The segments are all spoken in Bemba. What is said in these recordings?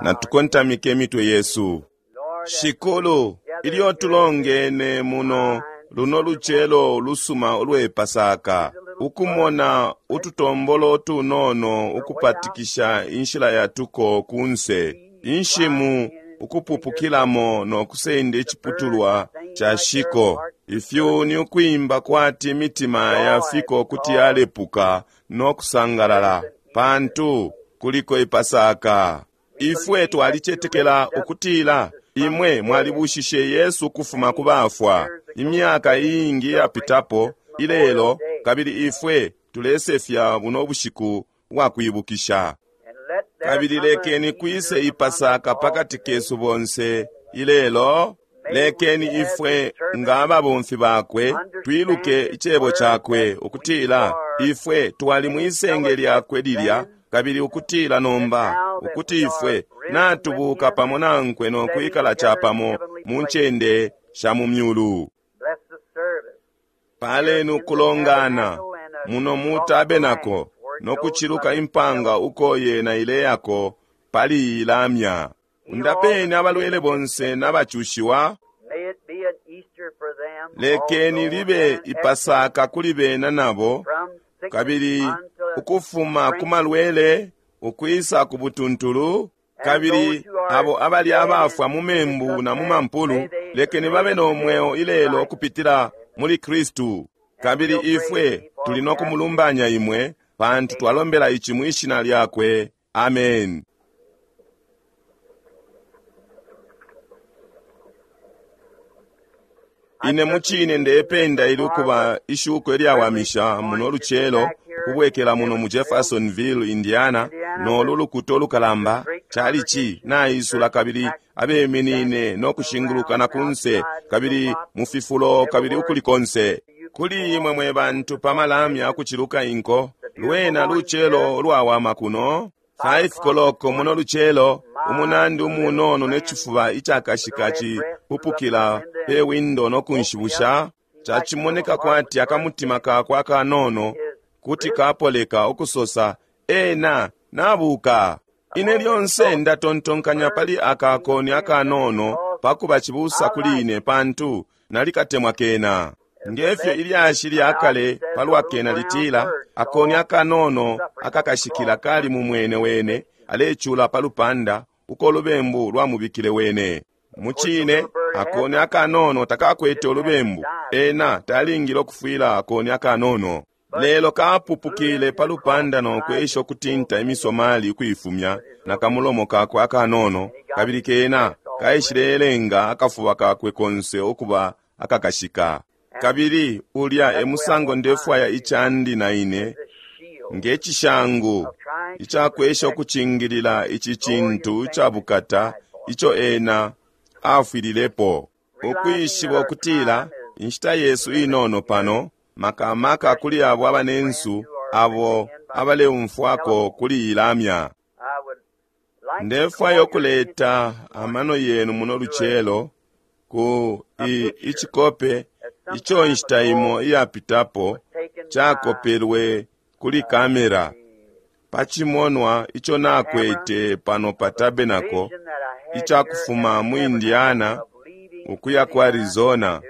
Natukontamike imitwe yesu. Shikulu, ilyo tulongene muno luno lucelo lusuma ulwe Pasaka, ukumona ututombolo tunono ukupatikisha inshila yatuko kunse, inshimu ukupupukilamo no kusenda iciputulwa ca shiko, ifyuni ukwimba kwati imitima ya fiko kuti yalepuka no kusangalala, pantu kuliko Ipasaka. Ifwe twalicetekela ukutila imwe mwalibushishe Yesu ukufuma ku bafwa imyaka iingi iyapitapo ilelo, kabili ifwe tulesefya buno bushiku bwa kwibukisha. Kabili lekeni kwise Ipasaka pakati kesu bonse ilelo. Lekeni ifwe nga ababomfi bakwe twiluke icebo cakwe, ukutila ifwe twali mwisenge lyakwe lilya, kabili ukutila nomba ukuti ifwe natubuka pamo nankwe no kwikala capamo mu ncende sha mu myulu. Paleni ukulongana muno mu tabenako no kuciluka impanga uko yena ileyako pali iyi lamya. Undapeni abalwele bonse nabacushiwa. Lekeni libe Ipasaka kuli bena nabo, kabili ukufuma ku malwele ukwisa ku butuntulu, kabili abo abali abafwa mu membu na mu mampulu, lekeni babe no mweo ilelo ukupitila muli Kristu. Kabili ifwe tuli no kumulumbanya imwe, pantu twalombela ici mwi shina lyakwe. Amen. Ine mucine ndependa ili ukuba ishuko ilyawamisha muno lucelo ukubwekela muno mu Jeffersonville, Indiana, nolu lukuta ulukalamba chalichi naisula, kabili abeminine no kushinguluka na kunse, kabili mu fifulo, kabili ukuli konse. Kuli imwe mwe bantu pa malamya akuciluka inko, lwena lucelo ulwawama kuno. 5 koloko muno lucelo, umunandi umunono ne cifuba icakashika cipupukila pe windo no kunshibusha. Cacimoneka kwati akamutima kakwe akanono kuti kapoleka ukusosa, ena nabuka. Ine lyonse ndatontonkanya pali aka koni akanono pakuba cibusa kuli ine, pantu nalikatemwa kena. Ngefyo ilyashi lya kale palwa kena litila, akoni akanono akakashikila kali mu mwene wene, alecula pa lupanda uko lubembu lwamubikile wene. Mucine, akoni akanono takakwete ulubembu, ena talingile ukufwila akoni akanono. Lelo kapupukile pa lupanda no kwesha ukutinta imisomali ukuifumya na kamulomo kakwe akanono, kabili kena kaishilelenga akafuba kakwe konse ukuba akakashika. Kabili ulya e musango ndefwaya icandi na ine, nge cishangu icakwesha ukucingilila ici cintu icabukata ico ena afwililepo. Ukwishiba ukutila inshita yesu inono pano, makamaka kuli abo abanensu abo abaleumfwako kuli ilamya. Ndefwaya ukuleta amano yenu muno lucelo ku icikope ico inshita imo iyapitapo cakopelwe kuli kamera pa cimonwa ico nakwete pano pa tabenako icakufuma mu Indiana ukuya ku Arizona,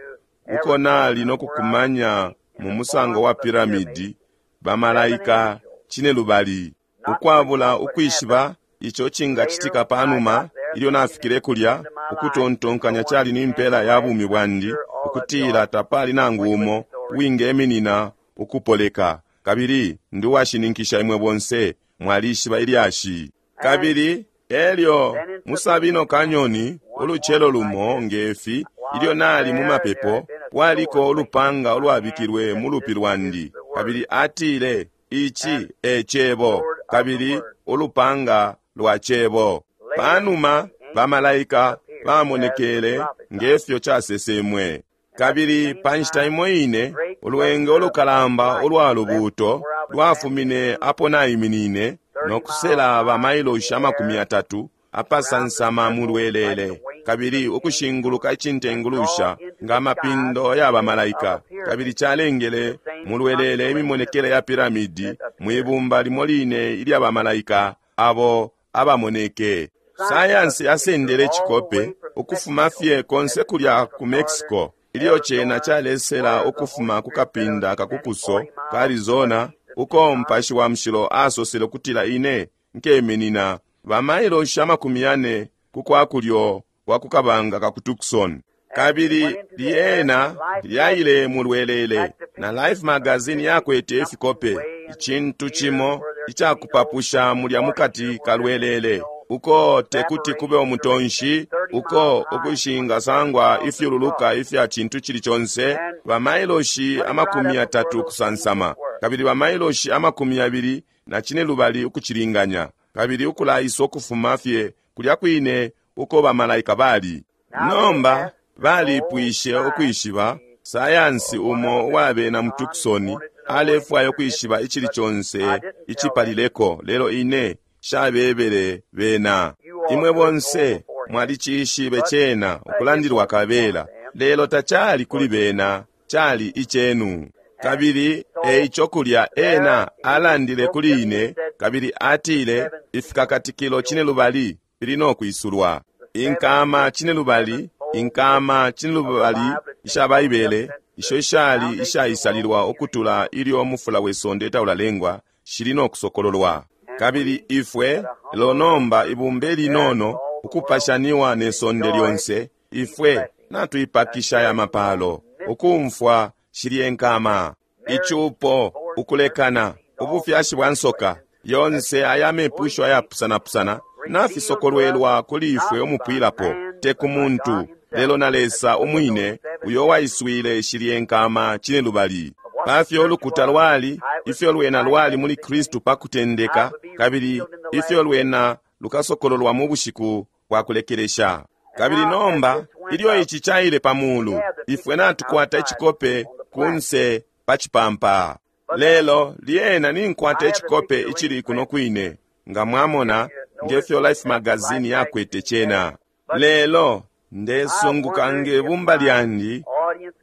uko nali no kukumanya mu musango wa piramidi bamalaika cinelubali. Ukwabula ukwishiba ico cingacitika panuma, ilyo nafikile kulya, ukutontonkanya cali ni mpela ya bumi bwandi, ukutila tapali nangu umo uwingeminina ukupoleka. Kabili ndi uwashininkisha imwe bonse mwalishiba ilyashi. Kabili elyo mu Sabino Canyon ulucelo lumo ngefi, ilyo nali mu mapepo, kwaliko ulupanga ulwabikilwe mu lupi lwandi, kabili atile, ici e cebo, kabili ulupanga lwa cebo. Panuma bamalaika bamonekele ngefyo casesemwe. Kabili pa nshita imo ine, ulwenge ulukalamba ulwa lubuuto lwafumine apo naiminine no kusela ba mailoshi 30 apasansama mu lwelele, kabili ukushinguluka icintengulusha nga mapindo ya bamalaika, kabili calengele mu lwelele imimonekele ya piramidi mwibumba limo line ilya bamalaika abo abamoneke. Sayansi yasendele icikope ukufuma fye konse kulya ku Mexico, ilyo cena calesela ukufuma ku kapinda kakukuso ka Arizona, uko Mupashi wa Mushilo asosele ukutila ine nkeminina bamailoshi 40 ku kwa kulyo kwa ku kabanga ka ku Tucson. Kabili lyena lyaile mulwelele, na Life magazine yakwete ifikope, icintu cimo icakupapusha mulya mukati kalwelele, uko tekuti kube umutonshi, uko ukushingasangwa ifyululuka ifya cintu cili conse, bamailoshi 30 ukusansama, kabili bamailoshi 25 ukucilinganya, kabili ukulaisa ukufuma fye kulya kwine uko bamalaika bali. Nomba balipwishe ukwishiba sayansi umo uwabena mu Tucson alefwaya ukwishiba icili conse icipalileko, lelo ine shabebele bena. Imwe bonse mwalicishibe cena ukulandilwa kabela, lelo tacali kuli bena, cali icenu. Kabili eico kulya ena alandile kuli ine, kabili atile ifikakatikilo 5 fili no kwisulwa. Inkama 5, inkama 5 isha Baibele, isho ishali ishaisalilwa ukutula ilyo mufula we sonde taulalengwa, shili no kusokololwa. Kabili ifwe lelo nomba ibumba linono ukupashaniwa ne sonde lyonse, ifwe natuipakisha ya mapalo, ukumfwa shilye nkama, icupo, ukulekana, ubufyashi bwa nsoka, yonse aya mepusho ayapusanapusana nafisokolwelwa kuli ifwe umupwilapo, te ku muntu, lelo na Lesa umwine uyo waiswile shilye nkama 5. Pafyo ulukuta lwali, ifyo lwena lwali muli Kristu pa kutendeka, kabili ifyo lwena lukasokololwa mu bushiku bwa kulekelesha. Kabili nomba ilyo ici caile pa mulu, ifwe natukwata icikope kunse pa cipampa. Lelo lyena ninkwata icikope icili kuno kwine, nga mwamona ngefyo Life magazine yakwete cena. Lelo ndesunguka nge bumba lyandi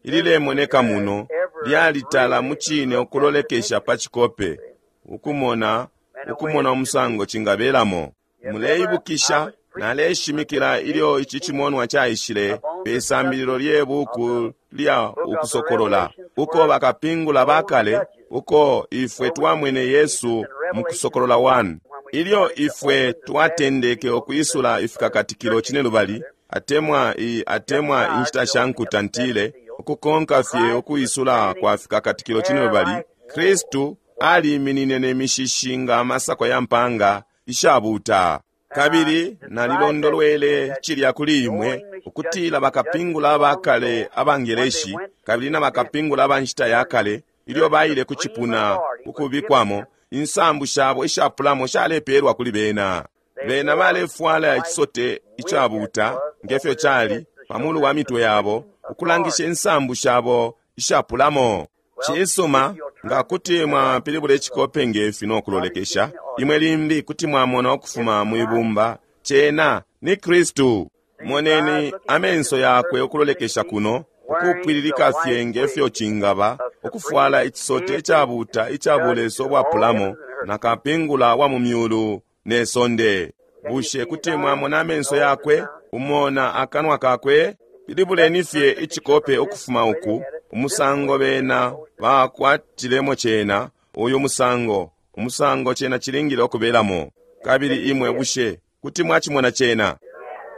ililemoneka muno lyalitala mucine ukulolekesha pa cikope, ukumona ukumona umusango cingabelamo. Muleibukisha naleshimikila ilyo ici cimonwa caishile pe sambililo lye buku lya Ukusokolola, uko bakapingula bakale, uko ifwe twamwene Yesu mu Kusokolola 1. Ilyo ifwe twatendeke ukwisula ifikakatikilo 5, atemwa i atemwa inshita sha nkuta ntile, ukukonka fye ukwisula kwa fikakatikilo 5, Kristu aliminine ne mishishi nga amasako ya mpanga ishabuta. Kabili nalilondolwele cilya kuli imwe ukutila bakapingula abakale abangeleshi kabili na bakapingula aba nshita ya kale, ilyo baile ku cipuna ukubikwamo, insambu shabo ishapulamo shalepelwa kuli bena. Bena balefwala icisote icabuta ngefyo cali pamulu wa mitwe yabo, ukulangisha insambu shabo ishapulamo. Cisuma, nga kuti mwapilibula icikope ngefi no kulolekesha, imwe limbi kuti mwamona ukufuma mwibumba, cena ni Kristu. Moneni amenso yakwe ukulolekesha kuno, ukupwililika fye ngefyo cingaba, ukufwala icisote icabuta icabuleso bwapulamo, na kapingula wa mu myulu ne sonde. Bushe kuti mwamona amenso yakwe, umona akanwa kakwe? Pilibuleni fye icikope ukufuma uku, umusango bena bakwatilemo cena, uyu musango, umusango cena cilingile ukubelamo. Kabili imwe bushe kuti mwacimona cena?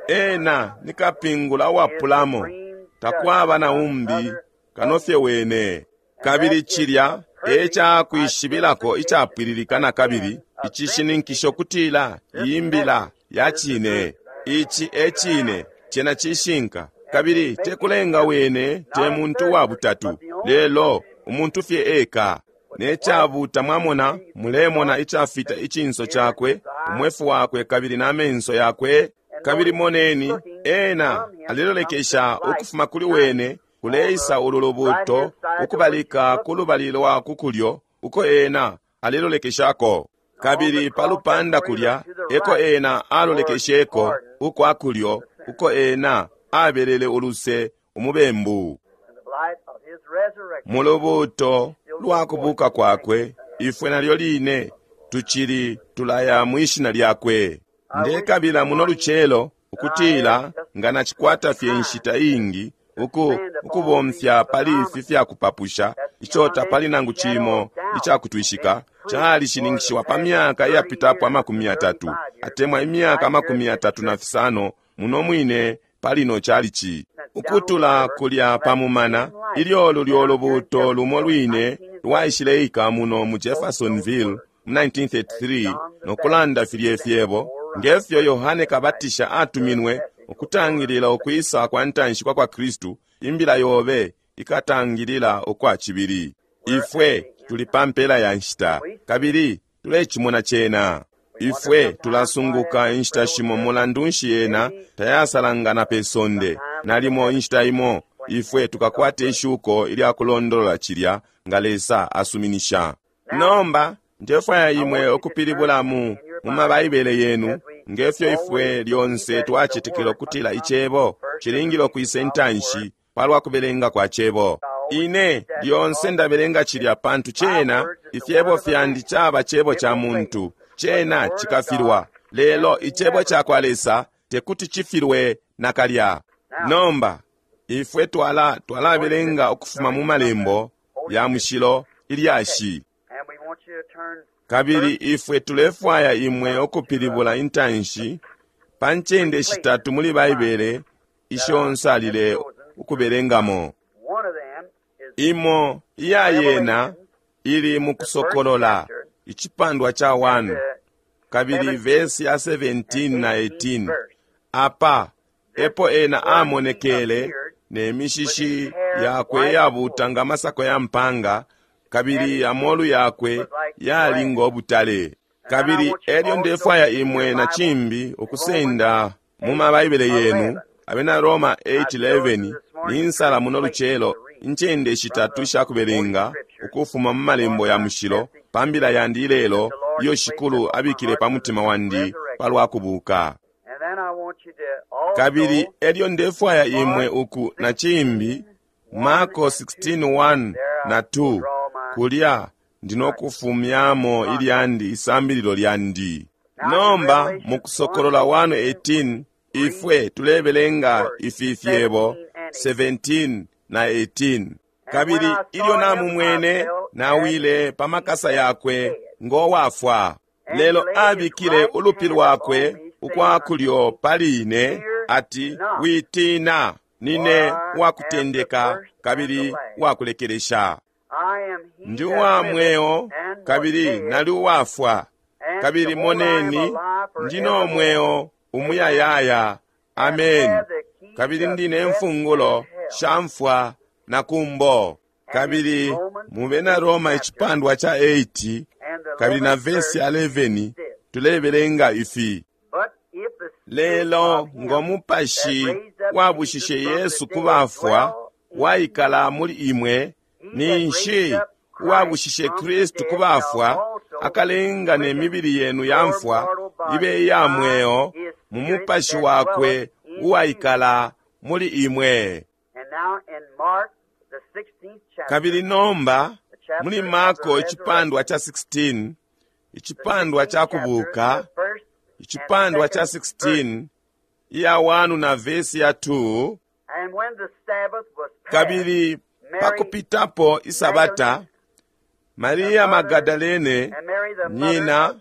Ena ni kapingula uwapulamo, takwaba na umbi kano fye wene. Kabili cilya e cakwishibilako icapwililika na kabili icishininkisho kutila iyi mbila ya cine. Ici e cine, cena cishinka. Kabili tekulenga wene te muntu wa butatu, lelo umuntu fye eka. Ne cabuta mwamona, mulemona icafita icinso cakwe, umwefu wakwe kabili na menso yakwe. Kabili moneni, ena alelolekesha ukufuma kuli wene kuleisa ulu lubuto ukubalika ku lubali lwa kukulyo uko ena alelolekeshako. Kabili pa lupanda kulya eko ena alolekesheko ukwa kulyo uko ena abelele uluse umubembu. Mu lubuto lwa kubuka kwakwe, ifwe nalyo line tucili tulaya mwishina lyakwe. Ndekabila muno lucelo ukutila nga nacikwata fye inshita iingi uku ukubomfya pali ifi fyakupapusha ico tapali nangu cimo icakutwishika calishininkishiwa pa myaka iyapitapo 30 atemwa imyaka 35 muno mwine palino chalichi. Ukutula kulya pamumana ilyo lulyo lubuuto lumo lwine lwaishileika muno mu Jeffersonville mu 1933 no kulanda filye fyebo ngefyo Yohane Kabatisha atuminwe ukutangilila ukwisa kwa ntanshi kwa kwa Kristu, imbila yobe ikatangilila ukwa cibili. Ifwe tuli pa mpela ya nshita kabili tulecimona cena. Ifwe tulasunguka inshita shimo mulandu nshi yena tayasalangana pe sonde. Nalimo inshita imo ifwe tukakwata ishuko ilya kulondolola cilya nga Lesa asuminisha. Nomba ndefwaya imwe ukupilibula mu mabaibele yenu ngefyo ifwe lyonse twacetekela ukutila icebo cilingile ukwisa intanshi palwa kubelenga kwa cebo. Ine lyonse ndabelenga cilya pantu cena ifyebo fyandi caba cebo ca muntu, cena cikafilwa, lelo icebo ca kwa Lesa tekuti cifilwe nakalya. Nomba ifwe twalabelenga ukufuma mu malembo ya mushilo ilyashi, kabili ifwe tulefwaya imwe ukupilibula intanshi pa ncende shitatu muli Baibele isho nsalile ukubelengamo. Imo iya yena ili mu Kusokolola icipandwa ca 1 kabili vesi ya 17 na 18. Apa epo ena amonekele ne mishishi yakwe iyabuuta nga masako ya mpanga, kabili amolu yakwe yali ngo butale. Kabili elyo ndefwaya imwe na cimbi ukusenda mu mabaibele yenu Abena Roma 8:11 ni nsala muno lucelo incende shitatu ishakubelenga ukufuma mu malembo ya mushilo pa mbila yandi ilelo iyo Shikulu abikile pa mutima wandi palwa kubuka. Kabili elyo ndefwaya imwe uku na cimbi Marko 16:1 na 2 kulya ndinokufumyamo ilyandi isambililo lyandi. Nomba mu Kusokolola 1:18 ifwe tulebelenga ifi fyebo 17 na 18. Kabili ilyo namumwene nawile pa makasa yakwe ngowafwa, lelo abikile ulupi lwakwe ukwa kulyo pali ine ati, witina, nine wakutendeka kabili wakulekelesha. Ndi uwa mweo kabili nali uwafwa, kabili moneni ndino mweo umuyayaya. Ameni. Kabili ndine mfungulo sha mfwa na kumbo. Kabili mu Bena Roma icipandwa ca 8 kabili na vesi 11 tulebelenga ifi: lelo ngo mupashi wabushishe Yesu ku bafwa waikala muli imwe, ninshi uwabushishe Kristu ku bafwa akalenga ne mibili yenu ya mfwa ibe iya mweo mu mupashi wakwe uwaikala muli imwe. Kabili nomba muli Marko icipandwa ca 16, icipandwa ca kubuka, icipandwa ca 16 iya 1 na vesi ya 2, kabili pakupitapo isabata, Maria Magadalene nyina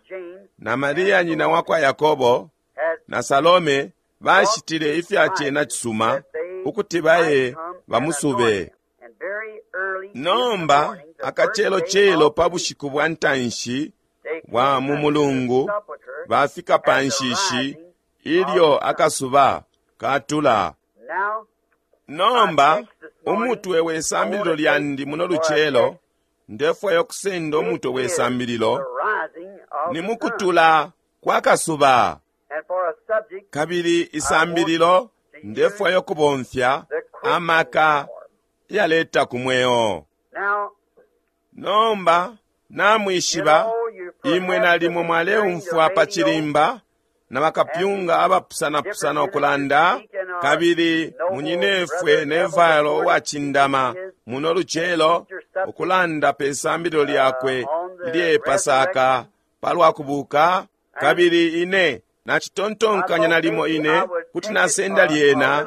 na Maria nyina wakwa Yakobo na Salome bashitile ifya cena cisuma ukuti baye bamusube. Nomba akacelocelo pa bushiku bwa ntanshi bwa mu mulungu bafika pa nshishi ilyo akasuba katula. Nomba umutwe we sambililo lyandi muno lucelo, ndefwaya ukusenda umutwe we sambililo ni mukutula kwa kasuba. Kabili isambililo ndefwaya ukubomfya amaka yaleta ku mweo. Nomba namwishiba imwe nalimo mwaleumfwa pa chilimba na bakapyunga abapusanapusana ukulanda, kabili munyinefwe Neville uwacindama muno lucelo ukulanda pe sambililo lyakwe ilye Pasaka palwa kubuka. Kabili ine Nacitontonkanya nalimo ine kuti nasenda lyena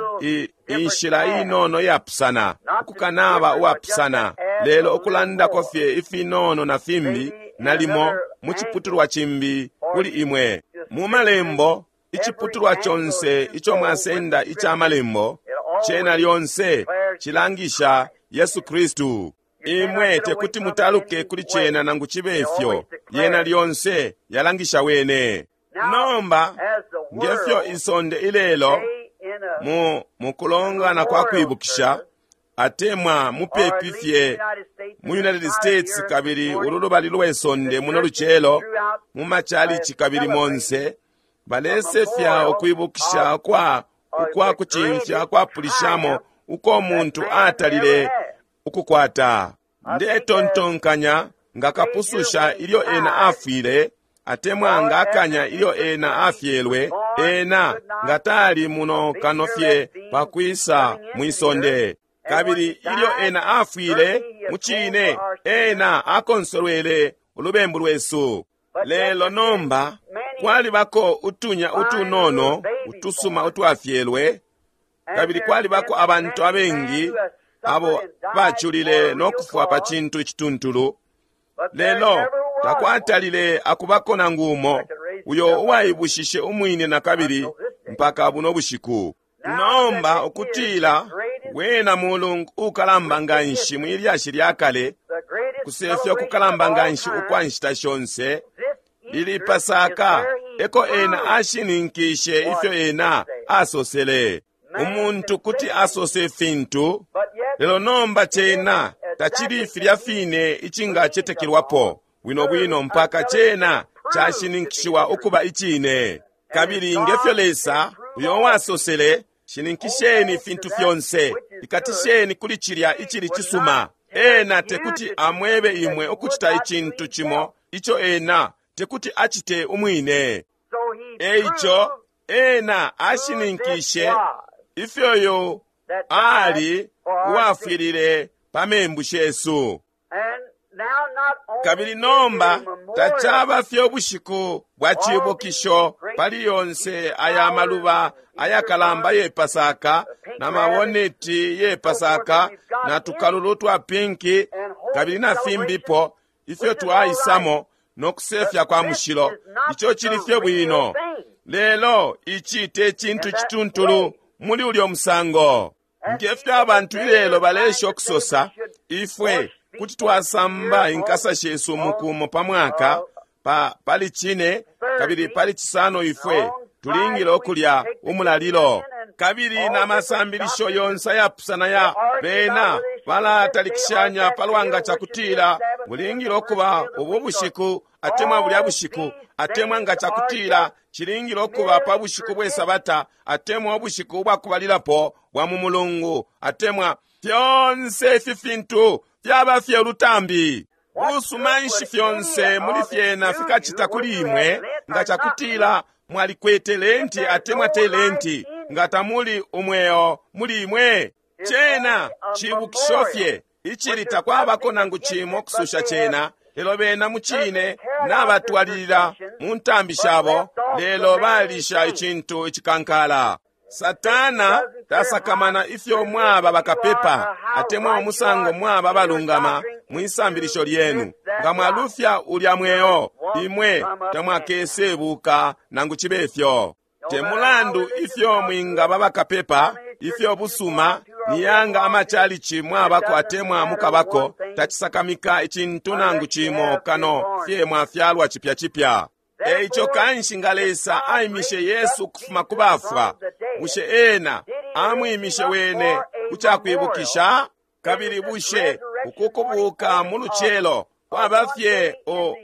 inshila inono iyapusana, ukukanaba uwapusana, lelo ukulandako fye ifinono na fimbi nalimo mu ciputulwa cimbi kuli imwe. Mu Malembo, iciputulwa conse ico mwasenda ica Malembo, cena lyonse cilangisha Yesu Kristu. Imwe tekuti mutaluke kuli cena nangu cibe ifyo, yena lyonse yalangisha Wene. Nomba, ngefyo isonde ilelo mu mukulongana kwa kwibukisha, atemwa mupepi fye mu United States kabili ulu lubali lwe sonde muno lucelo, mu machalichi kabili monse, balesefya ukwibukisha kwa ukwa kucimfya kwapulishamo uko muntu atalile ukukwata. Ndetontonkanya nga kapususha ilyo ena afwile, atemwa nga akanya ilyo ena afyelwe, ena nga tali muno kano fye pakwisa mwisonde. Kabili ilyo ena afwile, mucine ena akonsolwele ulubembu lwesu. Lelo nomba kwalibako utunya utunono utusuma utwafyelwe, kabili kwalibako abantu abengi abo baculile no kufwa pa cintu icituntulu, lelo takwatalile akubako nangu umo uyo uwaibushishe umwine na kabili mpaka buno bushiku. Nomba ukutila wena mulungu ukalamba nganshi mwilyashi lya kale, kusefya ukukalamba nganshi ukwa nshita shonse, lili Pasaka, eko ena ashininkishe ifyo ena asosele. Umuntu kuti asose fintu, lelo nomba cena tacili filya fine icingacetekelwapo bwino bwino mpaka cena cashininkishiwa ukuba icine. Kabili ngefyo Lesa uyo wasosele, shininkisheni ifintu fyonse, ikatisheni kuli cilya icili cisuma. Ena tekuti amwebe imwe ukucita icintu cimo ico ena tekuti acite umwine. Eico ena ashininkishe ifyo yo ali uwafwilile pa membu shesu. Kabili nomba tacaba fye ubushiku bwa cibukisho pali yonse aya maluba ayakalamba ye Pasaka na maboneti ye Pasaka na tukalulu twa pinki kabili na fimbipo ifyo twaisamo no kusefya kwa mushilo. Ico cili fye bwino, lelo ici te cintu cituntulu muli ulyo musango. Ngefyo abantu ilelo balesha ukusosa, ifwe kuti twasamba inkasa shesu mukumo pa mwaka pali cine kabili pali cisano ifwe tulingile ukulya umulalilo. Kabili na masambilisho yonse ayapusana ya bena balatalikishanya palwanga cakutila bulingile ukuba ubu bushiku atemwa bulya bushiku, atemwa nga cakutila cilingile ukuba pa bushiku bwe Sabata, atemwa ubushiku ubwakubalilapo bwa mu mulungu, atemwa fyonse ifi fintu fyaba fye ulutambi. Busuma nshi fyonse muli fyena fikacita kuli imwe nga cakutila mwalikwete lenti atemwa te lenti, nga tamuli umweo muli imwe? Cena cibukisho fye icili takwabako nangu cimo kususha cena, lelo bena mucine nabatwalilila mu ntambi shabo, lelo balisha icintu icikankala. Satana tasakamana ifyo mwaba bakapepa atemwa umusango mwaba balungama mwisambilisho lyenu. Nga mwalufya ulya mweo, imwe tamwakesebuka nangu cibe fyo. Te mulandu ifyo mwingaba bakapepa, ifyo busuma niyanga amachalichi mwabako atemwa mukabako, tacisakamika icintu nangu cimo kano fye mwafyalwa chipya chipya. Eico kanshi nga Lesa aimishe Yesu ukufuma ku bafwa, bushe ena amwimishe wene kucakwibukisha? Kabili bushe ukukubuka mu lucelo kwaba fye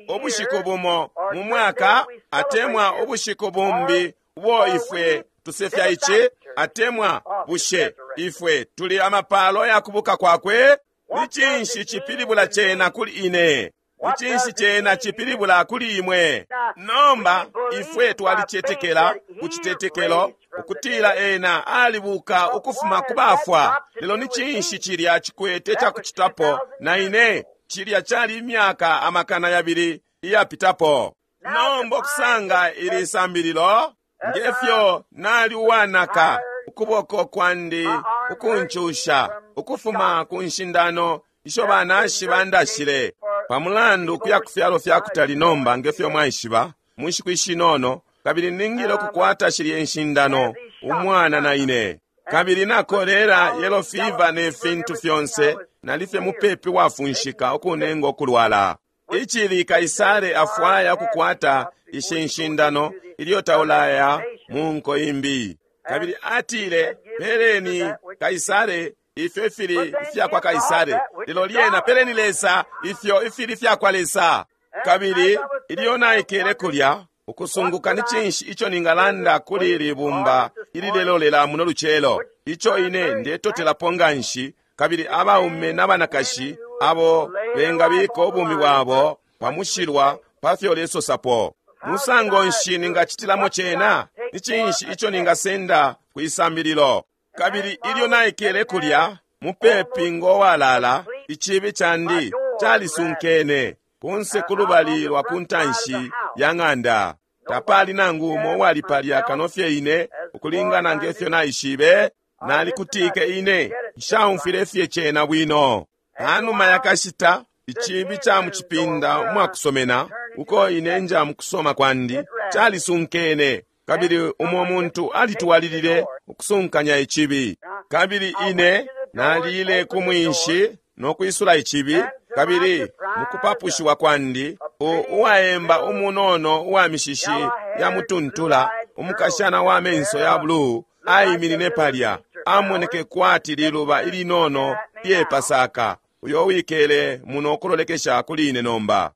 ubushiku bumo mu mwaka, atemwa ubushiku bumbi ubo ifwe tusefya ici, atemwa bushe ifwe tuli amapalo ya kubuka kwakwe? Ni cinshi cipilibula cena kuli ine? Ni cinshi cena cipilibula kuli imwe? Nomba ifwe twalicetekela ku citetekelo ukutila ena alibuka ukufuma ku bafwa, lelo ni cinshi cilya cikwete cakucitapo na ine? Cilya cali imyaka 200 iyapitapo. Nomba okusanga ili sambililo. Ngefyo nali uwanaka, ukuboko kwandi ukuncusha ukufuma ku nshindano isho banashi bandashile pamulandu ukuya ku fyalo fya kutali nomba, ngefyo mwaishiba, mu nshiku ishinono, kabili ningile ukukwata shilye inshindano umwana na ine. Kabili na kolera, yellow fever ne fintu fyonse, nalifye mupepi wafunshika ukunenga ukulwala. Icili Kaisare afwaya ukukwata ishi nshindano ilyo taulaya mu nko imbi. Kabili atile, peleni Kaisare ifyo ifili ifya kwa Kaisare, lelo lyena peleni Lesa ifyo ifili ifya kwa Lesa. Kabili ilyo naikele kulya ukusunguka ni cinshi ico ningalanda kuli ili bumba ililelolela muno lucelo, ico ine ndetotelapo nganshi, kabili abaume n'abanakashi abo bengabika ubumi bwabo pamushilwa pa fyo lesosapo. Musango nshi ningacitilamo cena? Ni cinshi ico ningasenda kwisambililo? Kabili ilyo naikele kulya mupepi ngo walala, icibi candi calisunkene kunse kulubali lwa ku ntanshi ya ng'anda. Tapali nangu umo uwali palya kano fye ine, ukulingana ngefyo naishibe. Nalikutike ine, nshaumfwile fye cena bwino. Panuma yakashita, icibi ca mucipinda umwakusomena, uko ine nja mukusoma kwandi, calisunkene, kabili umo muntu alitwalilile ukusunkanya icibi. Kabili ine nalile ku mwinshi no kwisula icibi, kabili mukupapushiwa kwandi, uwaemba umunono uwa mishishi ya mutuntula, umukashana wa menso ya bluu, aiminine palya, amoneke kwati liluba ilinono lye Pasaka, uyo wikele muno kulolekesha kuli ine nomba.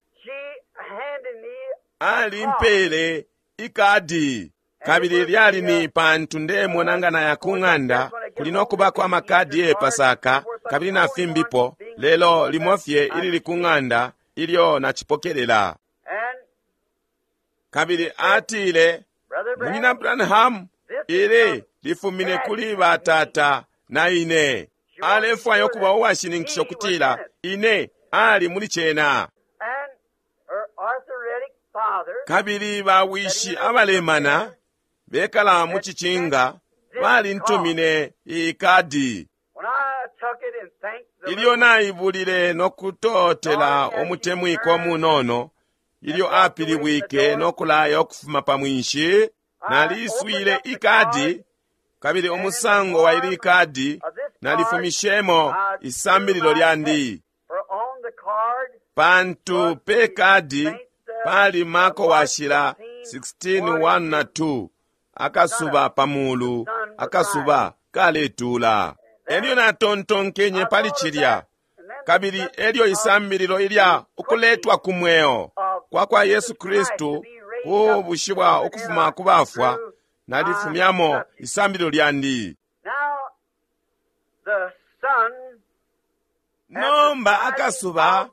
Alimpele ikadi, kabili lyali ni pantu ndemona nga naya ku ng'anda kuli nokubako amakadi ye Pasaka kabili na fimbipo, lelo limo fye ilili ku ng'anda ilyo nacipokelela. Kabili atile, Munyina Branham, ili lifumine kuli batata na ine. Alefwaya ukuba uwashininkisha ukutila ine ali muli cena. Kabili bawishi abalemana bekala mu cicinga balintumine ikadi. Ilyo naibulile no kutotela umutemwiko munono, ilyo apilibwike no kulaya ukufuma pa mwinshi, naliswile ikadi, kabili umusango wa ili ikadi nalifumishemo isambililo lyandi. Pantu pe kadi pali Marko washila 16:1 na 2, akasuba pamulu, akasuba kaletula. Elyo natontonkenye pali cilya, kabili elyo isambililo ilya ukuletwa ku mweo kwa kwa Yesu Kristu kubushiwa ukufuma ku bafwa, nalifumyamo isambililo lyandi. Nomba akasuba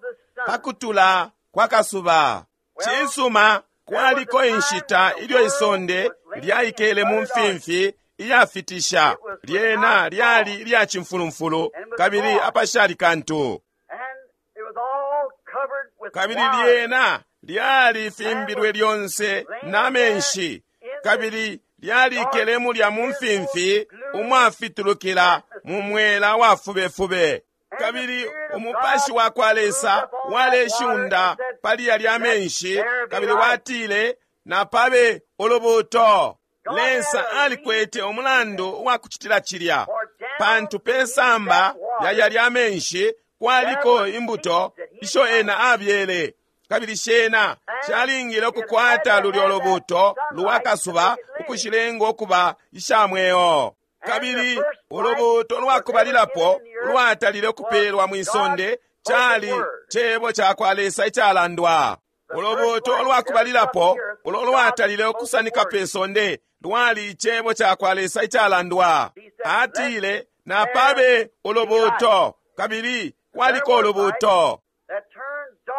pakutula kwa kasuba, cisuma, kwaliko inshita ilyo isonde lyaikele mu mfimfi iyafitisha, lyena lyali ilya cimfulumfulu kabili apashali kantu, kabili lyena lyali fimbilwe lyonse na menshi, kabili lyalikele mulya mu mfimfi umwafitulukila mu mwela wa fubefube. Kabili umupashi wa kwa Lesa waleshunda pali yalya menshi, kabili watile, napabe ulubuuto. Lesa alikwete umulandu uwa kucitila cilya, pantu pe samba ya yalya menshi kwaliko imbuto isho ena abyele, kabili shena shalingile ukukwata lulyo lubuuto lwa kasuba ukushilenga ukuba isha mweo. Kabili ulubuuto lwakubalilapo lwatalile ukupeelwa mwi sonde cali cebo ca kwa Lesa icalandwa. Ulubuuto lwakubalilapo ulo lwatalile ukusanika pe sonde lwali icebo ca kwa Lesa icalandwa. Atile, napabe ulubuuto, kabili kwaliko ulubuuto.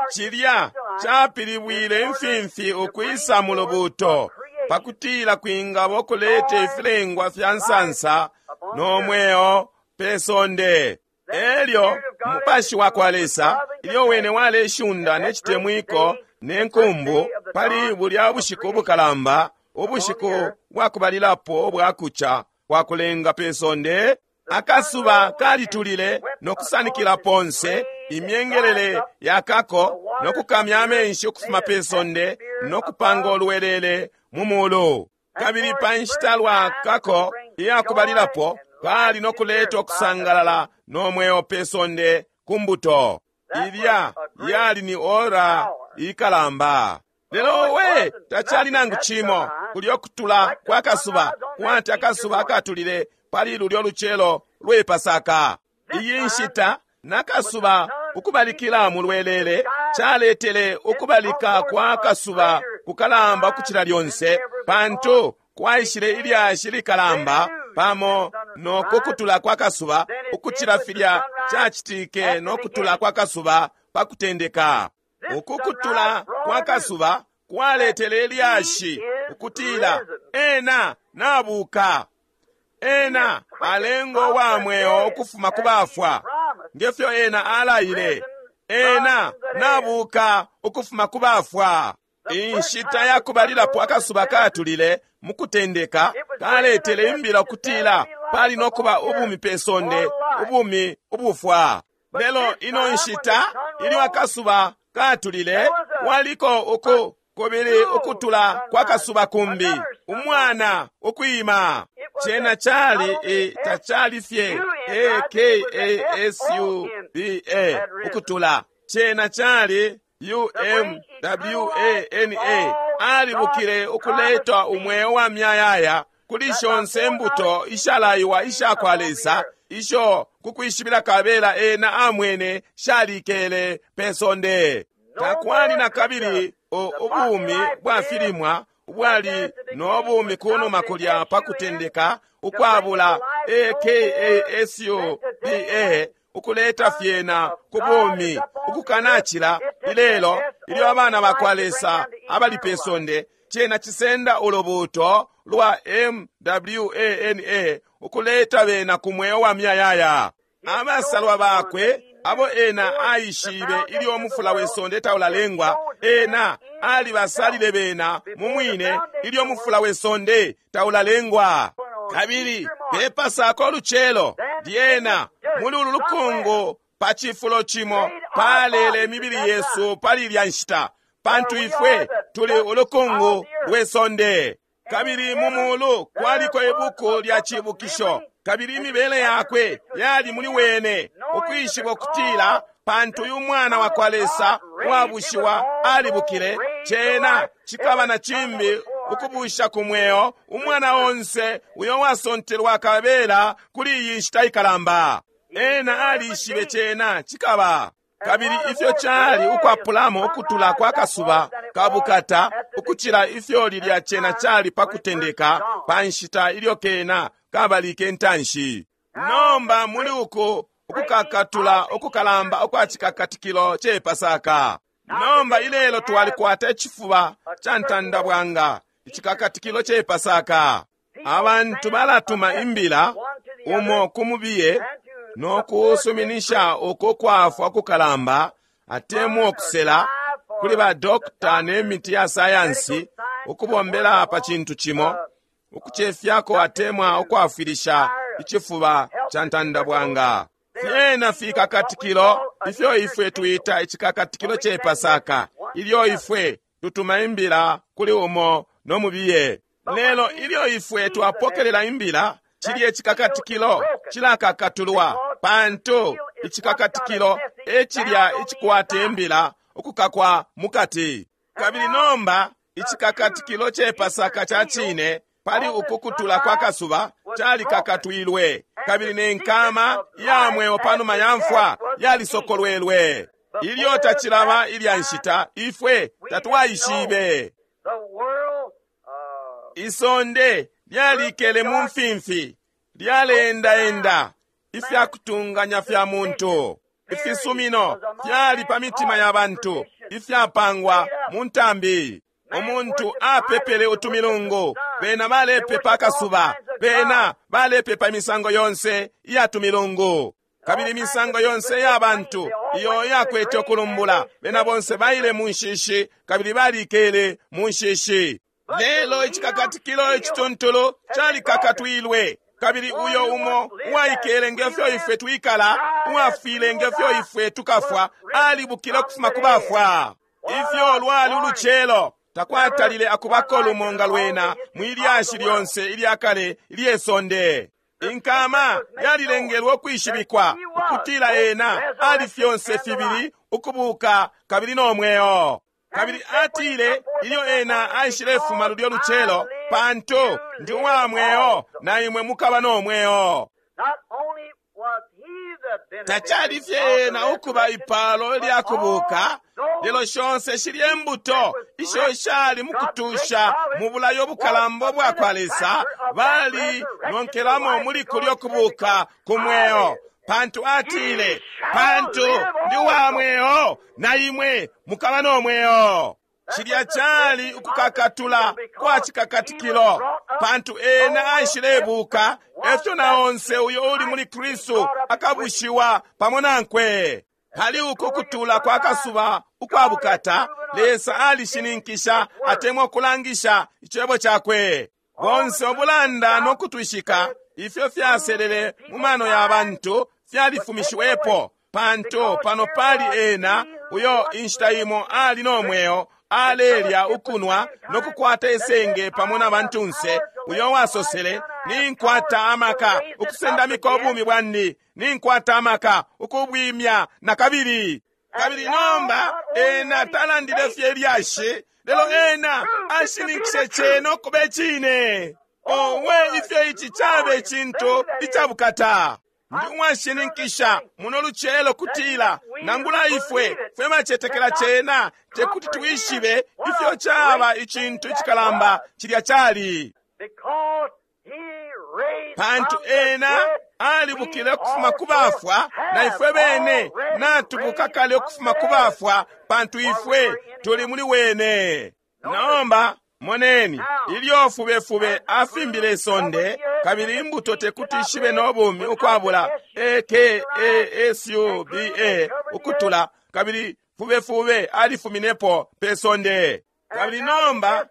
Cilya capilibwile imfimfi ukwisa mu lubuuto, pakutila kwingaba ukuleta ifilengwa fya nsansa no mweo pe sonde. Elyo umupashi wa kwa Lesa, ilyo wene waleshunda ne citemwiko ne nkumbu pali bulya bushiku bukalamba Ubushiku bwakubalilapo ubwakuca kwa kulenga pe sonde, akasuba kalitulile no kusanikila ponse imyengelele yakako no kukamya amenshi ukufuma pe sonde no kupanga ulwelele mu mulu. Kabili pa nshita lwakako iyakubalilapo kali no kuleta ukusangalala no mweo pe sonde ku mbuto. Ilya yali ni ora ikalamba. Lelo we tacali nangu cimo kulyo kutula kwa kasuba, kwati akasuba akatulile pali lulyo lucelo lwe Pasaka. Iyi nshita nakasuba ukubalikila mu lwelele caletele ukubalika kwa kasuba kukalamba ukucila lyonse, pantu kwaishile ilyashi likalamba pamo no kukutula kwa kasuba ukucila filya cacitike no kutula kwa kasuba pa kutendeka. Ukukutula kwa kasuba kwaletele ilyashi ukutila ena nabuka, ena alengo wa mweo ukufuma ku bafwa, ngefyo ena alaile, ena nabuka ukufuma ku bafwa. Inshita yakubalilapo akasuba katulile mu kutendeka kaletele imbila ukutila pali no kuba ubumi pe sonde, ubumi ubufwa. Lelo ino nshita ilyo akasuba katulile kwaliko uku kubili ukutula kwa kasuba kumbi, umwana ukwima. Cena cali tacali fye akasuba ukutula, cena cali umwana alibukile ukuleta umweo wa myayaya kuli shonse mbuto ishalaiwa isha kwa Lesa, isho kukwishibila kabela ena amwene shalikele pe sonde. Takwali na kabili ubumi bwa filimwa ubwali no bumi kunuma kulya pa kutendeka ukwabula akasuba ukuleta fyena ku bumi ukukanacila ilelo ilyo abana ba kwa Lesa abali pe sonde. Cena cisenda ulubuuto lwa MWANA ukuleta bena ku mweo wa myayaya. Abasalwa bakwe abo ena aishibe ilyo umufula we sonde taulalengwa, ena alibasalile bena mu mwine ilyo umufula we sonde taulalengwa. Kabili pe Pasaka ulucelo lyena muli ulu lukungu pa cifulo cimo palele imibili yesu pali ilya nshita, pantu ifwe tuli ulukungu lwe sonde. Kabili mu mulu kwaliko ibuku lya cibukisho, kabili imibele yakwe yali muli wene, ukwishiba ukutila pantu uyu mwana wa kwa Lesa uwabushiwa alibukile, cena cikaba na cimbi ukubusha ku mweo umwana onse uyo wasontelwa kabela kuli iyi nshita ikalamba. Ena alishibe cena cikaba. Kabili ifyo cali ukwapulamo ukutula kwa kasuba kabukata ukucila ifyo lilya cena cali pa kutendeka pa nshita ilyo kena kabalike ntanshi. Nomba muli uku ukukakatula ukukalamba ukwa cikakatikilo ce Pasaka. Nomba ilelo twalikwata icifuba ca ntandabwanga, icikakatikilo ce Pasaka. Abantu balatuma imbila umo ku mubiye no kusuminisha uko kwafwa kukalamba atemwa ukusela kuli ba dokta ne miti ya sayansi ukubombela pa cintu cimo, ukucefyako atemwa ukwafwilisha icifuba ca ntandabwanga. Fyena fikakatikilo ifyo ifwe twita icikakatikilo ce Pasaka, ilyo ifwe tutuma imbila kuli umo no mubiye. Lelo ilyo ifwe twapokelela imbila, cilye icikakatikilo cilakakatulwa, pantu icikakatikilo ecilya icikwata imbila ukukakwa mukati. Kabili nomba icikakatikilo ce Pasaka ca cine pali ukukutula kwa kasuba calikakatwilwe, kabili ne nkama ya mweo panuma ya mfwa yalisokolwelwe. Ilyo tacilaba ilya nshita ifwe tatwaishibe. Isonde lyalikele mu mfimfi, lyaleendaenda ifya kutunganya fya muntu. Ifisumino fyali pa mitima ya bantu ifyapangwa mu ntambi. Umuntu apepele utumilungu, bena balepepa akasuba, bena balepepa imisango yonse iya tumilungu. Kabili imisango yonse ya bantu iyo yakwete ukulumbula, bena bonse baile mu nshishi kabili balikele mu nshishi. Lelo icikakatikilo icituntulu calikakatwilwe, kabili uyo umo uwaikele nge fyo ifwe twikala, uwafwile nge fyo ifwe tukafwa, alibukile ukufuma ku bafwa. Ifyo lwali ulucelo! Takwatalile akubako lumo nga lwena mwi lyashi lyonse ilya kale ilye sonde. Inkama yalilengelwe ukwishibikwa ukutila ena ali fyonse fibili ukubuka kabili no mweo. Kabili atile ilyo ena aishilefuma lulyo lucelo, pantu ndi uwa mweo na imwe mukaba no mweo. Tacali fye ena ukuba ipalo lya kubuka, lelo shonse shilye mbuto isho shali mukutusha mu bulayo bukalamba bwa kwa Lesa bali nonkelamo muli kulyo kubuka ku mweo. Pantu atile, pantu ndi wa mweo na imwe mukaba no mweo. Cilya cali ukukakatula kwa cikakatikilo, pantu ena aishilebuka, efyo na onse uyo uli muli Kristu akabushiwa pamo nankwe. Pali uku kutula kwa kasuba ukwa bukata, Lesa alishininkisha atemwa ukulangisha icebo cakwe. Bonse ubulanda no kutwishika ifyo fyaselele mu mano ya bantu fyalifumishiwepo, pantu pano pali ena uyo inshita imo ali no mweo, alelya ukunwa no kukwata isenge pamo na bantunse, uyo wasosele, ninkwata amaka ukusendamika ubumi bwandi, ninkwata amaka ukubwimya na kabili. Kabili nomba ena talandile fye ilyashi, lelo ena ashininkishe cena ukuba icine. Owe, ifyo ici cabe icintu icabukata! Ndi uwashininkisha muno lucelo kutila nangula ifwe fwe bacetekela cena tekuti twishibe ifyo caba icintu icikalamba cilya cali. Pantu ena alibukile ukufuma ku bafwa, na ifwe bene natubuka kale ukufuma ku bafwa, pantu ifwe tuli muli wene. Nomba moneni, ilyo fubefube afimbile isonde, kabili imbuto tekuti ishibe no bumi ukwabula AKASUBA ukutula, kabili fubefube alifuminepo pe sonde. Kabili nomba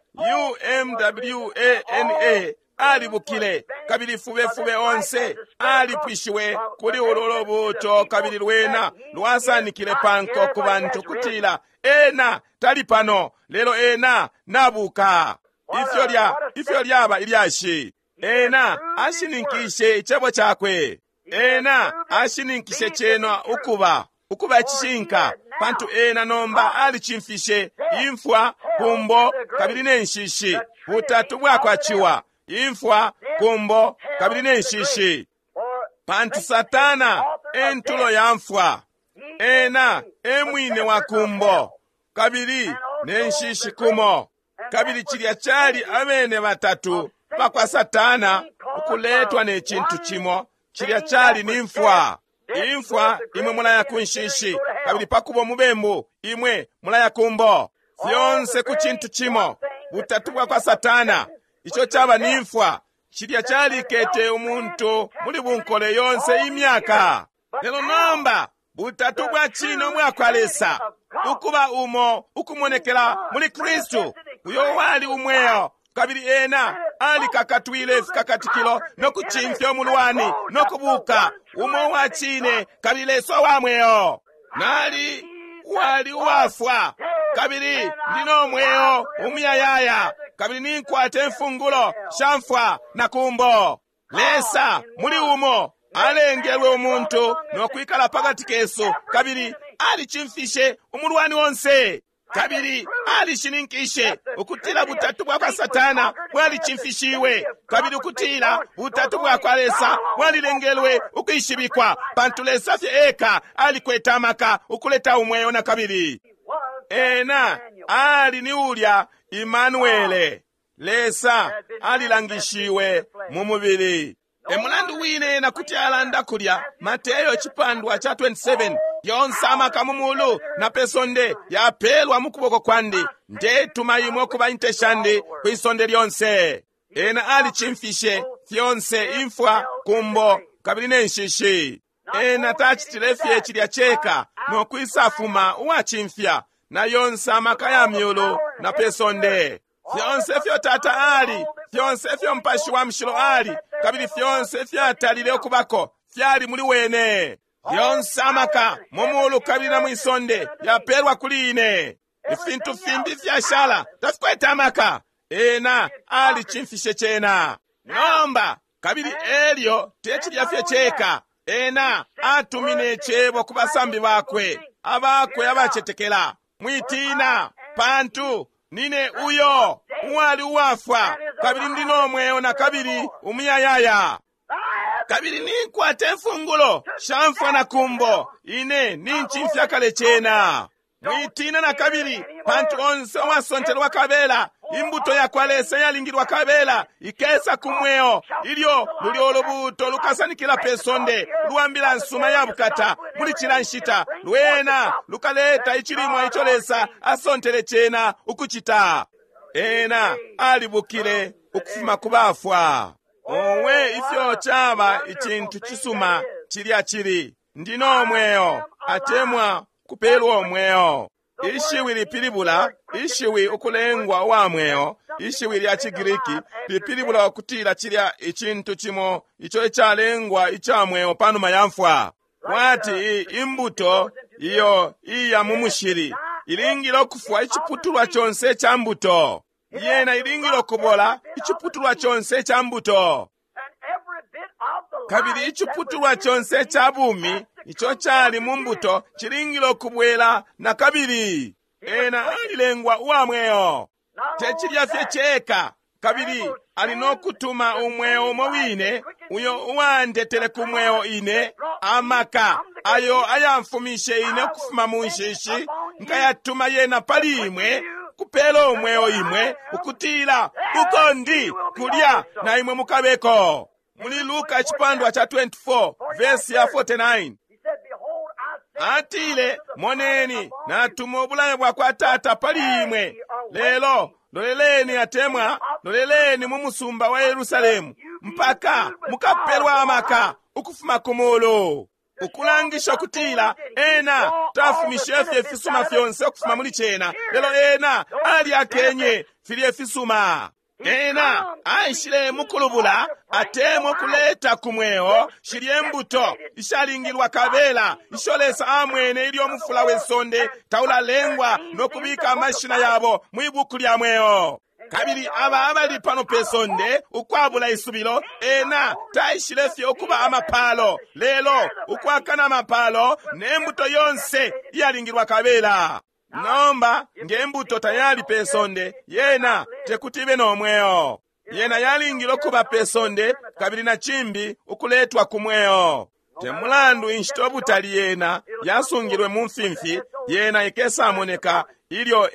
UMWANA alibukile, kabili fubefube onse alipwishiwe kuli ulu lubuuto, kabili lwena lwasanikile panko ku bantu kutila ena tali pano, lelo ena nabuka. Ifyo lya ifyo lyaba ilyashi! Ena ashininkishe icebo cakwe. Ena ashininkishe cena ukuba ukuba icishinka, pantu ena nomba alicimfishe imfwa, kumbo, kabili ne nshishi, butatu bwakwa ciwa, imfwa, kumbo, kabili ne nshishi. Pantu Satana e ntulo ya mfwa, ena e mwine wa kumbo, kabili ne nshishi kumo. Kabili cilya cali abene batatu bakwa Satana ukuletwa ne cintu cimo, cilya cali ni mfwa. Imfwa, imwe mulaya ku nshishi, kabili pakuba umubembu, imwe mulaya kumbo. Fyonse ku cintu cimo, butatu bwakwa Satana, ico caba ni mfwa. Cilya calikete umuntu muli bunkole yonse imyaka. Lelo nomba butatu bwa cine ubwakwa Lesa, ukuba umo ukumonekela muli Kristu, uyo wali umweo, kabili ena alikakatwile ifikakatikilo no kucimfya umulwani no kubuka, umo wa cine kabili Lesa wa mweo. Nali wali uwafwa, kabili ndi no mweo umuyayaya, kabili ninkwata imfungulo sha mfwa na kumbo. Lesa muli umo alengelwe umuntu no kwikala pakati kesu, kabili alicimfishe umulwani onse, kabili alishininkishe ukutila butatu bwakwa Satana bwalicimfishiwe, kabili ukutila butatu bwakwa Lesa bwalilengelwe ukwishibikwa, pantu Lesa fye eka alikwete amaka ukuleta umweo na kabili. Ena ali ni ulya Imanuele, Lesa alilangishiwe mu mubili. E mulandu wine ena kuti alanda kulya Mateyo icipandwa ca 27, yonse amaka mu mulu na pe sonde yapelwa mu kuboko kwandi, ndetuma imwe ukuba inte shandi kwi sonde lyonse. Ena alicimfishe fyonse, imfwa, kumbo, kabili ne nshishi. Ena tacitile fye cilya ceka no kwisafuma uwacimfya na yonse amaka ya myulu na pe sonde. Fyonse ifyo Tata ali, fyonse ifyo Mupashi wa Mushilo ali, kabili fyonse ifyatalile ukubako fyali muli wene. Yonse amaka mu mulu kabili na mwisonde yapelwa kuli ine. Ifintu fimbi fyashala tafikwete amaka. Ena alicimfishe cena. Nomba kabili elyo te cilya fye ceka, ena atumine icebo ku basambi bakwe abakwe abacetekela. Mwitina, pantu nine uyo uwali uwafwa, kabili ndi no mweo na kabili umuyayaya. Kabili ninkwata imfungulo sha mfwa na kumbo, ine nincimfya kale cena. Mwitina na kabili, pantu onse uwasontelwa kabela, imbuto ya kwa Lesa yalingilwa kabela, ikesa ku mweo, ilyo lulyo ulubuto lukasanikila pe sonde, lwa mbila nsuma ya bukata, muli cila nshita, lwena lukaleta icilimwa ico Lesa asontele cena ukucita. Ena alibukile ukufuma ku bafwa. Owe, ifyo caba icintu cisuma cilya cili, ndi no mweo, atemwa kupelwa umweo. Ishiwi lipilibula, ishiwi ukulengwa uwa mweo, ishiwi lya ciGriki lipilibula ukutila cilya icintu cimo ico icalengwa ica mweo panuma ya mfwa. Kwati imbuto iyo iya mu mushili ilingile ukufwa iciputulwa conse ca mbuto. Yena ilingile ukubola iciputulwa conse ca mbuto. Kabili iciputulwa conse ca bumi ico cali mu mbuto cilingile ukubwela na kabili. Ena alilengwa uwa mweo. Te cilya fye ceka, kabili ali no kutuma umweo umo wine uyo uwandetele ku mweo ine, amaka ayo ayamfumishe ine ukufuma mu nshishi, nkayatuma yena pali imwe, kupela umweo imwe, ukutila uko ndi kulya na imwe mukabeko. Muli Luka icipandwa cha 24 verse ya 49 atile, moneni natuma ubulayo bwa kwa Tata pali imwe, lelo loleleni, atemwa loleleni mu musumba wa Yerusalemu mpaka mukapelwa amaka ukufuma ku mulu. Ukulangisha ukutila ena tafumishe fye ifisuma fyonse ukufuma muli cena, lelo ena alyakenye filye ifisuma. Ena aishile mukulubula, atemwa kuleta ku mweo shilye mbuto ishalingilwa kabela isho Lesa amwene ilyo mufula we sonde taulalengwa no kubika amashina yabo mwi buku lya mweo. Kabili aba abali pano pe sonde ukwabula isubilo, ena taishile fye ukuba amapalo, lelo ukwakana amapalo ne mbuto yonse iyalingilwa kabela. Nomba nge mbuto tayali pe sonde, yena tekuti ibe no mweo. Yena yalingile ukuba pe sonde, kabili na cimbi ukuletwa ku mweo. Te mulandu inshita ubutali yena yasungilwe mu mfimfi, yena ikesamoneka ilyo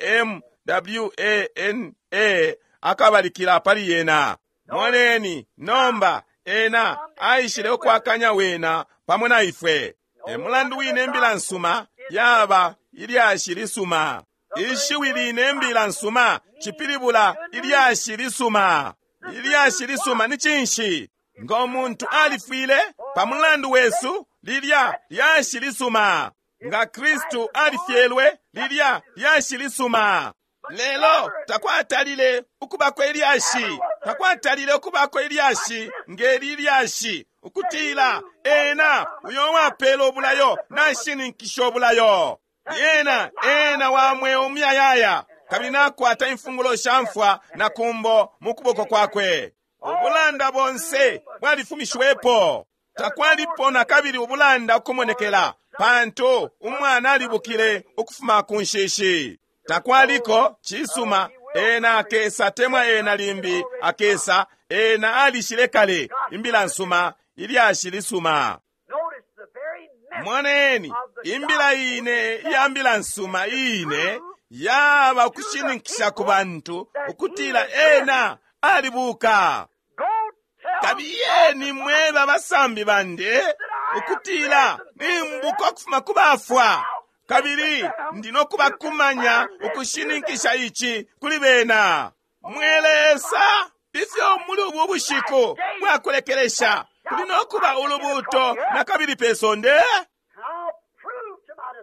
MWANA akabalikila pali yena. Moneni, nomba ena aishile ukwakanya wena pamo na ifwe. E mulandu wine imbila nsuma yaba ilyashi lisuma. Ishiwi line imbila nsuma cipilibula ilyashi lisuma. Ilyashi lisuma ni cinshi? Ngo muntu alifwile pa mulandu wesu, lilya lyashi lisuma. Nga Kristu alifyelwe, lilya lyashi lisuma. Lelo takwatalile ukubako ilyashi, takwatalile ukubako ilyashi ngeli ilyashi, ukutila ena uyo wapela ubulayo nashininkisha ubulayo. Yena ena wa mweo umuyayaya, kabili nakwata imfungulo sha mfwa na kumbo mu kuboko kwakwe. Ubulanda bonse bwalifumishiwepo. Takwalipo na kabili ubulanda ukumonekela, pantu umwana alibukile ukufuma ku nshishi. Takwaliko cisuma, ena akesa temwa ena limbi akesa, ena alishile kale imbila nsuma, ilyashi lisuma. Moneni, imbila ine iya mbila nsuma ine yaba ukushininkisha ku bantu ukutila ena alibuka. Kabiyeni mweba abasambi bande ukutila nimbuka ukufuma ku bafwa, kabili ndi no kubakumanya ukushininkisha ici kuli bena. Mwe Lesa, ifyo muli ubu bushiku bwakulekelesha kuli no kuba ulubuto na kabili pe sonde.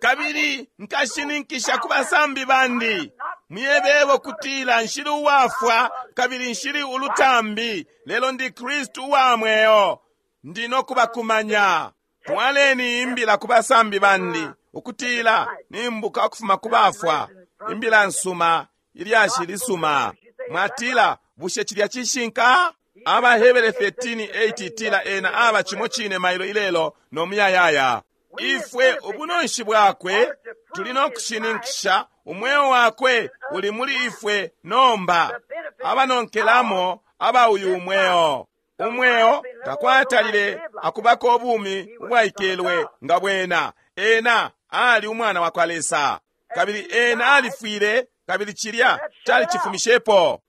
Kabili nkashininkisha ku basambi bandi Muyebebo kutila nshili uwafwa kabili nshili ulutambi, lelo ndi Kristu uwa mweo. Ndi no kubakumanya. Twaleni imbila ku basambi bandi ukutila nimbuka ukufuma ku bafwa. Imbila nsuma, ilyashi lisuma. Mwatila, bushe cilya cishinka? AbaHebere 13:8 itila ena aba cimo cine mailo ilelo no muyayaya. Ifwe ubunonshi bwakwe tuli no kushininkisha umweo wakwe uli muli ifwe nomba, abanonkelamo aba uyu umweo. Umweo takwatalile akubako ubumi ubwaikelwe nga bwena. Ena ali umwana wa kwa Lesa, kabili ena alifwile, kabili cilya calicifumishepo.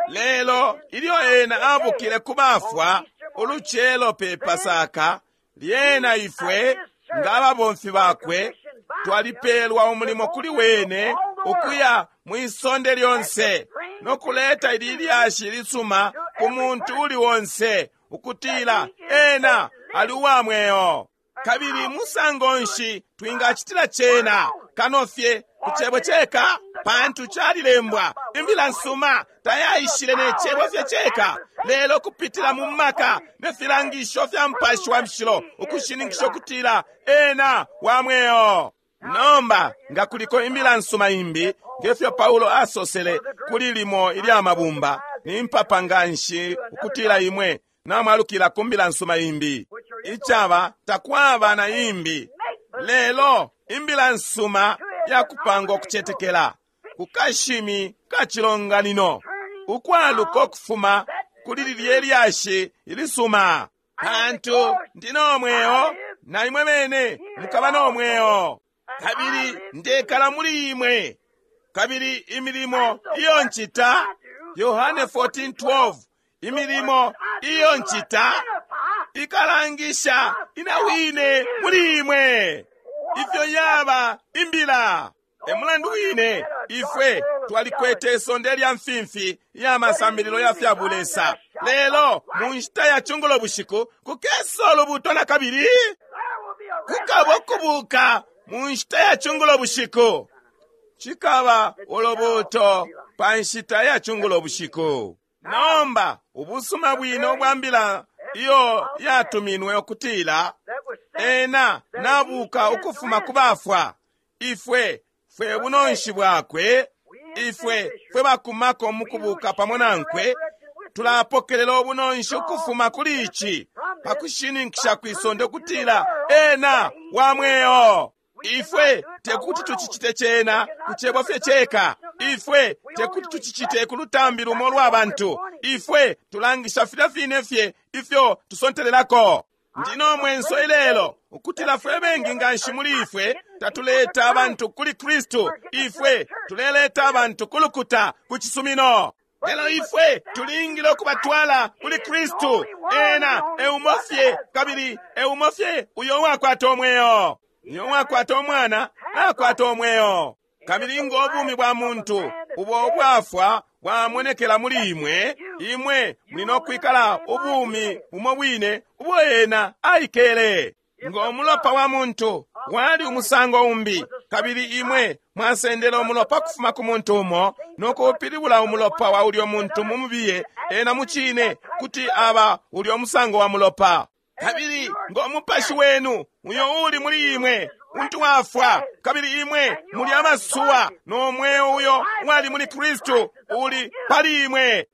Lelo ilyo ena abukile ku bafwa ulucelo pe Pasaka, lyena ifwe nga ababomfi bakwe twalipeelwa umulimo kuli wene ukuya mwisonde lyonse no kuleta ili lyashi lisuma ku muntu uli onse ukutila ena ali uwa mweo. Kabili musango nshi twingacitila cena kano fye ku cebo ceka? Pantu calilembwa, imbila nsuma tayaishile ne cebo fye ceka, lelo kupitila mu maka ne filangisho fya Mupashi wa Mushilo ukushininkisha ukutila ena wa mweo. Nomba nga kuliko imbila nsuma imbi, ngefyo Paulo asosele kuli limo ilya mabumba, nimpapa nganshi ukutila imwe namwalukila ku mbila nsuma imbi. Icaba takwaba na imbi, lelo imbila nsuma yakupanga ukucetekela ku kashimi ka cilonganino, ukwaluka ukufuma kuli lilye lyashi ilisuma. Pantu ndi no mweo, na imwe bene mukaba no mweo, kabili ndekala muli imwe, kabili imilimo iyo ncita, Yohane 14:12, imilimo iyo ncita ikalangisha ina wine muli imwe ifyo yaba imbila. E mulandu wine ifwe twalikwete isonde lya mfimfi ya masambililo ya fya bulesa, lelo mu nshita ya cungulo bushiku kukesa ulubuto na kabili kukaba ukubuka mu nshita ya cungulo bushiku. Cikaba ulubuto pa nshita ya cungulo bushiku. Nomba ubusuma bwine ubwa mbila iyo yatuminwe ukutila ena nabuka ukufuma ku bafwa, ifwe fwe bunonshi bwakwe, ifwe fwe bakumako mukubuka pamo nankwe, tulapokelela ubunonshi ukufuma kuli ici pakushininkisha kwisonde ukutila ena wa mweo. Ifwe tekuti tucicite cena ku cebo fye ceka, ifwe tekuti tucicite ku lutambi lumo lwa bantu, ifwe tulangisha filya fine fye ifyo tusontelelako. Ndi no mwenso ilelo ukutila fwe bengi nganshi muli ifwe tatuleta abantu kuli Kristu, ifwe tuleleta abantu ku lukuta, ku cisumino. Lelo ifwe tulingile ukubatwala kuli Kristu. Ena eumo fye, kabili eumo fye uyo uwakwata umweo. Uyo uwakwata umwana nakwata umweo. Kabili ngo bumi bwa muntu ubo ubwafwa bwamonekela muli imwe, imwe muli no kwikala ubumi bumo bwine ubo ena aikele. Ngo mulopa wa muntu wali umusango umbi, kabili imwe mwasendele umulopa kufuma ku muntu umo no kuupilibula umulopa wa ulyo muntu mu mubiye, ena mucine kuti aba ulyo musango wa mulopa. Kabili ngo mupashi wenu uyo uli muli imwe untu wafwa, kabili imwe muli abasuwa no mweo uyo wali muli Kristu uli pali imwe.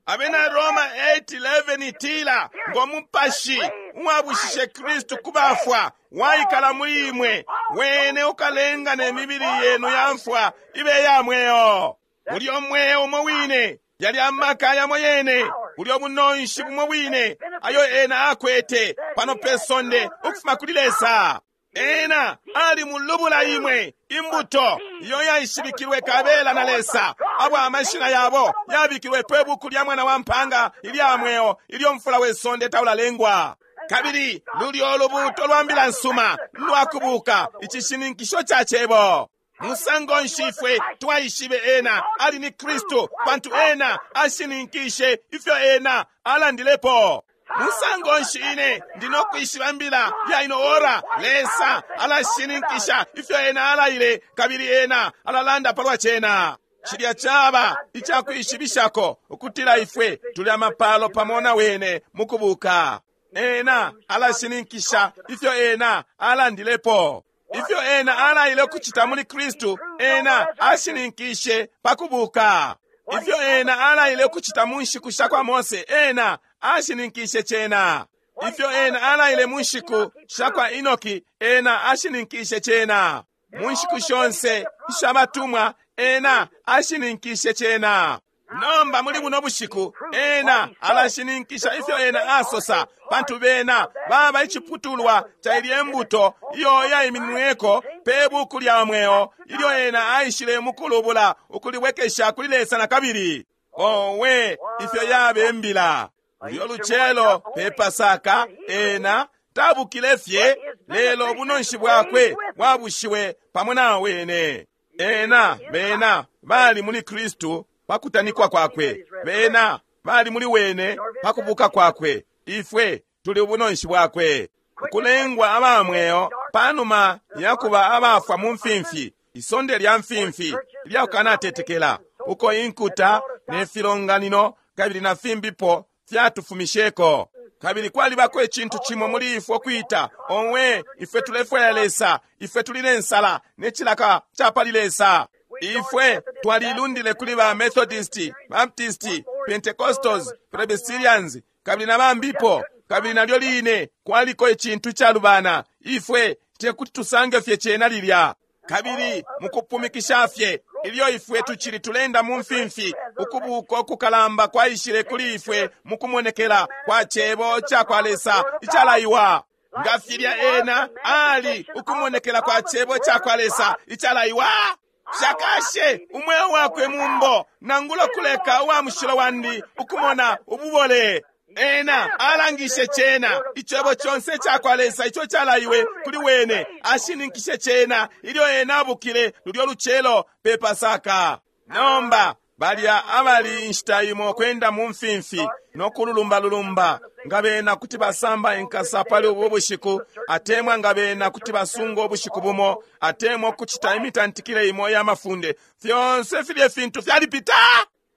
Abena Roma 8:11 itila ngo mupashi uwabushishe Kristu ku bafwa waikala muli imwe, wene ukalenga ne mibili yenu ya mfwa ibe ya mweo. Ulyo mweo umo wine, yali amaka yamo yene, ulyo bunonshi bumo bwine ayo ena akwete pano pe sonde ukufuma kuli Lesa. Ena ali mulubula imwe imbuto iyo yaishibikilwe kabela na Lesa, abo amashina yabo yabikilwe pe buku lya mwana wa mpanga ilya mweo ilyo mfula we sonde taulalengwa. Kabili lulyo lubuto lwa mbila nsuma lwakubuka, icishininkisho ca cebo. Musango nshi ifwe twaishibe ena ali ni Kristu? Pantu ena ashininkishe ifyo ena alandilepo. Musango nshi ine ndi no kwishiba mbila ya ino ora? Lesa alashininkisha ifyo ena alaile, kabili ena alalanda palwa cena. Cilya caba icakwishibishako ukutila ifwe tuli amapalo pamo na wene mukubuka. Ena alashininkisha ifyo ena alandilepo. Ifyo ena alaile ukucita muli Kristu, ena ashininkishe pa kubuka. Ifyo ena alaile ukucita mu nshiku sha kwa Mose, ena ashininkishe cena. Ifyo ena alaile mu nshiku sha kwa Enoki, ena ashininkishe cena. Mu nshiku shonse isha batumwa, ena ashininkishe cena. Nomba muli buno bushiku ena alashininkisha ifyo ena asosa, pantu bena baba iciputulwa ca ilye mbuto iyo yaimininweko pe buku lya mweo ilyo ena aishile mukulubula ukulibwekesha kuli Lesa na kabili. Owe, ifyo yabe mbila! Ulyo lucelo pe Pasaka ena tabukile fye, lelo ubunonshi bwakwe bwabushiwe pamo na wene. Ena bena bali muli Kristu pakutanikwa kwakwe, bena bali muli wene pakubuka kwakwe. Ifwe tuli ubunonshi bwakwe, ukulengwa aba mweo panuma yakuba abafwa mu mfimfi, isonde lya mfimfi lya kukanatetekela, uko inkuta ne filonganino kabili na fimbipo fyatufumisheko. Kabili kwalibako icintu cimo muli ifwe kwita, owe, ifwe tulefwaya Lesa, ifwe tuli ne nsala ne cilaka ca pali Lesa. Ifwe twalilundile kuli ba Methodist, Baptist, Pentecostals, Presbyterians kabili na bambipo, kabili nalyo line kwaliko icintu calubana. Ifwe tekuti tusange fye cena lilya. Kabili mukupumikisha fye ilyo ifwe tucili tulenda mu mfimfi, ukubuka ukukalamba kwaishile kuli ifwe mukumonekela kwa cebo ca kwa Lesa icalaiwa. Nga filya ena ali ukumonekela kwa cebo ca kwa Lesa icalaiwa, shakashe umweo wakwe mumbo, nangula kuleka uwa mushilo wandi ukumona ububole. Ena alangishe cena, icebo conse ca kwa Lesa ico calaiwe kuli wene, ashininkishe cena ilyo ena abukile lulyo lucelo pe Pasaka. Nomba balya abali inshita imo kwenda mu mfimfi no kululumbalulumba, nga bena kuti basamba inkasa pali ubu bushiku, atemwa nga bena kuti basunga ubushiku bumo, atemwa ukucita imitantikile imo ya mafunde, fyonse filye fintu fyalipita.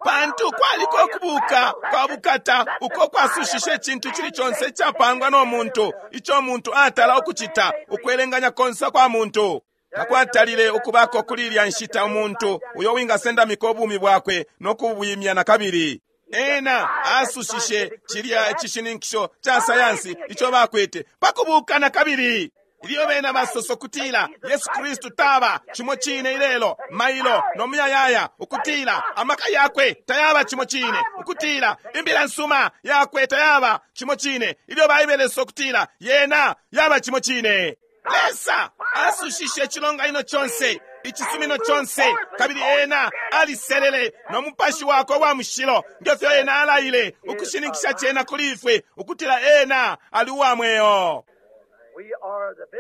Pantu kwaliko ukubuka kwa bukata uko kwasushishe icintu cili conse icapangwa no muntu, ico muntu atala ukucita, ukwelenganya konse kwa muntu. Takwatalile ukubako kuli ilya nshita umuntu uyo wingasendamika ubumi bwakwe no kubwimya na kabili. Ena asushishe cilya icishininkisho ca sayansi ico bakwete pakubuka na kabili. Ilyo bena basosa ukutila Yesu Kristu taba cimo cine ilelo, mailo no muyayaya, ukutila amaka yakwe tayaba cimo cine, ukutila imbila nsuma yakwe tayaba cimo cine, ilyo Baibele isosa ukutila yena yaba cimo cine. Lesa asushishe icilonganino conse, icisumino conse, kabili ena aliselele no mupashi wakwe wa mushilo, ngefyo ena alaile ukushininkisha cena kuli ifwe ukutila ena ali uwa mweo.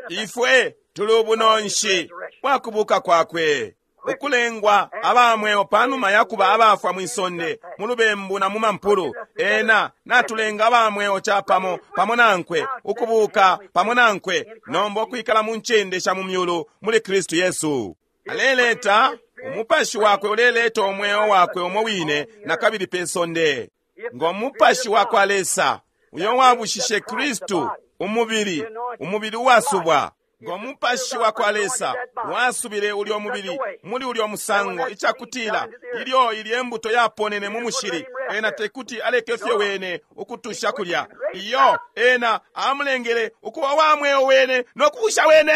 Ifwe tuli ubunonshi bwa kubuka kwakwe, ukulengwa aba mweo panuma ya kuba abafwa mwisonde mu lubembu na mu mampulu. Ena natulenga aba mweo capamo pamo nankwe, ukubuka pamo nankwe, nomba ukwikala mu ncende sha mu myulu muli Kristu Yesu. Aleleta umupashi wakwe, uleleta umweo wakwe umo wine na kabili pe sonde. Ngo mupashi wa kwa Lesa uyo wabushishe Kristu umubili, umubili uwasubwa, ngo mupashi wa kwa Lesa wasubile ulyo mubili muli ulyo musango, icakutila ilyo ilye mbuto yaponene mu mushili, ena tekuti aleke fye wene ukutusha kulya. Iyo ena amulengele ukuba wa mweo wene no kubusha wene.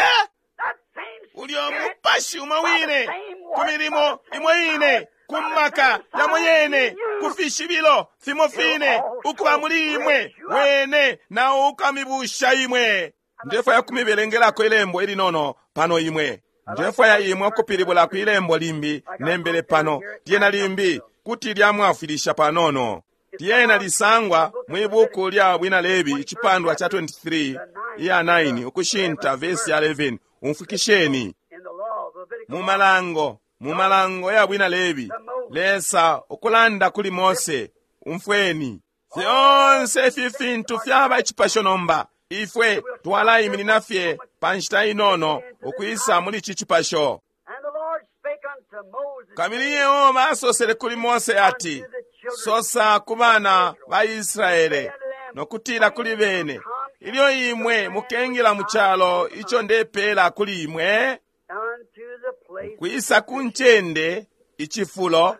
Ulyo mupashi umo wine ku milimo imo ine, ku maka yamo yene, ku fishibilo fimo fine, ukuba muli imwe wene nao ukamibusha imwe. Ndefwaya kumibelengelako ilembo ilinono pano imwe. Ndefwaya imwe ukupilibula ku ilembo limbi nembele pano, lyena limbi kuti lyamwafwilisha panono. Lyena lisangwa mwi buku lya Bwina Lebi icipandwa ca 23 iya 9 ukushinta vesi ya 11. Umfwikisheni. Mu malango, mu malango ya Bwina Lebi, Lesa ukulanda kuli Mose, umfweni. Fyonse ifi fintu fyaba icipasho nomba. Ifwe twalaiminina fye pa nshita inono ukwisa muli ici cipasho. And the Lord spake unto Moses, Kabili Yehova asosele kuli Mose ati, Sosa ku bana ba Israele nokutila kuli bene, ilyo imwe mukengila mu calo ico ndepeela kuli imwe, unto the place kwisa ku ncende icifulo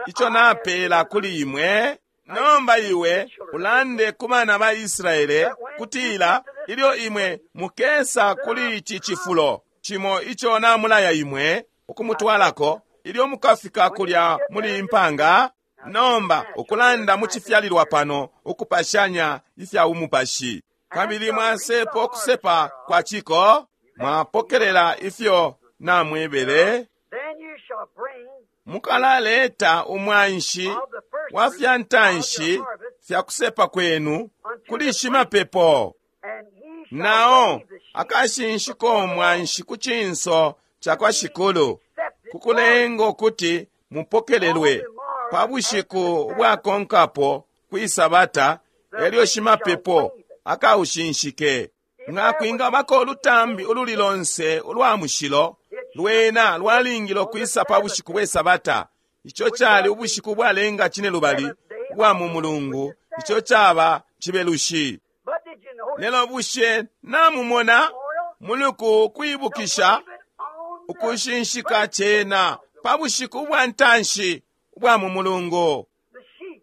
ico napeela kuli imwe. Nomba iwe ulande ku bana ba Israele kutila ilyo imwe mukesa kuli ici cifulo cimo ico namulaya imwe ukumutwalako, ilyo mukafika kulya muli impanga. Nomba ukulanda mu cifyalilwa pano ukupashanya ifya umupashi, kabili mwasepo ukusepa kwa ciko, mwapokelela ifyo namwebele. Then you shall bring Mukalaleta umwanshi of the first wa fruits fya of ntanshi your harvest, fya kusepa kwenu kuli shimapepo, and ye shall nao wave the sheaf akashinshiko umwanshi ku cinso ca kwa Shikulu, accepted kukulenga ukuti mupokelelwe pa bushiku bwakonkapo kwi Sabata, elyo shimapepo akaushinshike. Nga kwingabako ulutambi ululi lonse ulwa mushilo, lwena lwalingile ukwisa pa bushiku bwe Sabata. Ico cali ubushiku bwalenga cinelubali ubwa mu mulungu, ico caba cibelushi. But did you notice Lelo bushe namumona oil? muluku kwibukisha Wave it on the ukushinshika cena pa bushiku bwa ntanshi ubwa mu mulungu. the sheep.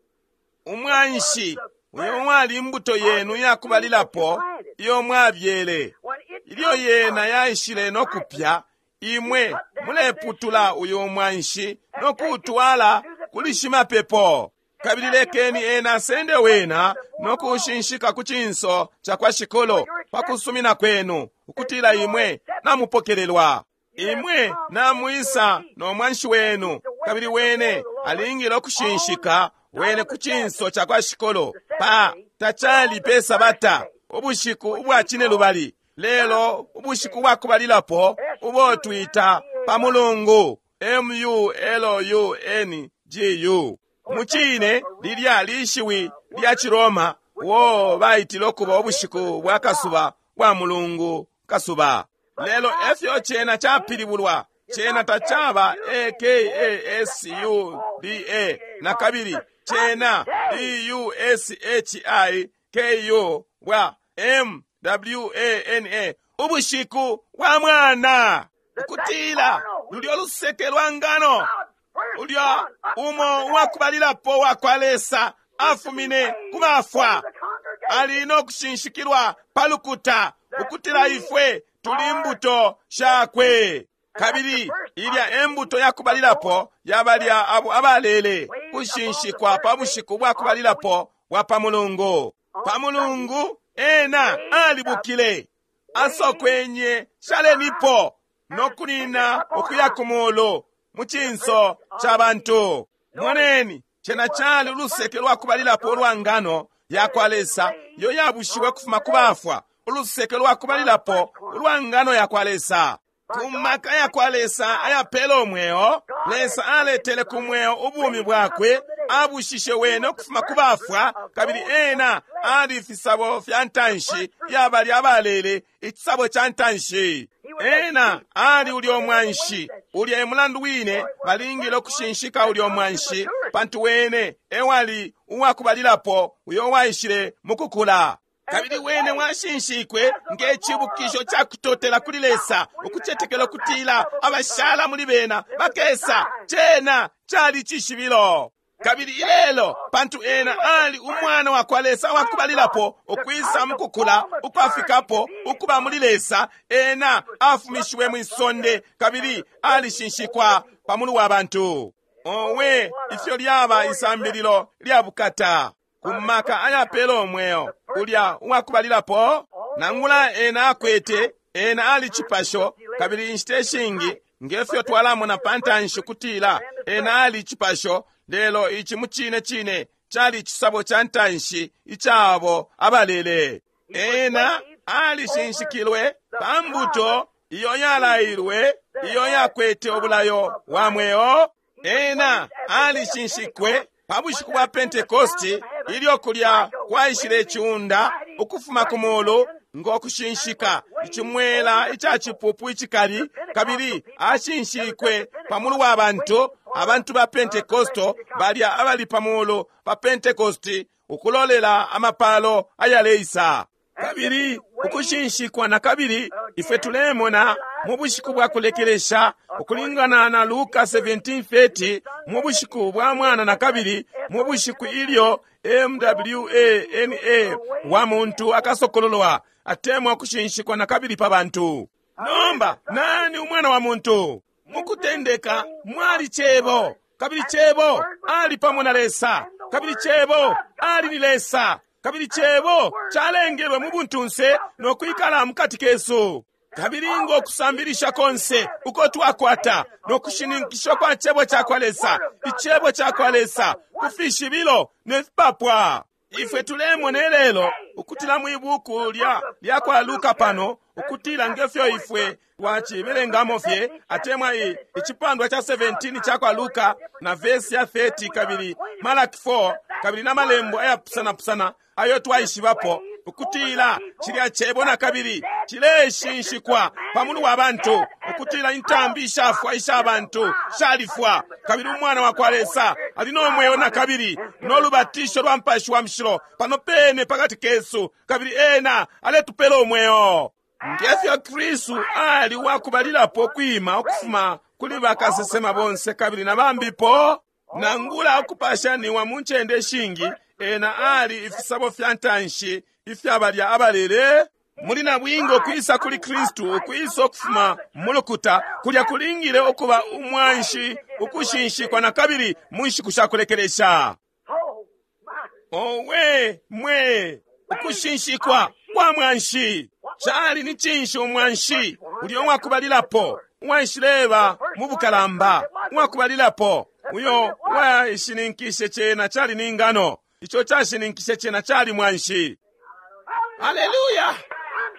Umwanshi uyo wali imbuto yenu yakubalilapo iyo mwabyele, When it ilyo comes yena up, yaishile no kupya, imwe muleputula uyo mwanshi no kuutwala kuli shimapepo. Kabili lekeni ena asende wena no kuushinshika ku cinso ca kwa Shikulu pa kusumina kwenu ukutila imwe namupokelelwa. Imwe namwisa no mwanshi wenu, kabili wene alingile ukushinshika wene ku cinso ca kwa Shikulu pa tacali pe Sabata, ubushiku ubwa cinelubali, lelo ubushiku bwakubalilapo ubo twita pa mulungu, M-U-L-U-N-G-U. Mucine lilya lishiwi lya Ciroma uo baitile ukuba ubushiku bwa kasuba bwa mulungu kasuba. Lelo efyo cena capilibulwa, cena tacaba A-K-A-S-U-B-A na kabili cena D-U-S-H-I-K-U bwa M-W-A-N-A, ubushiku bwa mwana, ukutila lulyo luseke lwa ngano God's first ulya son up umo from the dead uwakubalilapo wa kwa Lesa afumine ku bafwa, to the congregation. ali no kushinshikilwa pa lukuta ukutila ifwe tuli mbuto shakwe. Kabili ilya embuto yakubalilapo yabalya abo abalele kushinshikwa pa bushiku bwakubalilapo bwa pa mulungu. Pa mulungu ena alibukile, asokwenye shalenipo no kunina ukuya ku mulu mu cinso ca bantu. Moneni, cena cali uluseke lwakubalilapo ulwa ngano ya kwa Lesa iyo yabushiwe kufuma ku bafwa, uluseke lwakubalilapo ulwa ngano ya kwa Lesa. Ku maka ya kwa Lesa ayapela umweo, Lesa aletele ku mweo ubumi bwakwe, abushishe wene ukufuma ku bafwa, kabili ena ali ifisabo fya ntanshi yabali abalele, icisabo ca ntanshi. Ena ali ulyo mwanshi, ulya e mulandu wine balingile ukushinshika ulyo mwanshi, pantu wene ewali uwakubalilapo uyo waishile mu kukula. Kabili wene washinshikwe nge cibukisho ca kutotela kuli Lesa, ukucetekela ukutila abashala muli bena bakesa. Cena cali cishibilo. Kabili ilelo, pantu ena ali umwana wa kwa Lesa wakubalilapo ukwisa mukukula ukwafikapo ukuba muli Lesa, ena afumishiwe mwisonde kabili alishinshikwa pa mulu wa bantu. Owe, ifyo lyaba isambililo lya bukata ku maka ayapela umweo ulya uwakubalilapo. Nangula ena akwete, ena ali cipasho, kabili inshita ishingi ngefyo twalamona pa ntanshi kutila ena ali cipasho, lelo ici mu cine cine cali icisabo ca ntanshi icabo abalele. Ena alishinshikilwe pa mbuto iyo yalailwe, iyo yakwete ubulayo wa mweo. Ena alishinshikwe pa bushiku bwa Pentekosti, Ilyo kulya kwaishile iciunda ukufuma ku mulu ngo kushinshika icimwela ica cipupu icikali, kabili ashinshikwe pa mulu wa bantu, abantu ba Pentekosto balya abali pa mulu pa Pentekosti, ukulolela amapalo ayaleisa. Kabili ukushinshikwa na kabili ifwe tulemona mu bushiku bwa kulekelesha, ukulingana na Luka 17:30, mu bushiku bwa mwana na kabili, mu bushiku ilyo MWANA wa muntu akasokololwa, atemwa ukushinshikwa na kabili pa bantu. Nomba nani umwana wa muntu? Mukutendeka mwali Cebo, kabili Cebo ali pamo na Lesa, kabili Cebo ali ni Lesa, kabili Cebo calengelwe mu buntunse no kwikala mukati kesu. Kabili ngo kusambilisha konse uko twakwata no kushininkisha kwa Cebo ca kwa Lesa, Icebo ca kwa Lesa ku fishibilo ne fipapwa. Ifwe tulemona lelo ukutila mwi buku lya kwa Luka pano, ukutila ngefyo ifwe twacibelengamo fye, atemwa icipandwa cha 17 cha kwa Luka na vesi ya 30, kabili Malaki 4, kabili na malembo ayapusanapusana ayo twaishibapo, ukutila cilya Cebo na kabili cileshinshikwa pa mulu wa bantu, ukutila intambi ishafwa isha bantu shalifwa, kabili umwana wa kwa Lesa ali no mweo na kabili no lubatisho lwa Mupashi wa Mushilo pano pene pakati kesu, kabili ena aletupela umweo. Ngefyo Kristu ali wakubalilapo kwima ukufuma kuli bakasesema bonse kabili na bambipo, nangula ukupashaniwa mu ncende shingi, ena ali ifisabo fya ntanshi ifya balya abalele muli na bwingo. Kwisa kuli Kristu, ukwisa ukufuma mulukuta kulya kulingile ukuba umwanshi ukushinshikwa na kabili mu nshiku sha kulekelesha. Owe mwe, ukushinshikwa kwa mwanshi cali ni cinshi? Umwanshi ulyo wakubalilapo uwaishileba mu bukalamba, uwakubalilapo uyo waishininkishe cena cali ni ngano, ico cashininkishe cena cali mwanshi. Haleluya!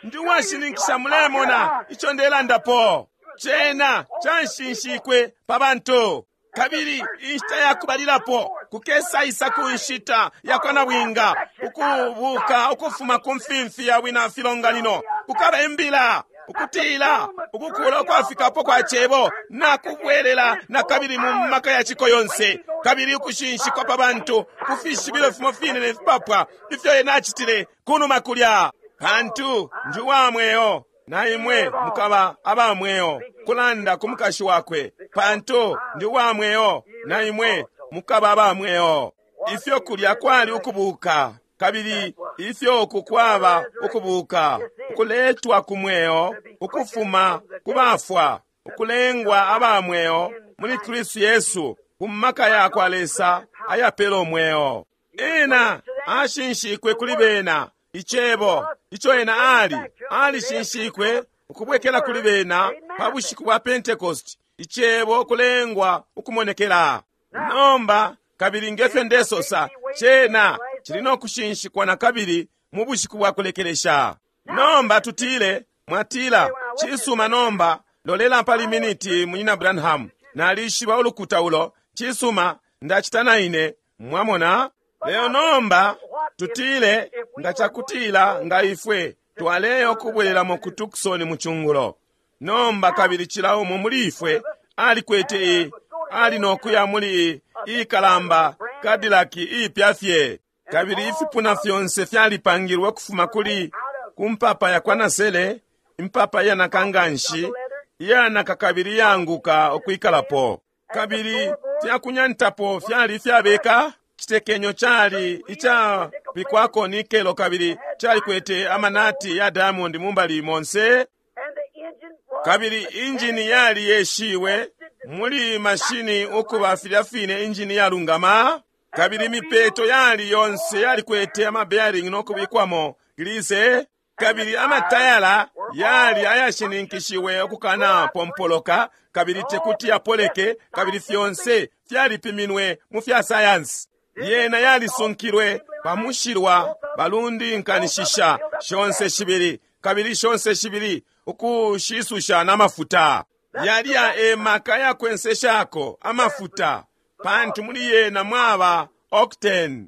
Ndi uwashininkisha, mulemona ico ndelandapo. Cena canshinshikwe pa bantu. Kabili inshita yakubalilapo kukesaisa ku nshita ya kwa nabwinga ukubuka ukufuma ku mfimfi ya wina filonganino, kukaba imbila ukutila ukukula ukwafikapo kwa Cebo na kubwelela na kabili mu maka ya ciko yonse, kabili ukushinshikwa pa bantu ku fishibilo fimo fine ne fipapwa ifyo ena acitile kunuma kulya. Pantu ndi wa mweo, na imwe mukaba aba mweo, kulanda ku mukashi wakwe. Pantu ndi wa mweo, na imwe mukaba aba mweo. Ifyo kulya kwali ukubuka, kabili ifyo uku kwaba ukubuka, ukuletwa ku mweo, ukufuma ku bafwa, ukulengwa aba mweo muli Kristu Yesu, ku maka ya kwa Lesa ayapela umweo. Ena ashinshikwe kuli bena, Icebo ico ena ali, alishinshikwe ukubwekela kuli bena pa bushiku bwa Pentecost, Icebo kulengwa ukumonekela. Nomba kabili ngefyo ndesosa, cena cili no kushinshikwa na kabili mu bushiku bwa kulekelesha. Nomba tutile, mwatila, cisuma, nomba lolela pali miniti, Munyina Branham, nalishiba ulukuta ulo, cisuma, ndacita na ine, mwamona. Leo nomba tutile nga cakutila nga ifwe twaleyo kubwelelamo ku Tucson mu cungulo. Nomba kabili cila umo muli ifwe alikwete ali nokuya muli ikalamba Cadillac iipya fye, kabili ifipuna fyonse fyalipangilwe ukufuma kuli kumpapa ya kwa nasele, impapa iyanaka nganshi, iyanaka kabili iyaanguka ukwikalapo, kabili fyakunyantapo fyali ifyabeka. Citekenyo cali icapikwako nikelo, kabili calikwete amanati ya diamond mumbali monse, kabili injini yali yeshiwe muli mashini ukuba filya fine injini yalungama, kabili imipeto yali yonse yalikwete ama bearing no kubikwamo gilise, kabili amatayala yali ayashininkishiwe ukukana pompoloka, kabili tekuti yapoleke, kabili fyonse fyalipiminwe mu fya sayansi. Yena yalisunkilwe pa mushilwa balundinkanishisha shonse shibili, kabili shonse shibili ukushisusha na mafuta. Yalya e maka yakwenseshako amafuta, pantu muli yena mwaba octane.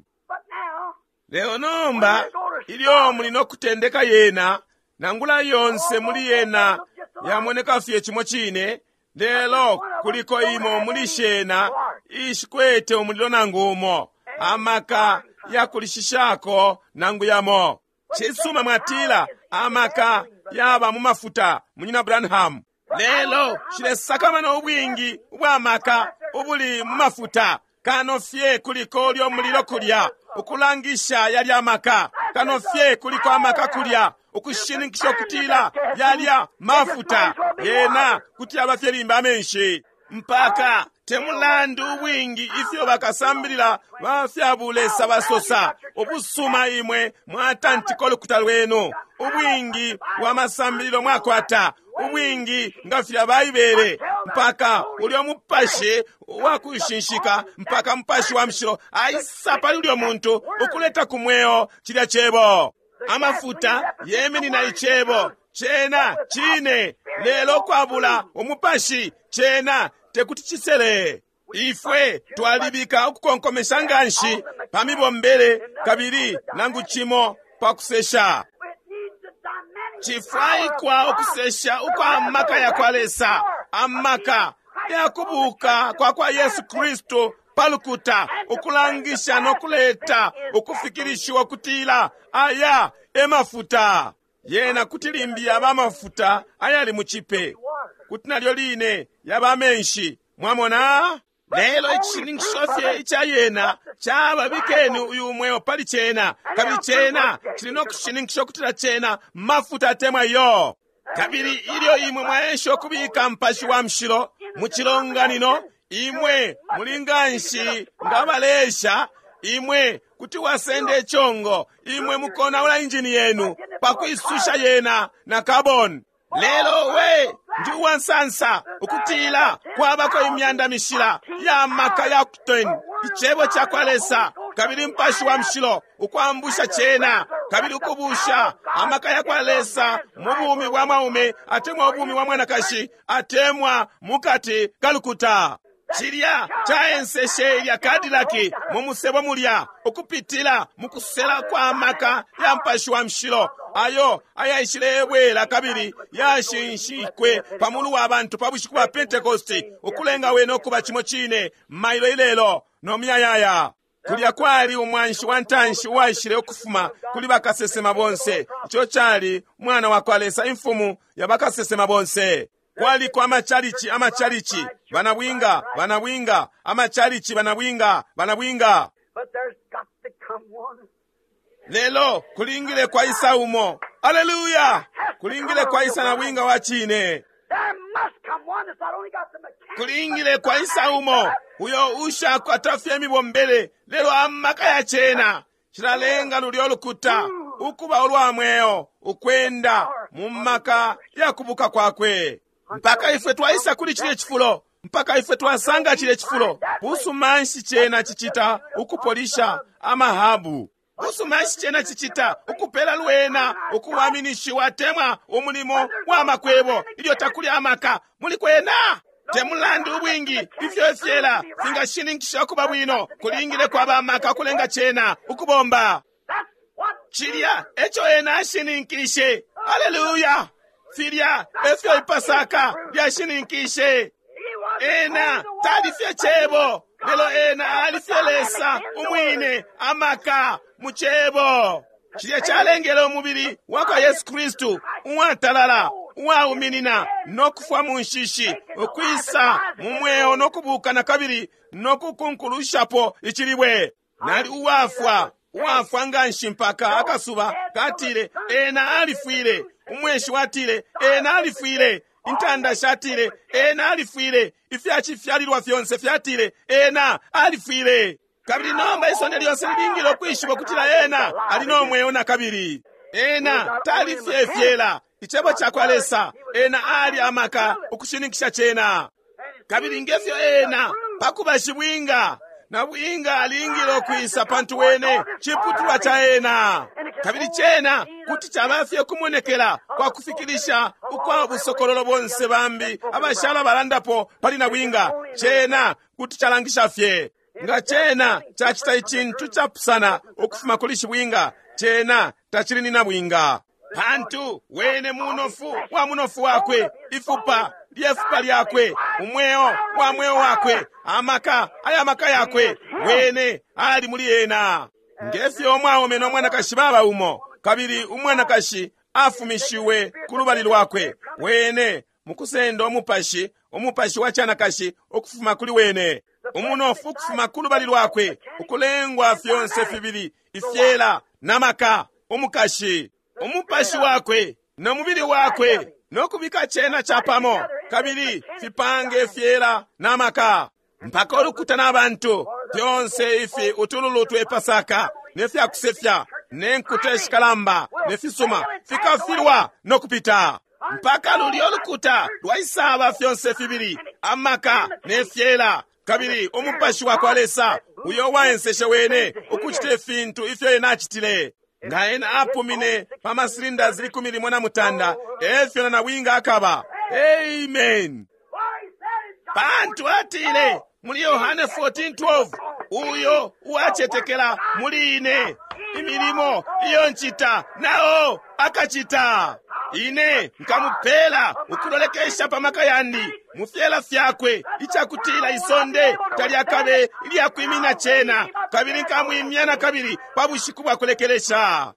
Lelo nomba ilyo muli no kutendeka yena, nangula yonse muli yena yamoneka fye cimo cine, lelo kuliko imo muli shena ishikwete umulilo nangu umo, amaka yakulishishako nangu yamo. Cisuma mwatila amaka yaba mu mafuta, Munyina Branham. Lelo shilesakamana ubwingi ubwa maka ubuli mu mafuta, kano fye kuliko ulyo mulilo kulya ukulangisha yalya amaka, kano fye kuliko amaka kulya ukushininkisha ukutila yalya mafuta yena kuti yaba fye limba amenshi. Mpaka temulandu ubwingi ifyo bakasambilila ba fya bulesa basosa, ubusuma imwe mwatantika ulukuta lwenu, ubwingi bwa masambililo mwakwata, ubwingi nga filya Baibele, mpaka ulyo mupashi wakushinshika, mpaka mupashi wa mushilo aisa pali ulyo muntu ukuleta ku mweo cilya cebo. Amafuta yeminina icebo cena cine, lelo kwabula umupashi cena tekuti cisele. Ifwe twalibika ukukonkomesha nganshi pa mibombele kabili nangu cimo pa kusesha. Cifwaikwa ukusesha ukwa maka ya kwa Lesa, amaka ya kubuka kwa kwa Yesu Kristu palukuta, ukulangisha no kuleta ukufikilishiwa kutila aya emafuta. Yena kuti limbi yaba amafuta ayali mu cipe, kuti nalyo line yaba amenshi. Mwamona? Lelo icishininkisho fye ica yena caba bikeni uyu mweo pali cena, kabili cena cili no kushininkisha ukutila cena mafuta atemwa iyo. Kabili ilyo imwe mwaesha ukubika mpashi wa mushilo mu cilonganino, imwe muli nganshi nga balesha, imwe kuti wasenda ichongo, imwe mukonaula injini yenu pakwisusha yena na carbon. Lelo we ndi uwansansa ukutila kwabako imyanda mishila ya maka ya octane, icebo ca kwa Lesa kabili mpashi wa mushilo ukwambusha cena kabili ukubusha amaka ya kwa Lesa mu bumi bwa mwaume atemwa ubumi bwa mwanakashi atemwa mukati kalukuta. Cilya caenseshe ilya Cadillac mu musebo mulya ukupitila mu kusela kwa maka ya mpashi wa mushilo ayo ayaishilebwela kabili yashinshikwe pamulu wa bantu pa bushiku bwa Pentecost, ukulenga wene ukuba cimo cine mailo ilelo no muyayaya. Kulya kwali umwanshi wa ntanshi uwaishile ukufuma kuli bakasesema bonse, ico cali mwana wa kwa Lesa, imfumu ya bakasesema bonse. Kwaliko amachalichi, amachalichi, banabwinga, banabwinga, amachalichi, banabwinga, banabwinga. Lelo kulingile kwa isa umo. Haleluya! Kulingile kwa isa nabwinga wa chine. Kulingile kwa isa umo uyo ushakwata fye mibombele, lelo amaka ya cena cilalenga lulyo lukuta ukuba ulwa mweo ukwenda mu maka ya kubuka kwakwe. Mpaka ifwe twaisa kuli chile chifulo, mpaka ifwe twasanga chile chifulo. Busumanshi cena cicita ukupolisha amahabu, busumanshi cena cicita ukupela lwena ukuwaminishiwa temwa umulimo wa makwebo ilyo takuli amaka muli kwena. Temulandu ubwingi ifyo ifyela fingashininkisha ukuba bwino, kulingile kwaba amaka kulenga cena ukubomba. Cilya eco ena ashininkishe. Haleluya! Filya efyo ipasaka lyashininkishe. Ena tali fye cebo, lelo ena ali fye Lesa umwine, amaka mu cebo. Cilya calengele umubili wa kwa Yesu Kristu uwatalala, uwauminina no kufwa mu nshishi, ukwisa mu mweo no kubuka na kabili no kukunkulushapo icilibwe. Nali uwafwa, uwafwa nganshi mpaka akasuba katile ena alifwile, umweshi watile ena alifwile, intanda shatile ena alifwile, ifyacifyalilwa fyonse fyatile ena alifwile. Kabili nomba isonde lyonse lilingile ukwishiba ukutila ena ali no mweo na kabili. Ena talifye fyela icebo ca kwa Lesa, ena ali amaka ukushininkisha cena. Kabili ngefyo ena pakuba shibwinga na bwinga alingile ukwisa, pantu wene ciputulwa ca ena. Kabili cena kuti caba fye kumonekela kwa kufikilisha ukwa busokololo bonse bambi abashala balandapo pali na bwinga, cena kuti calangisha fye. Nga cena cacita icintu capusana ukufuma kuli shibwinga, cena tacili ni nabwinga. Pantu wene munofu wa munofu wakwe, ifupa lyefupa lyakwe, umweo wa mweo wakwe, amaka aya maka yakwe, wene ali muli ena. Ngefyo umwaume no mwanakashi baba umo, kabili umwanakashi afumishiwe ku lubali lwakwe, wene mukusenda umupashi, umupashi wa chanakashi ukufuma kuli wene, umunofu ukufuma ku lubali lwakwe, ukulengwa fyonse fibili ifyela na maka, umukashi, umupashi wakwe no mubili wakwe, no kubika cena chapamo, kabili fipange ifyela na maka, mpaka ulukuta na bantu fyonse ifi utululu twe Pasaka ne fyakusefya ne nkuta ishikalamba ne fisuma fikafilwa no kupita, mpaka lulyo lukuta lwaisaba fyonse fibili amaka ne fyela, kabili umupashi wa kwa Lesa uyo waenseshe wene ukucita ifintu ifyo ena acitile. Nga ena apumine pa masilinda zili 16, efyo na nabwinga akaba. Amen. Pantu atile muli Yohane 14:12, uyo uwacetekela muli ine, imilimo iyo ncita nao akacita. Ine nkamupela ukulolekesha pa maka yandi mu fyela fyakwe, icakutila isonde talyakabe ilyakwimina cena, kabili nkamwimya na kabili pa bushiku bwa kulekelesha.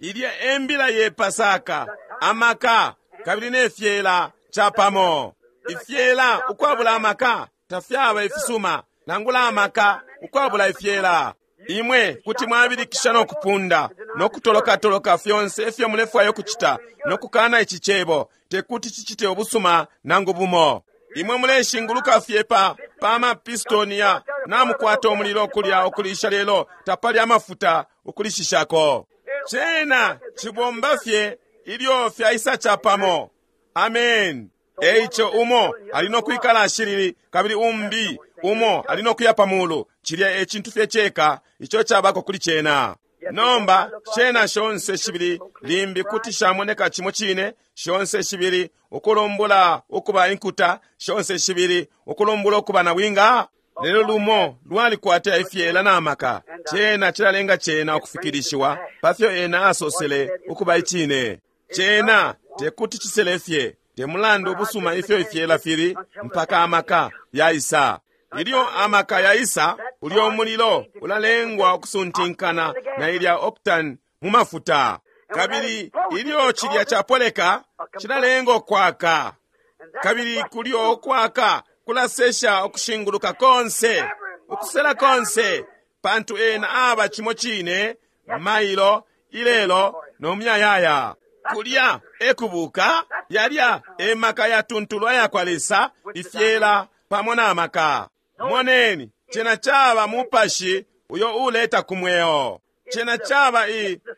Ilya embila ye Pasaka, amaka kabili ne fyela chapamo. Ifyela ukwabula amaka tafyaba ifisuma, nangula amaka ukwabula ifyela. Imwe kuti mwabilikisha no kupunda no kutoloka-toloka fyonse ifyo mulefwaya ukucita no kukana ici cebo, tekuti cicite ubusuma nangu bumo. Imwe muleshinguluka fye pa mapistoni ya namukwata umulilo kulya ukulisha, lelo tapali amafuta ukulishishako. Cena cibomba fye ilyo fyaisa chapamo. Amen. Eico umo ali no kwikala ashilili, kabili umbi umo ali no kuya pamulu. Cilya e cintu fye ceka ico cabako kuli cena. Nomba cena shonse shibili limbi kuti shamoneka cimo cine, shonse shibili ukulumbula ukuba inkuta, shonse shibili ukulumbula ukuba nabwinga. Lelo lumo lwalikwata ifyela na maka, cena cilalenga cena ukufikilishiwa pafyo ena asosele ukuba icine. Cena tekuti cisele fye, te mulandu ubusuma ifyo ifyela fili, mpaka amaka yaisa. Ilyo amaka yaisa, ulyo umulilo ulalengwa ukusuntinkana na ilya octane mu mafuta, kabili ilyo cilya chapoleka cilalenga ukwaka, kabili kulyo ukwaka kulasesha ukushinguluka konse, ukusela konse, pantu ena aba cimo cine mailo, ilelo no muyayaya. Kulya ekubuka, yalya emaka yatuntulwa yakwa Lesa, ifyela pamo na maka. Moneni, cena caba mupashi uyo uleta ku mweo. Cena caba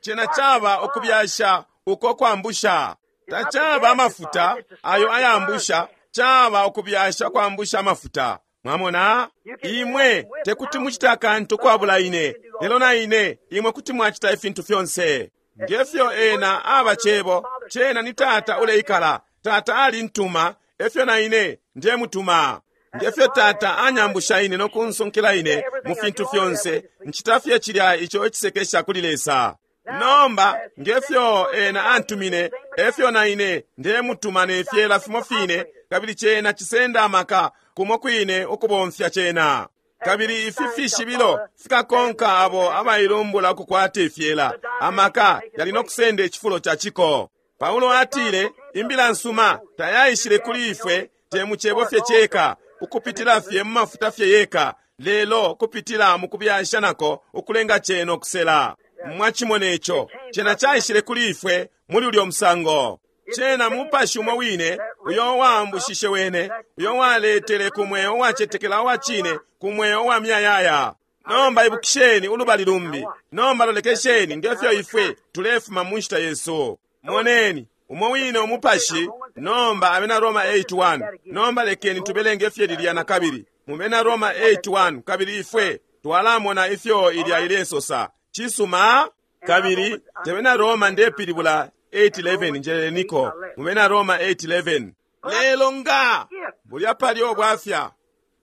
cena caba ukubyasha uko kwambusha. Tacaba amafuta ayo ayambusha, caba ukubyasha kwambusha amafuta. Mwamona, imwe tekuti mucite akantu kwabula ine, lelo na ine imwe kuti mwacita ifintu fyonse. Ngefyo ena aba cebo, cena ni Tata uleikala. Tata alintuma, efyo na ine ndemutuma. Ngefyo Tata anyambusha ine no kunsunkila ine mu fintu fyonse, ncita fye cilya ico icisekesha kuli Lesa. Nomba ngefyo ena antumine, efyo na ine ndemutuma ne fyela fimo fine, kabili cena cisenda amaka kumo kwine ukubomfya cena. Kabili ifi fishibilo fikakonka abo abailumbula ukukwata ifyela, amaka yali no kusenda icifulo ca ciko. Paulo atile, imbila nsuma tayaishile kuli ifwe te mu cebo fye ceka, ukupitila fye mu mafuta fye yeka, lelo kupitila mu kubyasha nako ukulenga cena ukusela. Mwachimona ico, cena caishile kuli ifwe muli ulyo musango. Cena mupashi umo wine uyo waambushishe wene, uyo waletele ku mweo uwacetekela uwa cine, ku mweo wa muyayaya. Nomba ibukisheni ulubali lumbi. Nomba lolekesheni ngefyo ifwe tulefuma mu nshita yesu. Moneni umo wine umupashi. Nomba Abena Roma 8:1. Nomba lekeni tubelenge fye lilya na kabili mu Bena Roma 8:1, kabili ifwe twalamona ifyo ilya ilesosa. Cisuma. Kabili tebena Roma ndepilibula 8:11, njeleleniko mu Bena Roma 8:11. Lelo nga bulya pali obwafya,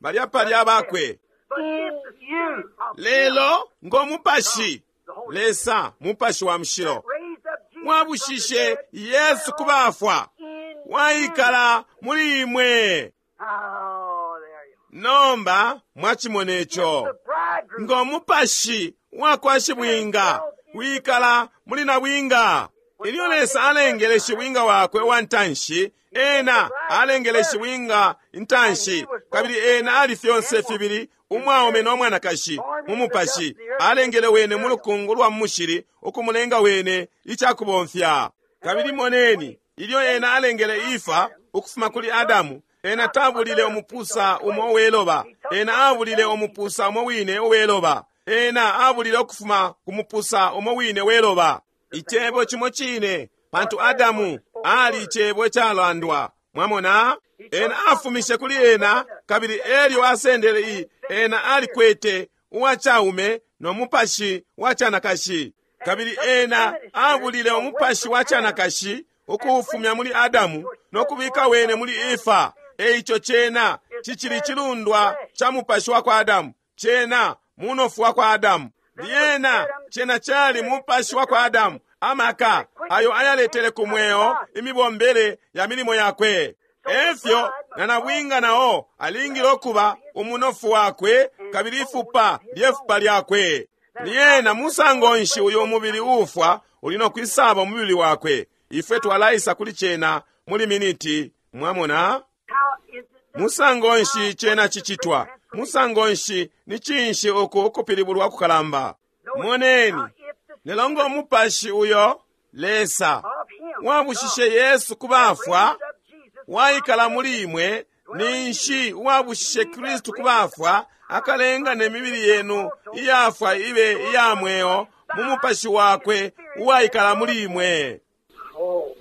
balya pali abakwe. you Lelo ngo mupashi, Lesa mupashi wa mushilo raised up Jesus wabushishe Yesu ku bafwa, in waikala muli imwe. Oh, there you are. Nomba mwachimona ico. The bridegroom Ngo mupashi wakwa shibwinga wikala muli nabwinga. Ilyo Lesa alengele shibwinga wakwe wa ntanshi, ena alengele shibwinga intanshi, kabili ena ali fyonse fibili, umwaume no mwanakashi, mu mupashi. Alengele wene mu lukungu lwa mushili, ukumulenga wene icakubomfya. Kabili moneni, ilyo ena alengele Ifa ukufuma kuli Adamu, ena tabulile umupusa umo uweloba, ena abulile umupusa umo wine uweloba, ena abulile ukufuma ku mupusa umo wine weloba. Icebo cimo cine, pantu Adamu ali icebo icalandwa. Mwamona? Ena afumishe kuli ena, kabili elyo asendele i, ena alikwete uwacaume no mupashi wa canakashi. Kabili ena abulile umupashi wa canakashi ukuufumya muli Adamu no kubika wene muli Efa. Eico cena cicili cilundwa ca mupashi wa kwa Adamu, cena munofu wa kwa Adamu. Lyena cena cali mupashi wa kwa Adamu, amaka ayo ayaletele ku mweo imibombele ya milimo yakwe. Efyo na nabwinga nao alingile ukuba umunofu wakwe kabili ifupa lyefupa lyakwe. Lyena musango nshi uyu umubili uufwa uli no kwisaba umubili wakwe? Ifwe twalaisa kuli cena muli miniti, mwamona? How is it done? Musango nshi cena cicitwa? Musango nshi ni cinshi uku ukupilibulwa kukalamba? Moneni, If the lelo ngo mupashi uyo Lesa of him wabushishe Yesu ku bafwa raised up Jesus waikala muli imwe, ninshi uwabushishe Kristu ku bafwa akalenga ne mibili yenu iyafwa ibe iya mweo mu mupashi wakwe uwaikala muli imwe. Oh,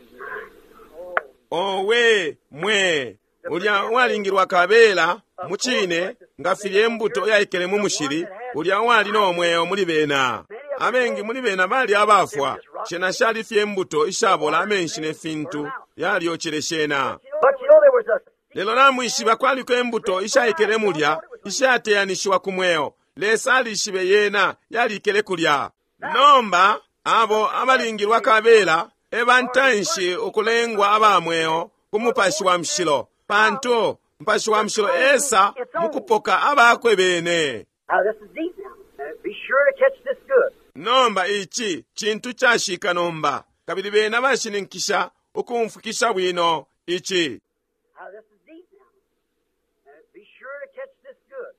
Owe mwe ulya uwalingilwa kabela mu cine nga filya imbuto yaikele mu mushili, ulya uwali no mweo muli bena. Abengi muli bena bali abafwa, shena shali fye imbuto ishabola amenshi ne fintu yalyocele shena. But you know there was a Lelo namwishiba kwaliko imbuto ishaikele mulya ishateyanishiwa ku mweo. Lesa alishibe yena yalikele kulya. Nomba abo abalingilwa kabela e bantanshi ukulengwa aba mweo ku mupashi wa mushilo, pantu mupashi wa mushilo esa mukupoka abakwe bene. Now this is deep now. Be sure to catch this good. Nomba ici cintu cashika nomba, kabili bena bashininkisha ukumfwikisha bwino ici. Now this is deep now. Be sure to catch this good.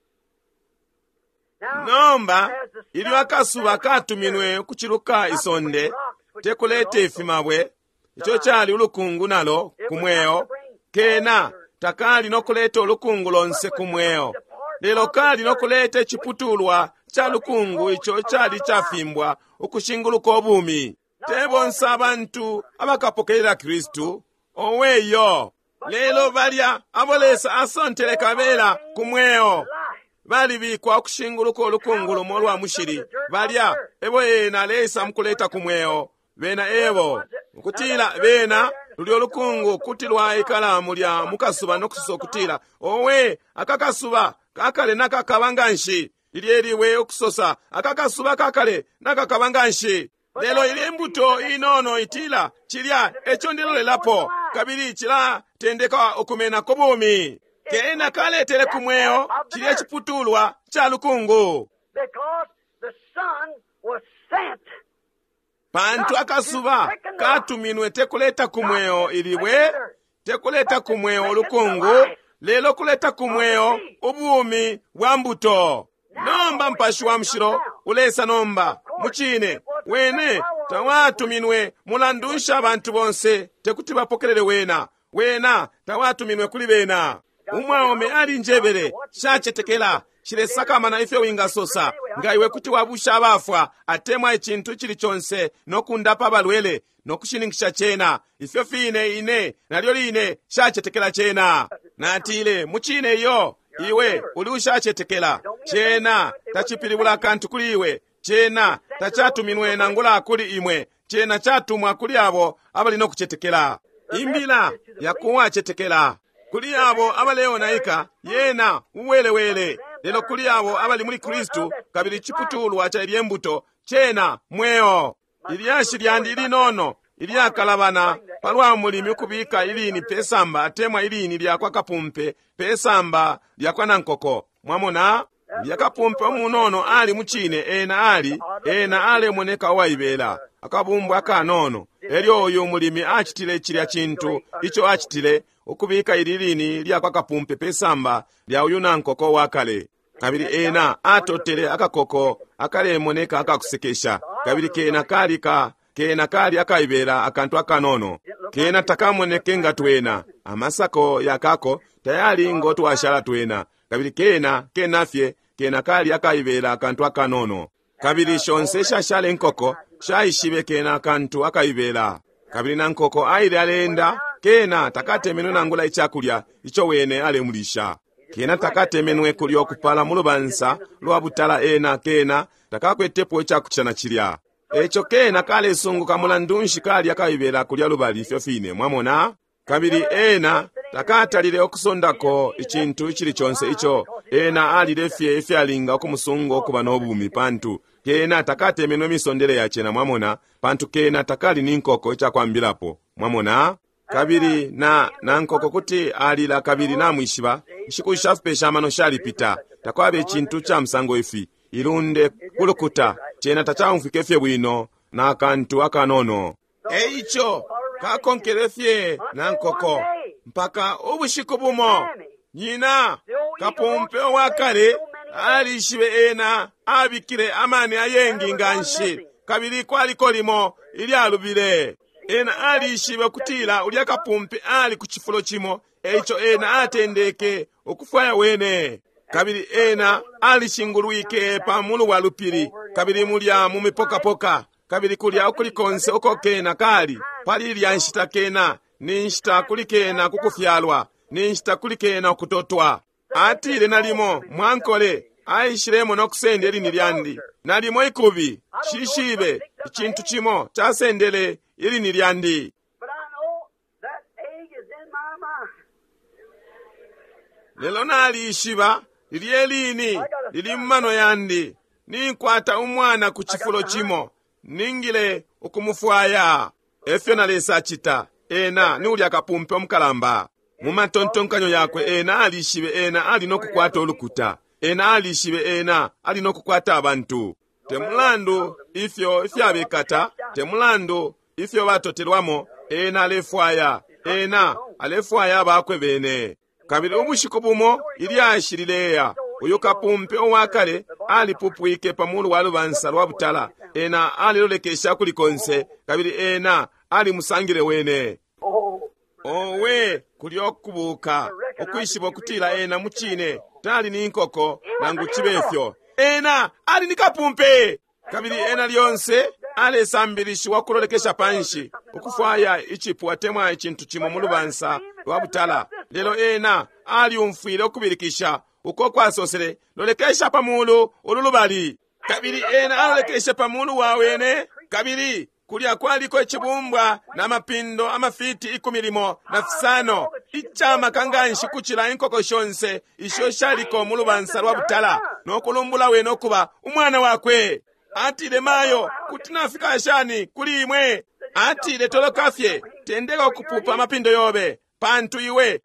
Now, Nomba as the ilyo akasuba katuminwe ukuciluka isonde tekuleta ifimabwe, ico cali ulukungu nalo ku mweo, kena takali nokuleta ulukungu lonse ku mweo, lelo kali nokuleta iciputulwa ca lukungu ico cali cafimbwa ukushinguluka ubumi. Te bonse abantu abakapokelela Kristu, oweyo, lelo balya abo Lesa asontele kabela ku mweo life. balibikwa ukushinguluka ulukungu lumo lwa mushili, balya ebo ena Lesa mukuleta ku mweo, bena ebo ukutila bena lulyo lukungu kuti lwaikala mulya mukasuba nokusosa ukutila, owe aka kasuba kakale nakakaba nganshi. Lilye liwe ukusosa aka kasuba kakale nakakaba nganshi. Lelo ili imbuto inono itila cilya eco ndilolelapo, kabili cilatendeka ukumena ku bumi. Kena kaletele ku mweo cilya ciputulwa ca lukungu, Because the sun was sent pantu akasuba katuminwe tekuleta ku mweo ilibwe, tekuleta ku mweo ulukungu, lelo kuleta ku mweo ubumi bwa mbuto. Nomba mpashi wa mushilo ulesa nomba mucine wene tawatuminwe mulandu nshi abantu bonse tekuti bapokelele wena, wena tawatuminwe kuli bena. Umwaume alinjebele, shacetekela shilesakamana ifyo wingasosa, nga iwe kuti wabusha abafwa atemwa icintu icili conse no kundapa abalwele no kushininkisha cena, ifyo fine ine nalyo line shacetekela cena. Natile, mucine iyo iwe uli ushacetekela cena tacipilibula kantu kuli iwe, cena tacatuminwe nangula kuli imwe, cena catumwa kuli abo abali no kucetekela. Imbila yakuwacetekela kuli abo abaleonaika yena uwelewele, Lelo kuli abo abali muli Kristu kabili ciputulwa ca ilye mbuto, cena mweo. Ilyashi lyandi ilinono ilyakalabana palwa mulimi ukubika ilini pesamba atemwa ilini lyakwa kapumpe pesamba lyakwa nankoko. Mwamona? Ulya kapumpe umunono ali mucine, ena ali, ena alemoneka uwaibela, akabumbwa akanono. Elyo uyu mulimi acitile cilya cintu ico acitile, ukubika ili lini lyakwa kapumpe pesamba lya uyu nankoko wakale. Kabili ena atotele akakoko akalemoneka akakusekesha, kabili kena kali ka kena kali akaibela akantu akanono. Kena takamoneke nga twena, amasako yakako tayali ngo twashala twena, kabili kena kena fye kena kali akaibela akantu akanono. Kabili shonse shashala inkoko shaishibe kena akantu akaibela. Kabili na nkoko aile aleenda, kena takatemenwe nangula icakulya ico wene alemulisha. Kena takatemenwe kulyo kupala mu lubansa lwa butala, ena kena takakwetepo icakucita na cilya. Eco kena kalesunguka mulandu nshi kali akaibela kulya lubali ifyo fine, mwamona? Kabili ena takatalile ukusondako icintu icili conse ico ena alile fye ifyalinga ukumusunga ukuba no bumi, pantu kena takatemenwe misondele ya cena, mwamona, pantu kena takali ni nkoko icakwambilapo, mwamona? Kabili na nankoko kuti alila kabili namwishiba, inshiku shafipesha amano shalipita, takwaba icintu ca musango ifi, ilunde kulukuta, cena tacaumfwike fye bwino na kantu akanono. Eico kakonkele fye na nkoko mpaka ubushiku bumo nyina kapumpe wakale alishibe ena abikile amani ayengi nganshi, kabili kwaliko limo ilyalubile. Ena alishibe ukutila ulya kapumpe ali ku cifulo cimo, eico ena atendeke ukufwaya wene. Kabili ena alishingulwike pa mulu wa lupili, kabili mulya mu mipokapoka, kabili kulya ukuli konse uko kena kali pali ilya nshita kena ni nshita kuli kena kukufyalwa, ni nshita kuli kena ukutotwa. Atile nalimo mwankole aishilemo no kusenda ilini lyandi, nalimo ikubi shishibe icintu cimo casendele ilini lyandi. But I know that egg is in my mind. Lelo nalishiba lilye lini lili mumano yandi, ninkwata umwana ku cifulo cimo, ningile ukumufwaya. Efyo na Lesa acita, ena ni ulya kapumpe umukalamba. Mu matontonkanyo yakwe ena alishibe ena ali no kukwata ulukuta, ena alishibe ena ali no kukwata abantu. Te mulandu ifyo ifyabekata, te mulandu ifyo batotelwamo, ena alefwaya, ena alefwaya abakwe bene. Kabili ubushiku bumo ilyashi lileya, uyu kapumpe uwakale alipupwike pa mulu wa lubansa lwa butala, ena alilolekesha kuli konse, kabili ena alimusangile wene. Oh, Owe, kulyo kubuka ukwishiba ukutila ena mucine tali ni nkoko nangu cibe fyo, ena ali ni kapumpe. Kabili ena lyonse alesambilishiwa kulolekesha panshi ukufwaya icipu atemwa icintu cimo mu lubansa lwa butala, lelo ena aliumfwile ukubilikisha uko kwasosele, lolekesha pa mulu ulu lubali. Kabili ena alolekeshe pa mulu wa wene, kabili kulya kwaliko icibumbwa na mapindo amafiti 15 icamaka nganshi kucila inkoko shonse isho shaliko mu lubansa lwa butala, no kulumbula wene ukuba umwana wakwe. Atile, mayo, kuti nafika shani kuli imwe? Atile, toloka fye, tendeka ukupupa amapindo yobe, pantu iwe.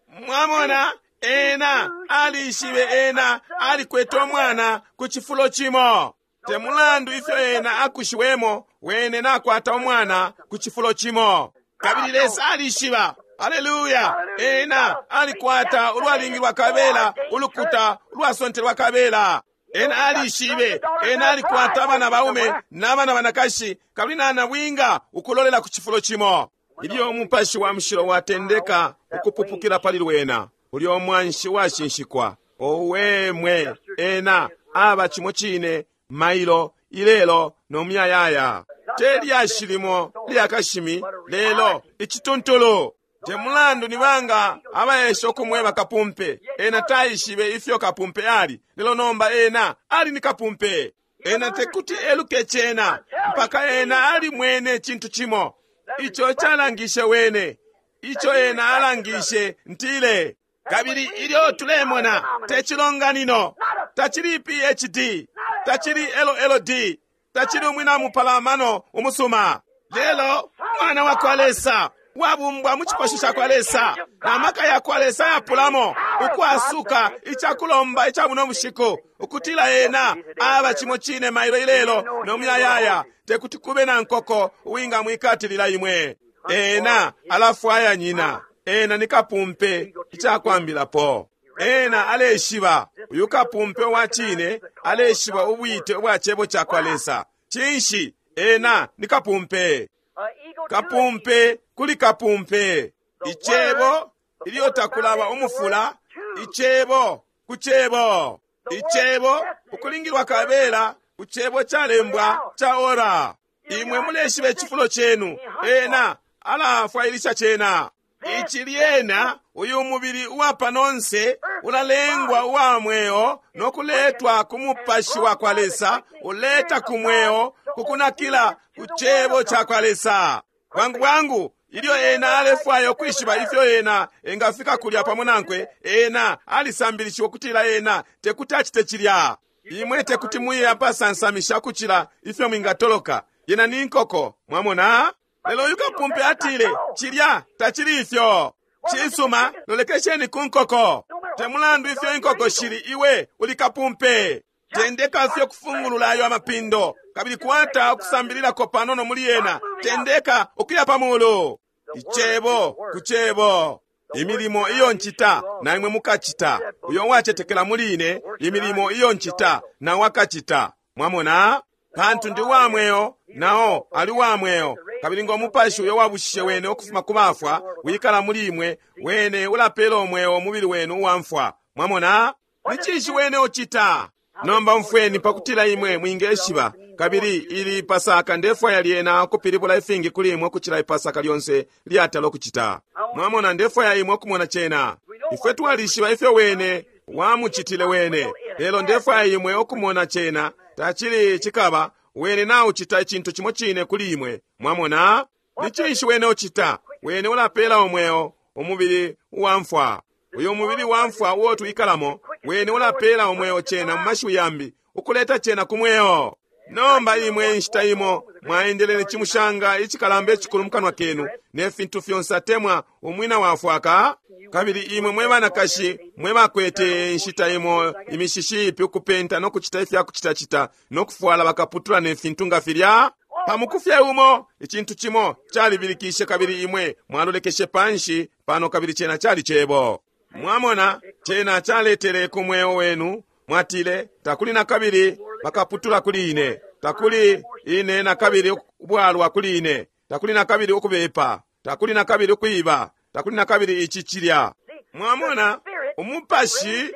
Mwamona, ena alishibe ena alikwete umwana ku cifulo cimo. Te mulandu ifyo ena akushiwemo, wene nakwata umwana ku cifulo cimo. Kabili Lesa alishiba, haleluya, ena alikwata ulwalingilwa kabela, ulukuta ulwasontelwa kabela. Ena alishibe, ena alikwata abana baume n'abana banakashi, kabili nanabwinga ukulolela ku cifulo cimo. Ilyo umupashi wa mushilo watendeka ukupupukila pali lwena, ulyo mwanshi washinshikwa, owe mwe, ena aba cimo cine mailo, ilelo no muyayaya. Te lyashi limo lyakashimi, lelo icituntulu. Te mulandu ni banga abaesha ukumweba kapumpe, ena taishibe ifyo kapumpe ali, lelo nomba ena ali ni kapumpe. Ena tekuti eluke cena mpaka ena ali mwene cintu cimo ico calangishe wene, ico ena alangishe ntile. Kabili ilyo tulemona, te cilonganino, tacili PhD, tacili LLD, tacili umwina mupalamano umusuma, lelo mwana wa kwa Lesa, wabumbwa mu cipasho ca kwa Lesa, na maka ya kwa Lesa yapulamo ukwasuka icakulomba ica buno bushiku, ukutila ena aba cimo cine mailo ilelo no muyayaya, tekuti kube na nkoko uwingamwikatilila imwe. Ena alafwaya nyina, ena ni kapumpe icakwambilapo. Ena aleshiba, uyu kapumpe wa cine aleshiba ubwite ubwa cebo ca kwa Lesa. Cinshi? Ena ni kapumpe. Kapumpe kuli kapumpe. Icebo ilyo takulaba umufula, icebo ku cebo. Icebo ukulingilwa kabela ku cebo calembwa ca ora. Imwe muleshiba icifulo cenu, ena alafwailisha cena. Ici lyena uyu mubili uwa panonse ulalengwa uwa mweo no kuletwa ku mupashi wa kwa Lesa, uleta ku mweo kukunakila ku cebo ca kwa Lesa. Bwangu bwangu ilyo ena alefwaya ukwishiba ifyo ena engafika kulya pamo nankwe, ena alisambilishiwa ukutila ena tekuti acite cilya. Imwe tekuti muye apasansamisha kucila ifyo mwingatoloka. Yena ni nkoko, mwamona? Lelo uyu kapumpe atile, cilya tacili ifyo. Cisuma, lolekesheni ku nkoko. Te mulandu ifyo inkoko shili, iwe uli kapumpe. Tendeka fye kufungulula ayo amapindo, kabili kwata ukusambililako panono muli yena. Tendeka ukuya pa mulu. Icebo ku cebo. Imilimo iyo ncita na imwe mukacita. Uyo uwacetekela muli ine, imilimo iyo ncita na wakacita. Mwamona? Pantu ndi wa mweo, nao ali wa mweo. Kabili ngo mupashi uyo wabushishe wene ukufuma ku bafwa wikala muli imwe, wene ulapela umweo umubili wenu uwamfwa. Mwamona? Ni cinshi wene ucita? Nomba umfweni pakutila imwe mwingeshiba. Kabili ili Pasaka ndefwaya lyena ukupilibula ifingi kuli imwe ukucila Ipasaka lyonse lyatala ukucita. Mwamona, ndefwaya imwe ukumona cena. Ifwe twalishiba ifyo wene wamucitile wene, lelo ndefwaya imwe ukumona cena. Tacili cikaba wene naucita icintu cimo cine kuli imwe. Mwamona? Ni cinshi wene ucita? Wene ulapela umweo umubili uwamfwa. Uyo umubili wamfwa uo twikalamo, wene ulapela umweo cena mu mashiwi yambi, ukuleta cena ku mweo. Nomba imwe inshita imo mwaendelele cimushanga icikalamba icikulu mukanwa kenu ne fintu fyonse atemwa umwina wafwaka. Kabili imwe mwe banakashi mwe bakwete inshita imo imishishi ipi ukupenta no kucita ifya kucitacita no kufwala bakaputula ne fintu nga filya. Pamukufye umo icintu cimo calibilikishe, kabili imwe mwalolekeshe panshi pano, kabili cena cali cebo. Mwamona, cena caletele ku mweo wenu. Mwatile, takuli na kabili bakaputula kuli ine, takuli ine na kabili ubwalwa kuli ine, takuli na kabili ukubepa, takuli na kabili ukwiba, takuli na kabili ici cilya. Mwamona, umupashi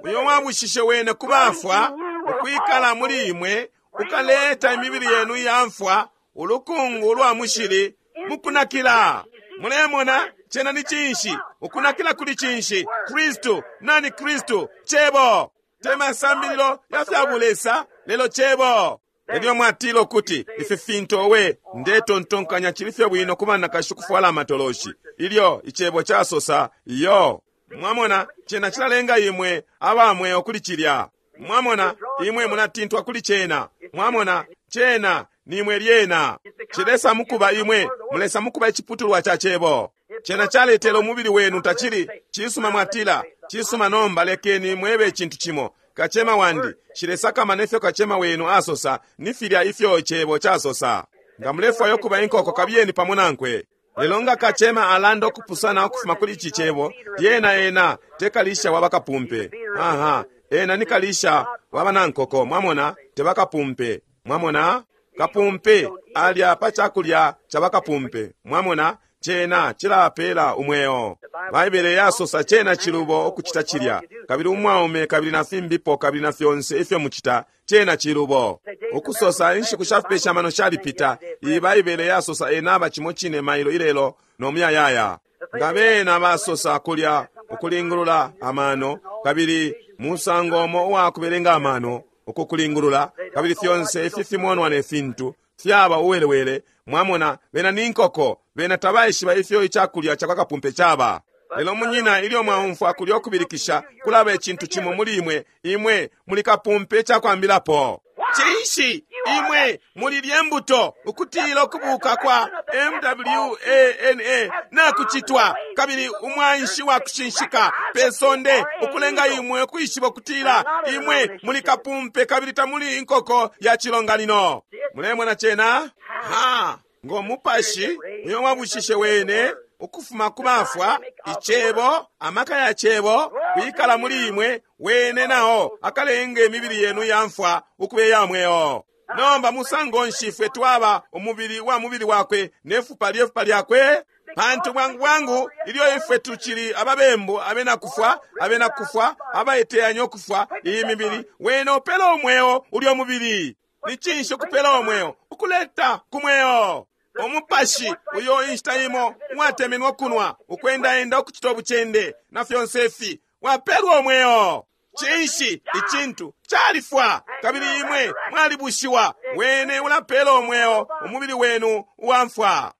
uyo wabushishe wene ku bafwa ukwikala muli imwe ukaleta imibili yenu iyamfwa, ulukungu ulwa mushili mukunakila. Mulemona, cena ni cinshi? Ukunakila kuli cinshi? Kristu. Nani Kristu? Cebo. Te masambililo ya fya bulesa, lelo cebo. Elyo mwatila ukuti ifi fintu owe ndetontonkanya cili fye bwino ku banakashi ukufwala amatoloshi, ilyo icebo casosa iyo. Mwamona, cena cilalenga imwe aba mweo kuli cilya. Mwamona, imwe mulatintwa kuli cena. Mwamona, cena nimwe lyena. Cilesa mukuba imwe, mulesa mukuba iciputulwa ca cebo. Cena caletele umubili wenu tacili cisuma. Mwatila, cisuma, nomba lekeni mwebe icintu cimo. Kacema wandi, shilesakama nefyo kacema wenu asosa, ni filya ifyo icebo casosa. Nga mulefwaya ukuba inkoko, kabiyeni pamo nankwe. Lelo nga kacema alanda ukupusana ukufuma kuli ici cebo, lyena ena te kalisha wa bakapumpe. Aha, ena ni kalisha wa banankoko. Mwamona, te bakapumpe. Mwamona, kapumpe alya pa cakulya ca bakapumpe. Mwamona, cena cilapela umweo. Baibele yasosa cena cilubo ukucita cilya. Kabili umwaume kabili na fimbipo kabili na fyonse ifyo mucita, cena cilubo. Ukusosa inshiku sha fipesha mano shalipita. Iyi Baibele yasosa ena aba cimo cine mailo ilelo no muyayaya. Nga bena basosa kulya ukulingulula amano, kabili musango umo uwa kubelenga amano ukukulingulula, kabili fyonse ifi fimonwa ne fintu fyaba uwelewele. Mwamona, bena ni nkoko, bena tabaishiba ifyo icakulya ca kwa kapumpe caba. Lelo munyina, ilyo mwaumfwa kulyo kubilikisha, kulaba icintu cimo muli imwe, imwe muli kapumpe icakwambilapo. Cinshi? Imwe muli lyembuto ukutila ukubuka kwa MWANA nakucitwa, kabili umwanshi wa kushinshika pe sonde ukulenga imwe ukwishiba ukutila imwe muli kapumpe kabili tamuli inkoko ya cilonganino. Mulemona cena? Ha! Ngo mupashi uyo wabushishe wene ukufuma ku bafwa, icebo, amaka ya cebo kwikala muli imwe, wene nao akalenga imibili yenu ya mfwa ukuba iya mweo. Nomba musango nshi ifwe twaba umubili wa mubili wakwe ne fupa lye fupa lyakwe? Pantu bwangu bwangu ilyo ifwe tucili ababembu, abena kufwa, abena kufwa, abaiteyanya ukufwa iyi mibili, wene upela umweo ulyo mubili. Ni cinshi ukupela umweo? Ukuleta ku mweo umupashi uyo inshita imo uwatemenwa kunwa, ukwendaenda, ukucita ubucende na fyonse ifi, wapelwa umweo. Cinshi? Icintu califwa, kabili imwe mwalibushiwa. Wene ulapela umweo umubili wenu uwamfwa.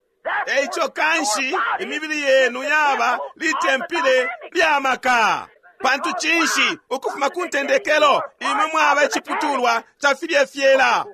Eico kanshi imibili yenu yaba litempile lya maka. Pantu cinshi? Ukufuma ku ntendekelo imwe mwaba iciputulwa ca filye fyela.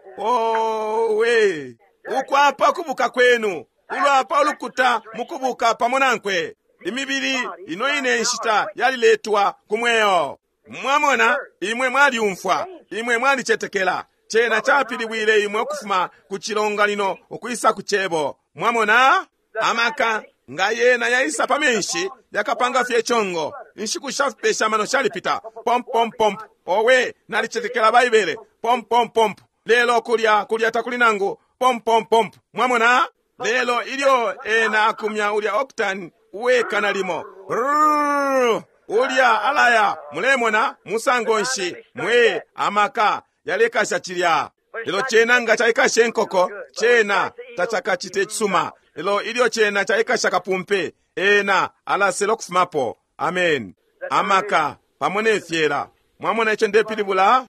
Owe! Ukwapa kubuka kwenu, ulwapa ulukuta mukubuka pamo nankwe. Imibili ino ine nshita yaliletwa ku mweo. Mwamona, imwe mwaliumfwa, imwe mwalicetekela. Cena capilibwile imwe ukufuma ku cilonganino ukwisa ku cebo. Mwamona, amaka nga yena yaisa pa menshi yakapanga fye congo. Inshiku shafipesha amano shalipita. Pomp pomp pomp. Owe, nalicetekela Baibele. Pomp pomp pomp. Lelo kulya kulya takuli nangu pomp pomp pomp. Mwamona? Lelo ilyo ena akumya ulya octane uwekana limo. Rrrr, ulya alaya, mulemona musango nshi mwe amaka yalekasha cilya. Lelo cena nga caikasha inkoko, cena tacakacite cisuma. Lelo ilyo cena caikasha kapumpe, ena alasela ukufumapo. Amen. Amaka pamo ne fyela. Mwamona ico ndepilibula?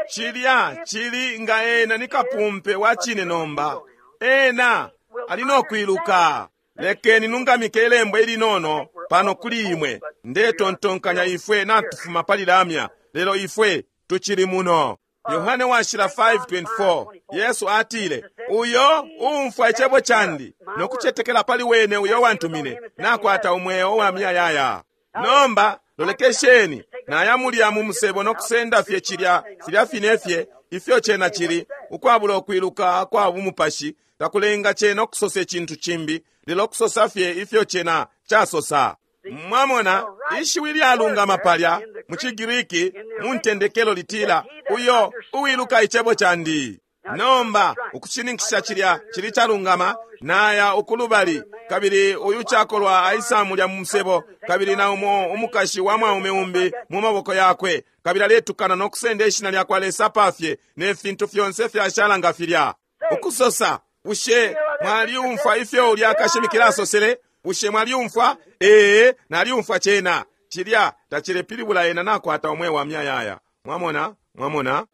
Cilya cili nga ena ni kapumpe wa cine nomba. Ena ali no kwiluka. Lekeni nungamike ilembo ilinono pano kuli imwe. Ndetontonkanya ifwe natufuma pali lamya, lelo ifwe tucili muno. Yohane washila 5:24 Yesu atile, uyo uumfwa icebo candi no kucetekela pali wene uyo wantumine nakwata umweo wa muyayaya. Nomba lolekesheni, naya mulya mu musebo no kusenda fye cilya filya fine fye ifyo cena cili, ukwabula ukwiluka kwa bumupashi takulenga cena ukusosa icintu cimbi, lelo kusosa fye ifyo cena casosa. Mwamona, ishiwi lyalungama palya mu ciGiriki mu ntendekelo litila, uyo uwiluka icebo candi. Nomba ukushininkisha cilya cili calungama, naya ukulubali, kabili uyu cakolwa aisa mulya mu musebo, kabili na umo umukashi wa mwaume umbi mu maboko yakwe, kabili aletukana no kusenda ishina lya kwa Lesa pafye ne fintu fyonse fyashala nga filya. Ukusosa, bushe mwaliumfwa ifyo ulya kashimikila asosele? Bushe mwaliumfwa? Ee, naliumfwa cena. Cilya tacilepilibula ena nakwata umweo wa muyayaya. Mwamona? Mwamona?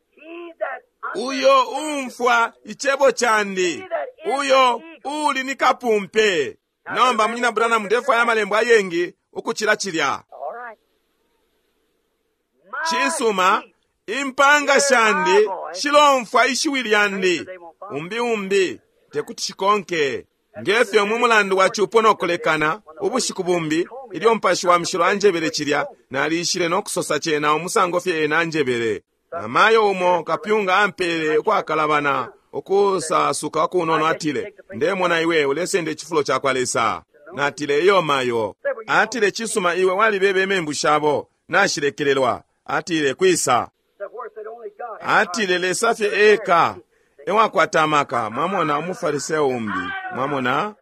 Uyo umfwa icebo candi, uyo uli ni kapumpe. Nomba munyina Branham, ndefwaya amalembo ayengi ukucila cilya. Cisuma, impanga shandi shilomfwa ishiwi lyandi, umbi umbi tekuti shikonke. Ngefyo mu mulandu wa cupo no kulekana, ubushiku bumbi ilyo mpashi wa mshilo anjebele cilya, nalishile no kusosa cena umusango fye ena anjebele. Namayo umo kapyunga ampele ukwakalabana ukusasuka kunono, atile, ndemona iwe ulesenda icifulo ca kwa Lesa. Natile, iyo mayo. Atile, cisuma, iwe walibebe imembu shabo, nashilekelelwa. Atile, kwisa? Atile, Lesa fye eka ewakwata amaka. Mwamona umufariseo umbi? Mwamona?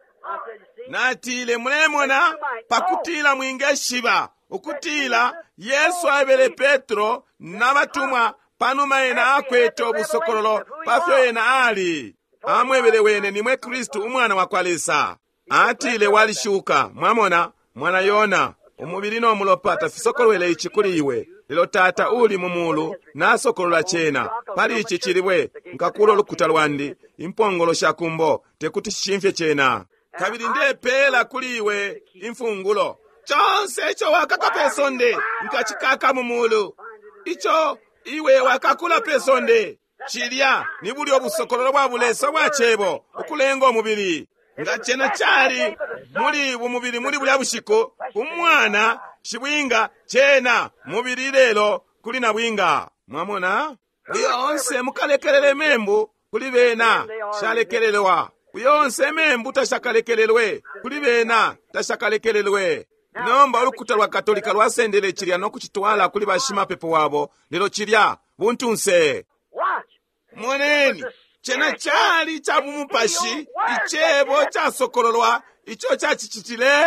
Natile, mulemona, pakutila mwingeshiba ukutila Yesu aebele Petro na batumwa panuma ena akwete ubusokololo pafyo ena ali. Amwebele wene, nimwe Kristu umwana wa kwa Lesa. Atile, walishuka. Mwamona, mwana Yona, umubili no mulopa tafisokolwele ici kuli iwe, lelo Tata uli mu mulu nasokolola cena. Pali ici cilibwe nkakula ulukuta lwandi, impongolo sha kumbo tekuti shishimfye cena. Kabili ndepela kuli iwe imfungulo. Conse ico wakaka pe sonde, nkacikaka mu mulu. Ico iwe wakakula pe sonde. Cilya ni bulyo busokololo bwa bulesa bwa cebo ukulenga umubili. Nga cena cali muli bumubili muli bulya bushiku, umwana shibwinga cena mubili lelo kuli nabwinga. Mwamona? Uyo onse mukalekelele membu kuli bena shalekelelwa. Uyo onse membu tashakalekelelwe kuli bena tashakalekelelwe. Nomba ulukuta lwa Katolika lwasendele cilya no kucitwala kuli bashimapepo wabo, lelo cilya buntunse. Watch. Moneni, cena cali ca bumupashi, icebo casokololwa ico cacicitile.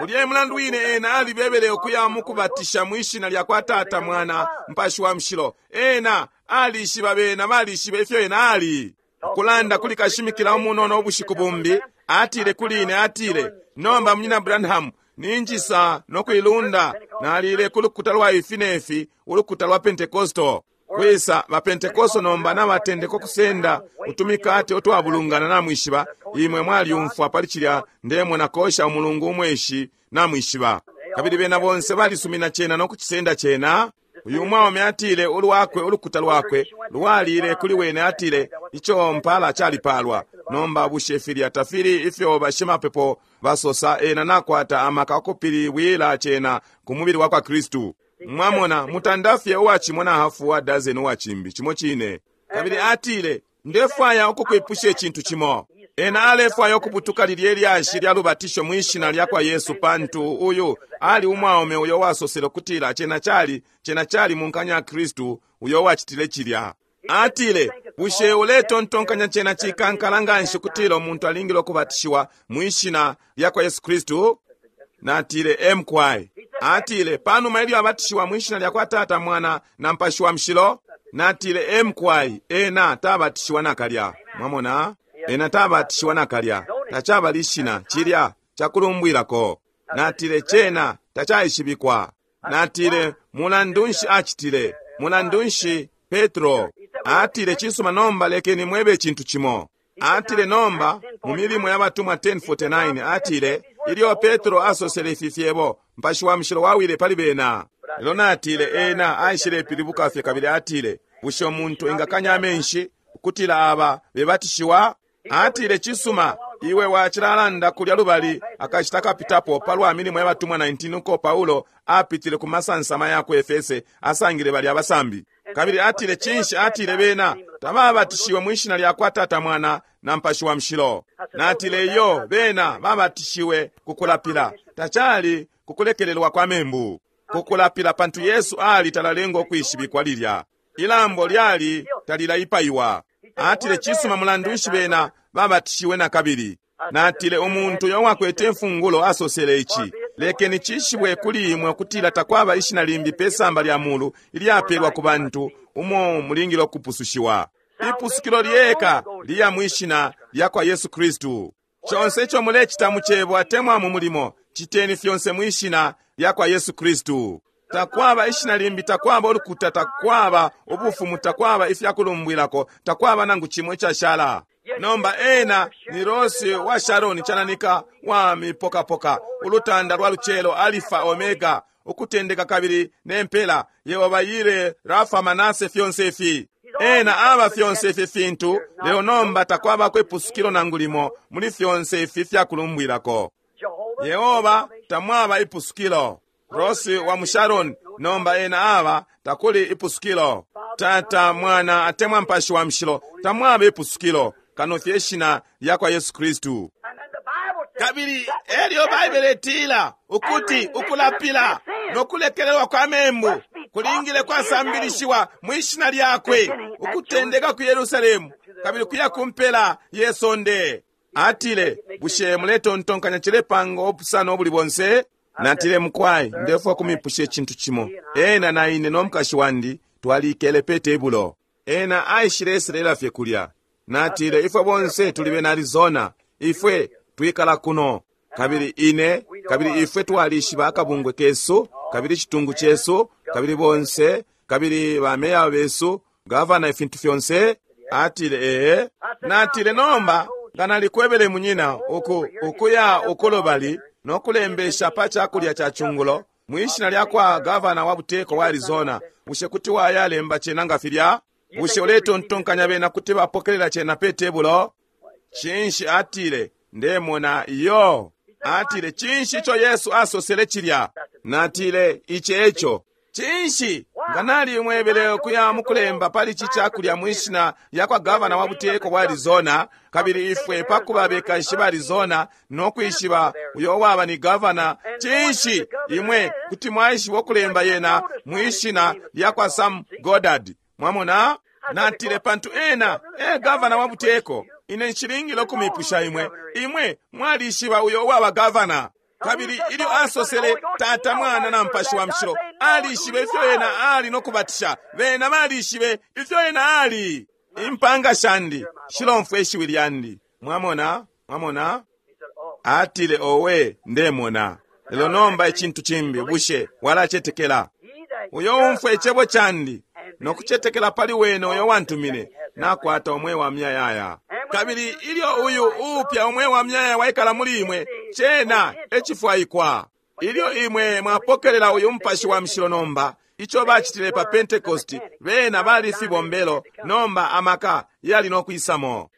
Ulya mulandu wine ena alibebele ukuya mukubatisha mwishina lya kwa Tata, Mwana, Mupashi wa Mushilo. Ena alishiba bena balishiba ifyo ena ali. Kulanda kuli kashimikila umunono ubushiku bumbi, atile kuli ine, atile, nomba Munyina Branham, ninjisa no kuilunda nalile ku lukuta lwa ifi nefi, ulukuta lwa Pentecostal. Kwisa ba Pentecostal nomba nabatendeka kusenda utumikate utwabulungana namwishiba. Imwe mwalyumfwa pali cilya ndemona kosha umulungu umweshi namwishiba. Kabili bena bonse balisumina cena no kucisenda cena. Uyu mwaume atile ulwakwe ulukuta lwakwe lwalile kuli wene, atile ico mpala calipalwa. Nomba bushe filya tafili ifyo bashimapepo basosa? Ena nakwata amaka okupiliwila cena ku mubili wa kwa Kristu. Mwamona, mutandafye uwacimo na hafu wa dozen uwacimbi cimo cine. Kabili atile, ndefwaya ukukwipusha icintu cimo. Ena alefwaya ukubutuka lilye lyashi lya lubatisho mwishina lya kwa Yesu, pantu uyu ali umwaume uyo wasosele kutila cena cali munkanya Kristu uyo wacitile cilya. Atile, bushe uletontonkanya cena cikankala nganshi kutila umuntu alingile ukubatishiwa mwishina lya kwa Yesu Kristu? Natile, emkwai. Atile, panuma ilyo abatishiwa mwishina lya kwa Tata, Mwana na Mupashi wa Mushilo? Natile, emkwai, ena tabatishiwa nakalya. Mwamona? Ena tabatishiwa nakalya. Tacaba lishina cilya cakulumbwilako. Natile, cena tacaishibikwa. Natile, mulandu nshi acitile? Mulandu nshi Petro? Atile, cisuma, nomba lekeni mwebe icintu cimo. Atile, nomba mu milimo ya batumwa 10:49 atile, ilyo Petro asosele ifi fyebo, Mupashi wa Mushilo wawile pali bena. Lelo natile, ena aishile pilibuka fye kabili atile, bushe umuntu engakanya amenshi ukutila aba bebatishiwa? Atile, cisuma, iwe wacilalanda kulya lubali akashita kapitapo palwa milimo ya batumwa 19 uko Paulo apitile ku masansama ya ku Efese, asangile bali abasambi. Kabili atile, cinshi? Atile, bena tababatishiwe mwishina lya kwa Tata, Mwana na Mupashi wa Mushilo. Natile, iyo, bena babatishiwe kukulapila, tacali kukulekelelwa kwa membu, kukulapila, pantu Yesu ali talalenga ukwishibikwa lilya ilambo lyali talilaipaiwa. Atile, cisuma, mulandu nshi bena babatishiwe na kabili? Natile, umuntu uyo wakwete imfungulo asosele ici, lekeni cishibwe kuli imwe ukutila takwaba ishina limbi pe samba lya mulu ilyapelwa ku bantu umo mulingile ukupusushiwa. Ipusukilo lyeka liya mwishina lya kwa Yesu Kristu. Conse ico mulecita mu cebo atemwa mu mulimo, citeni fyonse mwishina lya kwa Yesu Kristu. Takwaba ishina limbi, takwaba ulukuta, takwaba ubufumu, takwaba ifyakulumbwilako, takwaba nangu cimo icashala. Nomba ena ni Rose wa Sharoni, chananika wa mipokapoka, ulutanda lwa lucelo, Alifa Omega, ukutendeka kabili nempela, Yehova Yire, Rafa, Manase, fyonse ifi. Ena aba fyonse ifi fintu, lelo nomba takwaba ipusukilo nangu limo muli fyonse ifi fyakulumbwilako. Yehova tamwaba ipusukilo. Rose wa Musharon, nomba ena aba takuli ipusukilo. Tata, Mwana atemwa Mupashi wa Mushilo, tamwaba ipusukilo kano fye ishina lya kwa Yesu Kristu. Kabili elyo Baibele itila ukuti ukulapila no kulekelelwa kwa membu kulingile kwasambilishiwa mwishina lyakwe, ukutendeka ku Yerusalemu kabili kuya kumpela ye sonde. Atile, bushe muletontonkanya cilepanga obusano obuli bonse? Natile, mukwai, ndefwa kumipusha icintu cimo. Ena na ine no mukashi wandi twalikele pe tebulo. Ena aishile eselela fye kulya. Natile, ifwe bonse tuli bena Arizona, ifwe twikala kuno. Kabili ine, kabili ifwe twalishiba akabungwe kesu, kabili citungu cesu, kabili bonse, kabili bameya besu, gavana, ifintu fyonse. Atile, ee. Natile, nomba nga nalikwebele munyina ukuya ukulobali. no kulembesha pa cakulya ca cungulo mwi shina lya kwa gavana wa buteko wa Arizona, bushe kuti wayalemba cena nga filya? Bushe uletontonkanya bena kuti bapokelela cena pe tebulo? Cinshi atile, ndemona iyo. Atile, cinshi ico Yesu asosele cilya? Natile, ici eco. Cinshi nga nalimwebele ukuya mukulemba pali ici cakulya mwi shina lya kwa gavana wa buteko bwa Arizona, kabili ifwe pakuba bekashi ba Arizona no kwishiba uyo waba ni gavana, cinshi imwe kuti mwaishiba ukulemba yena mwi shina lya kwa Sam Goddard? Mwamona? Natile, pantu ena e gavana wa buteko. Ine nshilingile ukumipusha imwe. Imwe mwalishiba uyo waba gavana. Kabili ilyo asosele Tata, Mwana na Mupashi wa Mushilo, alishibe ifyo ena ali no kubatisha. Bena balishibe ifyo ena ali. Impanga shandi shilomfwa ishiwi lyandi. Mwamona? Mwamona? Atile, owe, ndemona. Lelo nomba icintu cimbi, bushe walacetekela? Uyo umfwa icebo candi no kucetekela pali wene uyo wantumine, nakwata umweo wa muyayaya. Kabili ilyo uyu uupya umweo wa muyayaya waikala muli imwe, cena ecifwaikwa. Ilyo imwe mwapokelela uyu Mupashi wa Mushilo nomba, ico bacitile pa Pentecost, bena bali fibombelo, nomba amaka yali no kwisamo.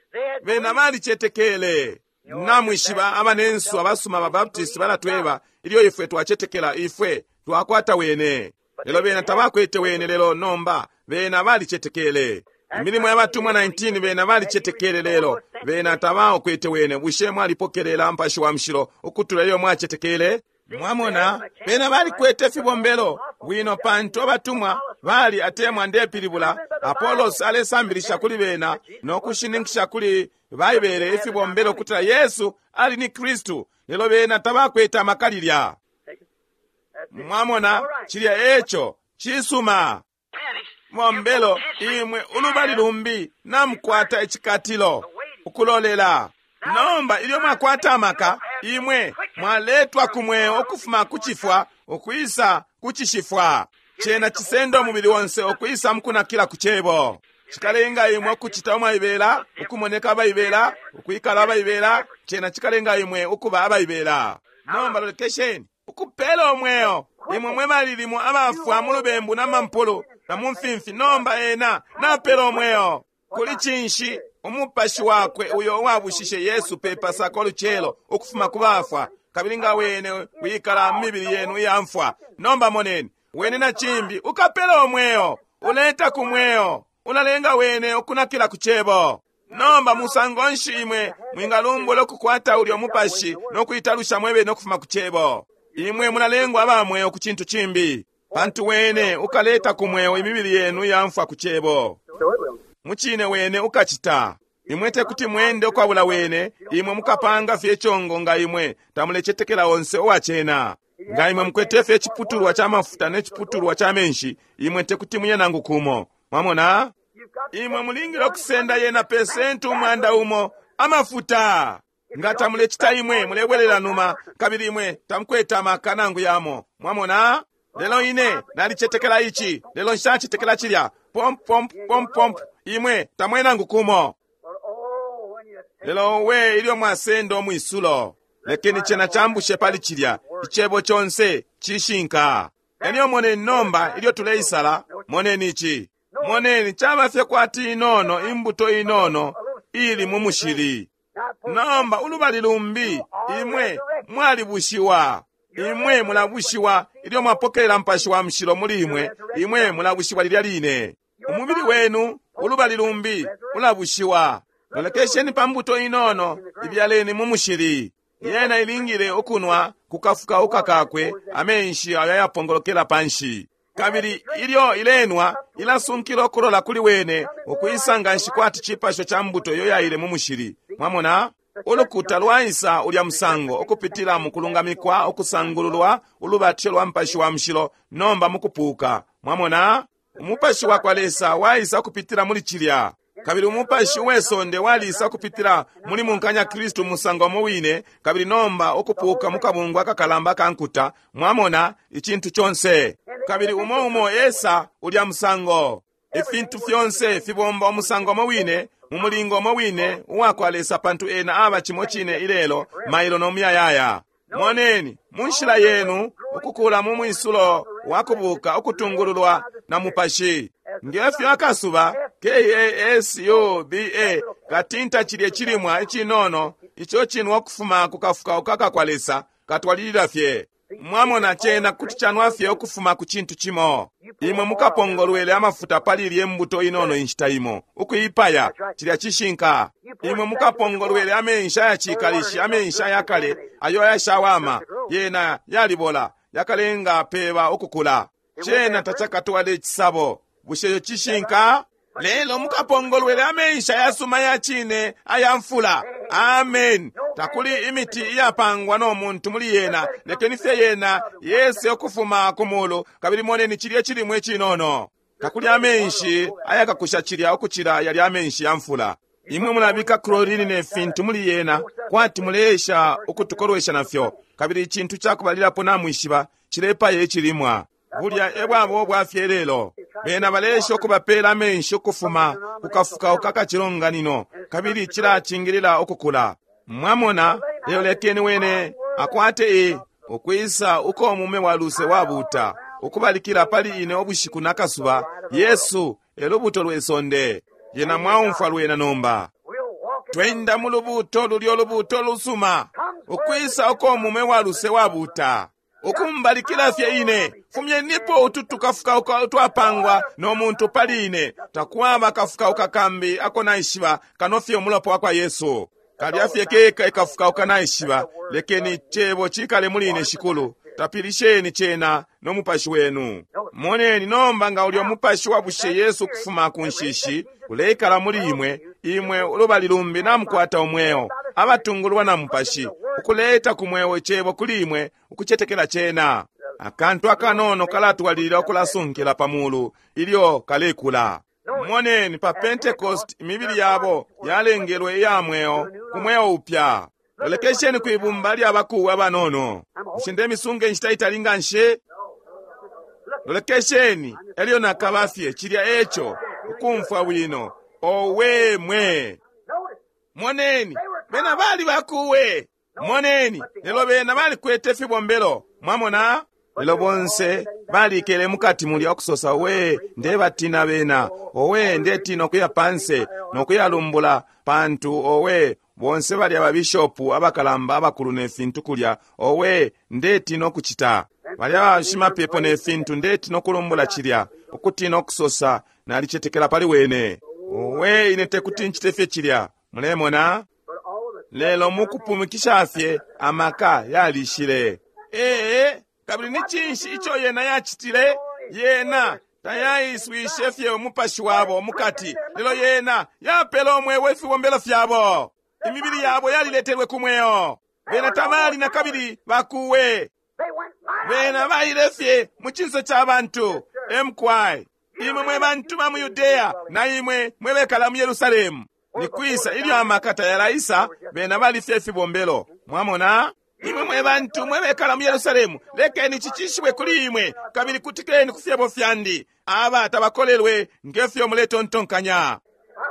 Bena balicetekele. Namwishiba abanensu abasuma ba Baptist balatweba, ilyo ifwe twacetekela, ifwe twakwata wene. Lelo bena tabakwete wene, lelo nomba bena balicetekele. Imilimo ya batumwa 19, bena balicetekele, lelo bena tabaokwete wene. Bushe mwalipokelela Mupashi wa Mushilo ukutula ilyo mwacetekele? Mwamona, bena balikwete fibombelo bwino, pantu abatumwa bali atemwa ndepilibula Apollos alesambilisha kuli bena no kushininkisha kuli Baibele ifibombelo kutila Yesu ali ni Kristu, lelo bena tabakwete amaka lilya. Mwamona, cilya eco cisuma. Mombelo imwe ulubali lumbi namukwata icikatilo ukulolela. Nomba ilyo mwakwata amaka, imwe mwaletwa ku mweo ukufuma ku cifwa ukwisa ku cishifwa. Cena cisenda umubili onse ukwisa mukunakila ku cebo. Cikalenga imwe ukucita umwaibela, ukumoneka abaibela, ukwikala abaibela. Cena cikalenga imwe ukuba abaibela. Nomba lolekesheni, ukupela umweo imwe mwe balilimo abafwa mu lubembu na mampulu na mu mfimfi. Nomba ena napela umweo kuli cinshi? Umupashi wakwe uyo uwabushishe Yesu pe Pasaka ulucelo ukufuma ku bafwa, kabili nga wene wikala mu mibili yenu iya mfwa. Nomba moneni, wene na cimbi ukapela umweo, uleta ku mweo, ulalenga wene ukunakila ku cebo. Nomba musango nshi imwe mwingalumbula ukukwata ulyo mupashi no kuitalusha mwebene ukufuma ku cebo? Imwe mulalengwa aba mweo ku cintu cimbi, pantu wene ukaleta ku mweo imibili yenu iya mfwa ku cebo. Mucine wene ukacita. Imwe tekuti mwende ukwabula wene, imwe mukapanga fye icongo nga imwe tamulecetekela onse uwacena. Nga imwe mukwete fye iciputulwa ca mafuta ne ciputulwa ca menshi, imwe tekuti muye nangu kumo. Mwamona? Imwe mulingile ukusenda yena pesenti 100 amafuta. Nga tamulecita imwe mulebwelela numa, kabili imwe tamukwete amaka nangu yamo. Mwamona? Lelo ine nalicetekela ici, lelo nshacetekela cilya. Pomp, pomp, pomp, pomp. Imwe tamwe nangu kumo. Lelo we ilyo mwasenda umwisulo, lekeni cena cambushe pali cilya. Icebo conse cishinka. Elyo moneni nomba ilyo tuleisala, moneni ici. Moneni caba fye kwati inono, imbuto inono ili mu mushili. Nomba ulubali lumbi, imwe mwalibushiwa. Imwe mulabushiwa ilyo mwapokelela Mupashi wa Mushilo muli imwe. Imwe mulabushiwa lilya line. Umubili wenu ulubali lumbi ulabushiwa. Lolekesheni pa mbuto inono ibyaleni mu mushili. Yena ilingile ukunwa kukafukauka kakwe amenshi ayo ayapongolokela panshi. Kabili ilyo ilenwa ilasunkila ukulola kuli wene ukwisa nganshi kwati cipasho ca mbuto iyo yaile mu mushili. Mwamona? Ulukuta lwaisa ulya musango ukupitila mu kulungamikwa, ukusangululwa, ulubatisho lwa Mupashi wa Mushilo, nomba mukupuka. Mwamona? Umupashi wa kwa Lesa waisa ukupitila muli cilya. Kabili umupashi uwesonde walisa ukupitila muli munkanya Kristu musango umo wine, kabili nomba ukupuka mukabungwe akakalamba ka nkuta. Mwamona icintu conse. Kabili umo umo esa ulya musango. Ifintu fyonse fibomba umusango umo wine, mu mulingo umo wine uwa kwa Lesa, pantu ena aba cimo cine ilelo, mailo no muyayaya. Moneni, mu nshila yenu, ukukula mu mwisulo wa kubuka ukutungululwa na Mupashi. Ngefyo akasuba K-A-S-U-B-A katinta cilye cilimwa icinono ico cinwa ukufuma ku kafukauka kakwa Lesa katwalilila fye. Mwamona, cena kuti canwa fye ukufuma ku cintu cimo. Imwe mukapongolwele amafuta pali ilye mbuto inono inshita imo, ukuipaya. Cilya cishinka. Imwe mukapongolwele amenshi ayacikalishi, amenshi ayakale ayo ayashawama, yena yalibola, yakalenga peba ukukula. Cena tacakatwale icisabo. Bushe ico cishinka? Lelo mukapongolwele amenshi ayasuma ya cine aya mfula. Amen. Takuli imiti iyapangwa no muntu muli yena. Lekeni fye yena yese ukufuma ku mulu, kabili moneni cilye cilimwa icinono. Takuli amenshi ayakakusha cilya ukucila yalya amenshi ya mfula. Imwe mulabika chlorine ne fintu muli yena kwati muleesha ukutukolwesha nafyo, kabili icintu cakubalilapo namwishiba cilepaya icilimwa. Bulya e bwaba ubwafye lelo. Bena baleesha ukubapela amenshi ukufuma ku kafukauka kacilonganino, kabili cilacingilila ukukula. Mwamona, lelo lekeni wene akwate i ukwisa uko mume wa luse wabuta ukubalikila pali ine ubushiku na kasuba. Yesu e lubuto lwe sonde. Yena mwaumfwa lwena nomba. Twenda mu lubuto lulyo lubuto lusuma, ukwisa uko mume wa luse wabuta ukumbalikila fye ine. Fumyenipo utu tukafukauka utwapangwa no muntu pali ine. Takwaba kafukauka kambi ako naishiba kano fye umulopa wa kwa Yesu. Kalya fye keka ikafukauka naishiba. Lekeni cebo cikale muli ine, Shikulu. Tapilisheni cena no mupashi wenu. Moneni nomba nga ulyo mupashi wa bushe Yesu kufuma ku nshishi uleikala muli imwe, imwe ulubali lumbi namukwata umweo, abatungulwa na mupashi, ukuleta ku mweo icebo kuli imwe, ukucetekela cena. Akantu akanono kalatwalilila ukulasunkila pa mulu ilyo kalekula. Moneni pa Pentecost imibili yabo yalengelwe iya mweo ku mweo upya. Lolekesheni ku ibumba lya bakuwe abanono. Bushe ndemisunga inshita itali nga nshi? Lolekesheni, elyo nakaba fye cilya eco, ukumfwa bwino. Owe mwe! Moneni, bena bali bakuwe. Moneni, lelo bena balikwete ifibombelo. Mwamona? Lelo bonse balikele mukati mulya ukusosa, we ndebatina bena, owe ndetina ukuya panse nokuyalumbula, pantu owe bonse balya babishopu abakalamba abakulu ne fintu kulya, owe ndetina ukucita. Balya bashimapepo ne fintu, ndetina ukulumbula cilya, ukutina ukusosa nalicetekela pali wene. Owe ine tekuti ncite fye cilya. Mulemona? Lelo mukupumikisha fye amaka yalishile. Ee, kabili ni cinshi ico yena yacitile? Yena tayaiswishe fye umupashi wabo mukati, lelo yena yapele umweo ifibombelo fyabo. Imibili yabo yaliletelwe ku mweo. Bena tabali na kabili bakuwe. Bena baile fye mu cinso ca bantu. Mkwai, imwe mwe bantu ba mu Yudea na imwe mwe bekala mu Yerusalemu, ni kwisa ilyo amaka tayalaisa? Bena bali fye ifibombelo. Mwamona? Imwe mwe bantu mwe bekala mu Yerusalemu, lekeni cicishibwe kuli imwe, kabili kutikeni ku fyebo fyandi. Aba tabakolelwe ngefyo muletontonkanya.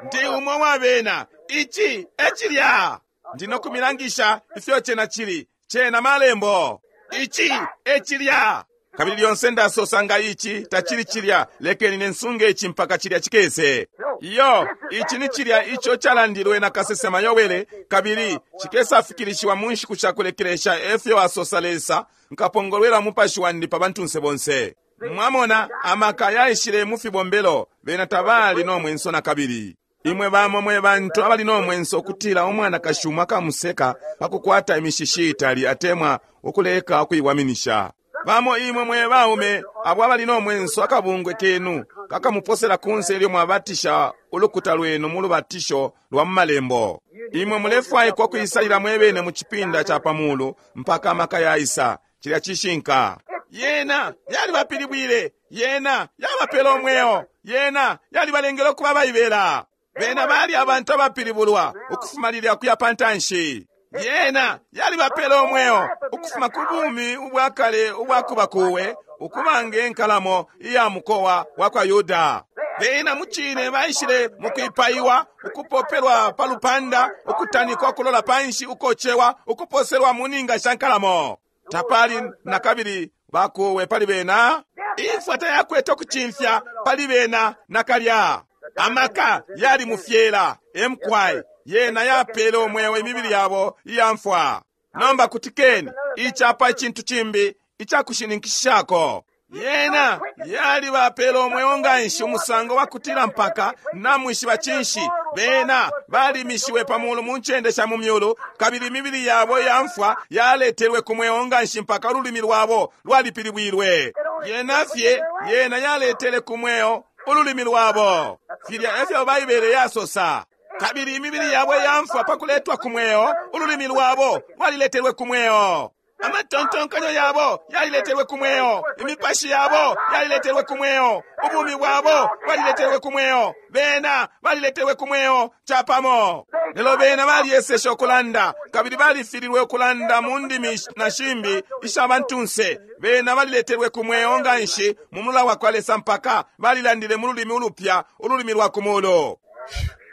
Ndi umo wa bena. Ici e cilya. Ndi no kumilangisha ifyo cena cili. Cena malembo. Ici e cilya. Kabili lyonse ndasosa nga ici tacili cilya, lekeni nensunge ici mpaka cilya cikese. Iyo, ici ni cilya ico calandilwe na kasesema Yowele, kabili cikesafikilishiwa mu nshiku sha kulekelesha, efyo asosa Lesa, nkapongolwela umupashi wandi pa bantunse bonse. Mwamona, amaka yaishile mu fibombelo, bena tabali no mwenso na kabili. Imwe bamo mwe bantu abali no mwenso ukutila umwanakashi umo akamuseka pa kukwata imishishi itali atemwa ukuleka ukuiwaminisha. Bamo imwe mwe baume abo abali no mwenso akabungwe kenu kakamuposela kunse ilyo mwabatisha ulukuta lwenu mu lubatisho lwa mu malembo. Imwe mulefwaikwa ukuisalila mwebene mu cipinda ca pa mulu mpaka amaka yaisa. Cilya cishinka. Yena yalibapilibwile, yena yabapele umweo, yena yalibalengele ukuba baibela. Bena bali abantu abapilibulwa ukufuma lilya kuya pantanshi. Yena yalibapele umweo ukufuma ku bumi ubwa kale ubwa kuba kuwe, ukuba nge nkalamo iya mukowa wa kwa Yuda. Bena mucine baishile mukwipaiwa, ukupopelwa pa lupanda, ukutanikwa ukulola panshi, ukocewa, ukuposelwa mu ninga sha nkalamo. Tapali nakabili bakuwe pali bena. Imfwa tayakwete ukucimfya pali bena nakalya. Amaka yali mufyela emkwai yena yapele umweo imibili yabo iya mfwa. Nomba kutikeni icapa icintu cimbi icakushininkishako. Yena yali bapele umweo nganshi umusango wakutila mpaka namwishiba cinshi bena balimishiwe pa mulu mu ncende sha mu myulu, kabili imibili yabo iya mfwa yaletelwe ku mweo nganshi mpaka ululimi lwabo lwalipilibwilwe. Yena fye yena yaletele ku mweo ululimi lwabo. Filya efyo Baibele yasosa. Kabili imibili yabo iya mfwa pa kuletwa ku mweo, ululimi lwabo lwaliletelwe ku mweo. Amatontonkanyo yabo yaliletelwe ku mweo, imipashi yabo yaliletelwe ku mweo, ubumi bwabo bwaliletelwe ku mweo, bena baliletelwe ku mweo capamo. Lelo bena balyeseshe ukulanda, kabili balifililwe ukulanda mu ndimi na shimbi isha bantunse. Bena baliletelwe ku mweo nganshi mu mula wa kwa Lesa mpaka balilandile mu lulimi ulupya, ululimi lwa ku mulu.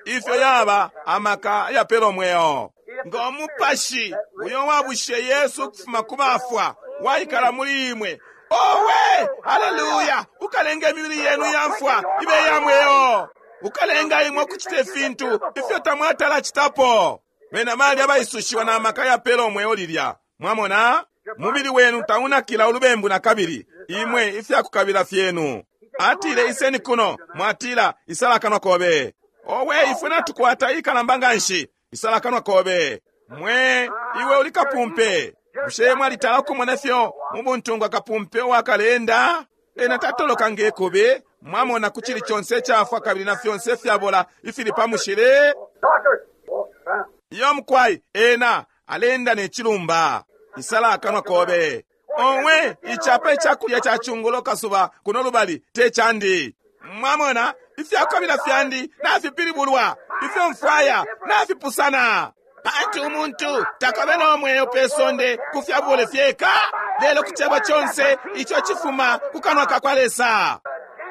Ifyo yaba amaka yapela umweo. Ngo mupashi uyo wabushe Yesu ukufuma ku bafwa waikala muli imwe, owe haleluya, ukalenga imibili yenu ya mfwa ibe ya mweo, ukalenga imwe ukucita ifintu ifyo tamwatala citapo. Bena bali abaisushiwa na maka yapela umweo lilya. Mwamona, mubili wenu taunakila ulubembu na kabili, imwe ifyakukabila fyenu. Atile, iseni kuno. Mwatila, isala kanwa kobe. Owe, ifwe natukwata ikalamba nganshi. Isala kanwa kobe. Mwe, iwe uli kapumpe. Bushe mwalitala ukumona fyo mu buntungwa kapumpe uwakalenda? Ena tatoloka nge kube. Mwamona ku cili conse icafwa kabili na fyonse ifyabola ifili pa mushili. Iyo mukwai, ena alenda ne cilumba. Isala akanwa kobe. Owe, icapa icakulya ca cungulo kasuba kuno lubali te candi. Mwamona, ifyakukabila fyandi nafipilibulwa, ifyo mfwaya nafipusana. Pantu umuntu takabe no mweo pe sonde ku fyabule fyeka, lelo ku cebo conse ico cifuma ku kanwa ka kwa Lesa.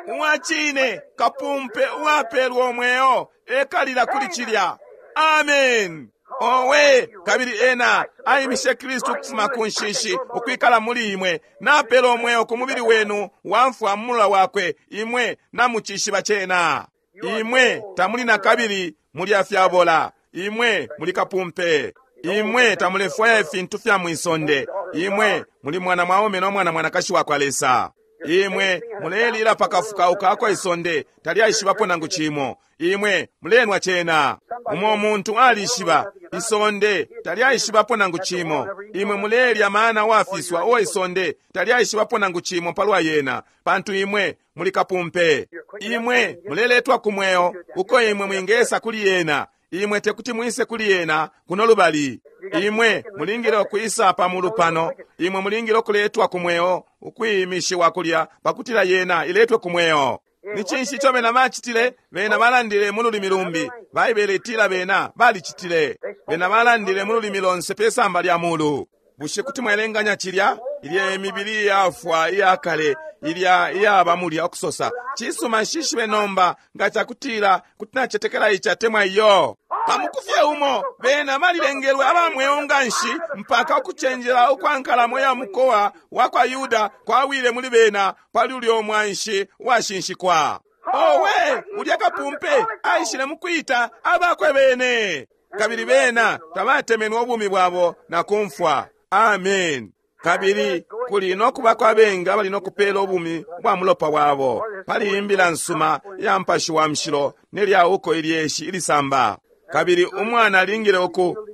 Uwacine kapumpe uwapelwa umweo ekalila kuli cilya. Amen. Owe, kabili ena aimishe Kristu ukufuma ku nshishi ukwikala muli imwe, napela umweo ku mubili wenu wamfwa mu mula wakwe, imwe namucishiba cena. Imwe tamuli na kabili muli afyabola, imwe muli kapumpe. Imwe tamulefwaya ifintu fya mwisonde, imwe muli mwana mwaume no mwana mwanakashi wa kwa Lesa. Imwe mulelila pakafukauka ako isonde talyaishibapo nangu cimo. Imwe mulenwa cena. Umo muntu alishiba isonde talyaishibapo nangu cimo. Imwe mulelya mana wafiswa uo isonde talyaishibapo nangu cimo palwa yena, pantu imwe muli kapumpe. Imwe muleletwa ku mweo uko imwe mwingesa kuli yena. Imwe tekuti mwise kuli yena kuno lubali. Imwe mulingile ukwisa pa mulu pano. Imwe mulingile ukuletwa ku mweo, ukwimishiwa kulya pakutila yena iletwe ku mweo. Ni cinshi ico bena bacitile? Bena balandile mu lulimi lumbi. Baibele itila bena balicitile. Bena balandile mu lulimi lonse pe samba lya mulu. Bushe kuti mwelenganya cilya? Ilya imibili iyafwa iyakale, ilya iyaba mulya ukusosa, cisuma, nshishibe nomba nga cakutila kuti nacetekela ici atemwa iyo. Pamukufye umo bena balilengelwe aba mweo nganshi mpaka ukucenjela ukwa nkalamo ya mukowa wa kwa Yuda kwawile muli bena pali ulyo mwanshi washinshikwa. Owe, ulya kapumpe aishile mukwita abakwe bene, kabili bena tabatemenwe ubumi bwabo na kumfwa. Amen. Kabili kuli no kuba kwa bengi abali no kupela ubumi bwa mulopa wabo pali imbila nsuma ya mpashi wa mshilo nelya uko ilyeshi ilisamba. Kabili umwana alingile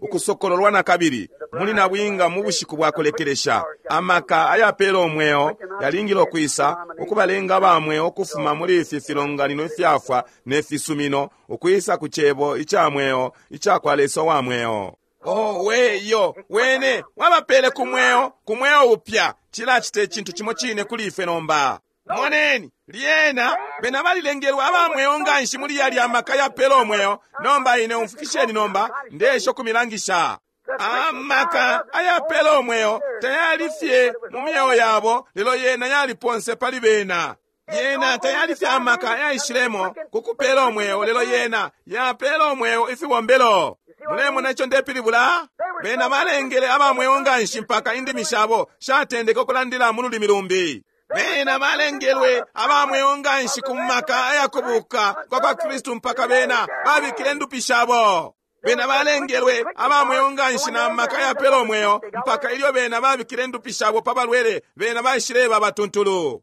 ukusokololwa na kabili muli nabwinga mu bushiku bwa kulekelesha. Amaka ayapela umweo yalingile ukwisa ukubalenga ba mweo ukufuma muli ifi filonganino ifyafwa ne fisumino ukwisa ku cebo ica mweo ica kwa Lesa wa mweo. Owe, iyo wene wabapele ku mweo, ku mweo upya. Cilacita icintu cimo cine kuli ifwe nomba. Moneni, lyena bena balilengelwe aba mweo nganshi muli yalya amaka yapela umweo. Nomba ine umfukisheni nomba, ndesha ukumilangisha. Amaka ayapela umweo tayali fye mu myeo yabo, lelo yena yali ponse pali bena. Yena tayali fye amaka ayaishilemo ku kupela umweo, lelo yena yapela umweo ifibombelo. Mulemona ico ndepilibula? Bena balengele aba mweo nganshi mpaka indimi shabo shatendeke ukulandila mu lulimi lumbi. Bena balengelwe aba mweo nganshi ku maka ayakubuka kwa kwa Kristu mpaka bena babikile indupi shabo. Bena balengelwe aba mweo nganshi na maka yapela umweo mpaka ilyo bena babikile indupi shabo pa balwele, bena baishileba abatuntulu.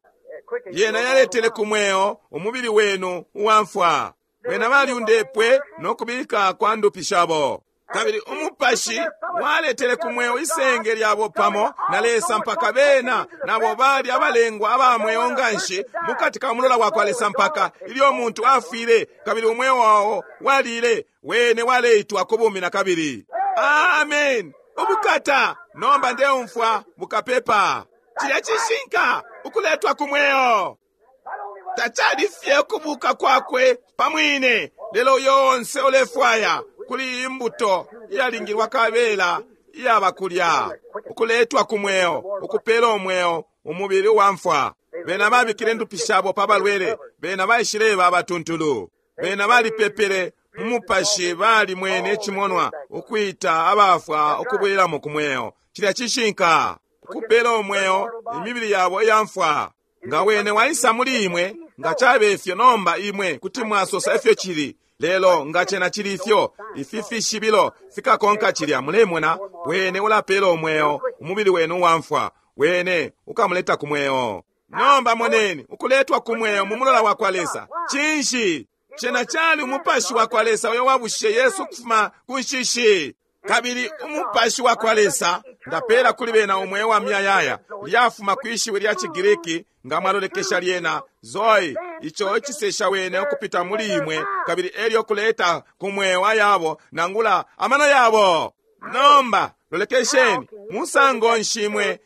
Yena yaletele ku mweo umubili wenu uwamfwa. Bena balyundepwe no kubika kwa ndupi shabo. Kabili umupashi waletele ku mweo isenge lyabo pamo na Lesa mpaka bena nabo bali abalengwa aba mweo nganshi mukati ka mulola wa kwa Lesa mpaka ilyo umuntu afwile kabili umweo wao walile, wene waleitwa ku bumi na kabili. Amen. Ubukata! Nomba ndeumfwa bukapepa. Cilya cishinka, ukuletwa ku mweo. Tacali fye ukubuka kwakwe pa mwine, lelo uyo onse ulefwaya kuli iyi mbuto iyalingilwa kabela iyaba kulya, ukuletwa ku mweo, ukupela umweo, umubili uwamfwa. Bena babikile indupi shabo pa balwele, bena baishileba abatuntulu. Bena balipepele mu mupashi, balimwene icimonwa, ukwita abafwa ukubwelelamo ku mweo. Cilya cishinka, ukupela umweo imibili yabo iyamfwa. Nga wene waisa muli imwe, nga cabe ifyo nomba imwe kuti mwasosa ifyo cili. Lelo nga cena cili ifyo, ifi fishibilo fikakonka cilya. Mulemona, wene ulapela umweo umubili wenu uwamfwa, wene ukamuleta ku mweo. Nomba moneni ukuletwa ku mweo mu mulola wa kwa Lesa. Cinshi? Cena cali umupashi wa kwa Lesa uyo wabushishe Yesu ukufuma ku nshishi. Kabili umupashi wa kwa Lesa ndapela kuli bena umweo wa muyayaya, lyafuma kwi shiwi lya ciGriki, nga mwalolekesha lyena, zoe, ico icisesha wene ukupita muli imwe, kabili elyo kuleta ku mweo ayabo nangula amano yabo. Nomba lolekesheni, musango nshi imwe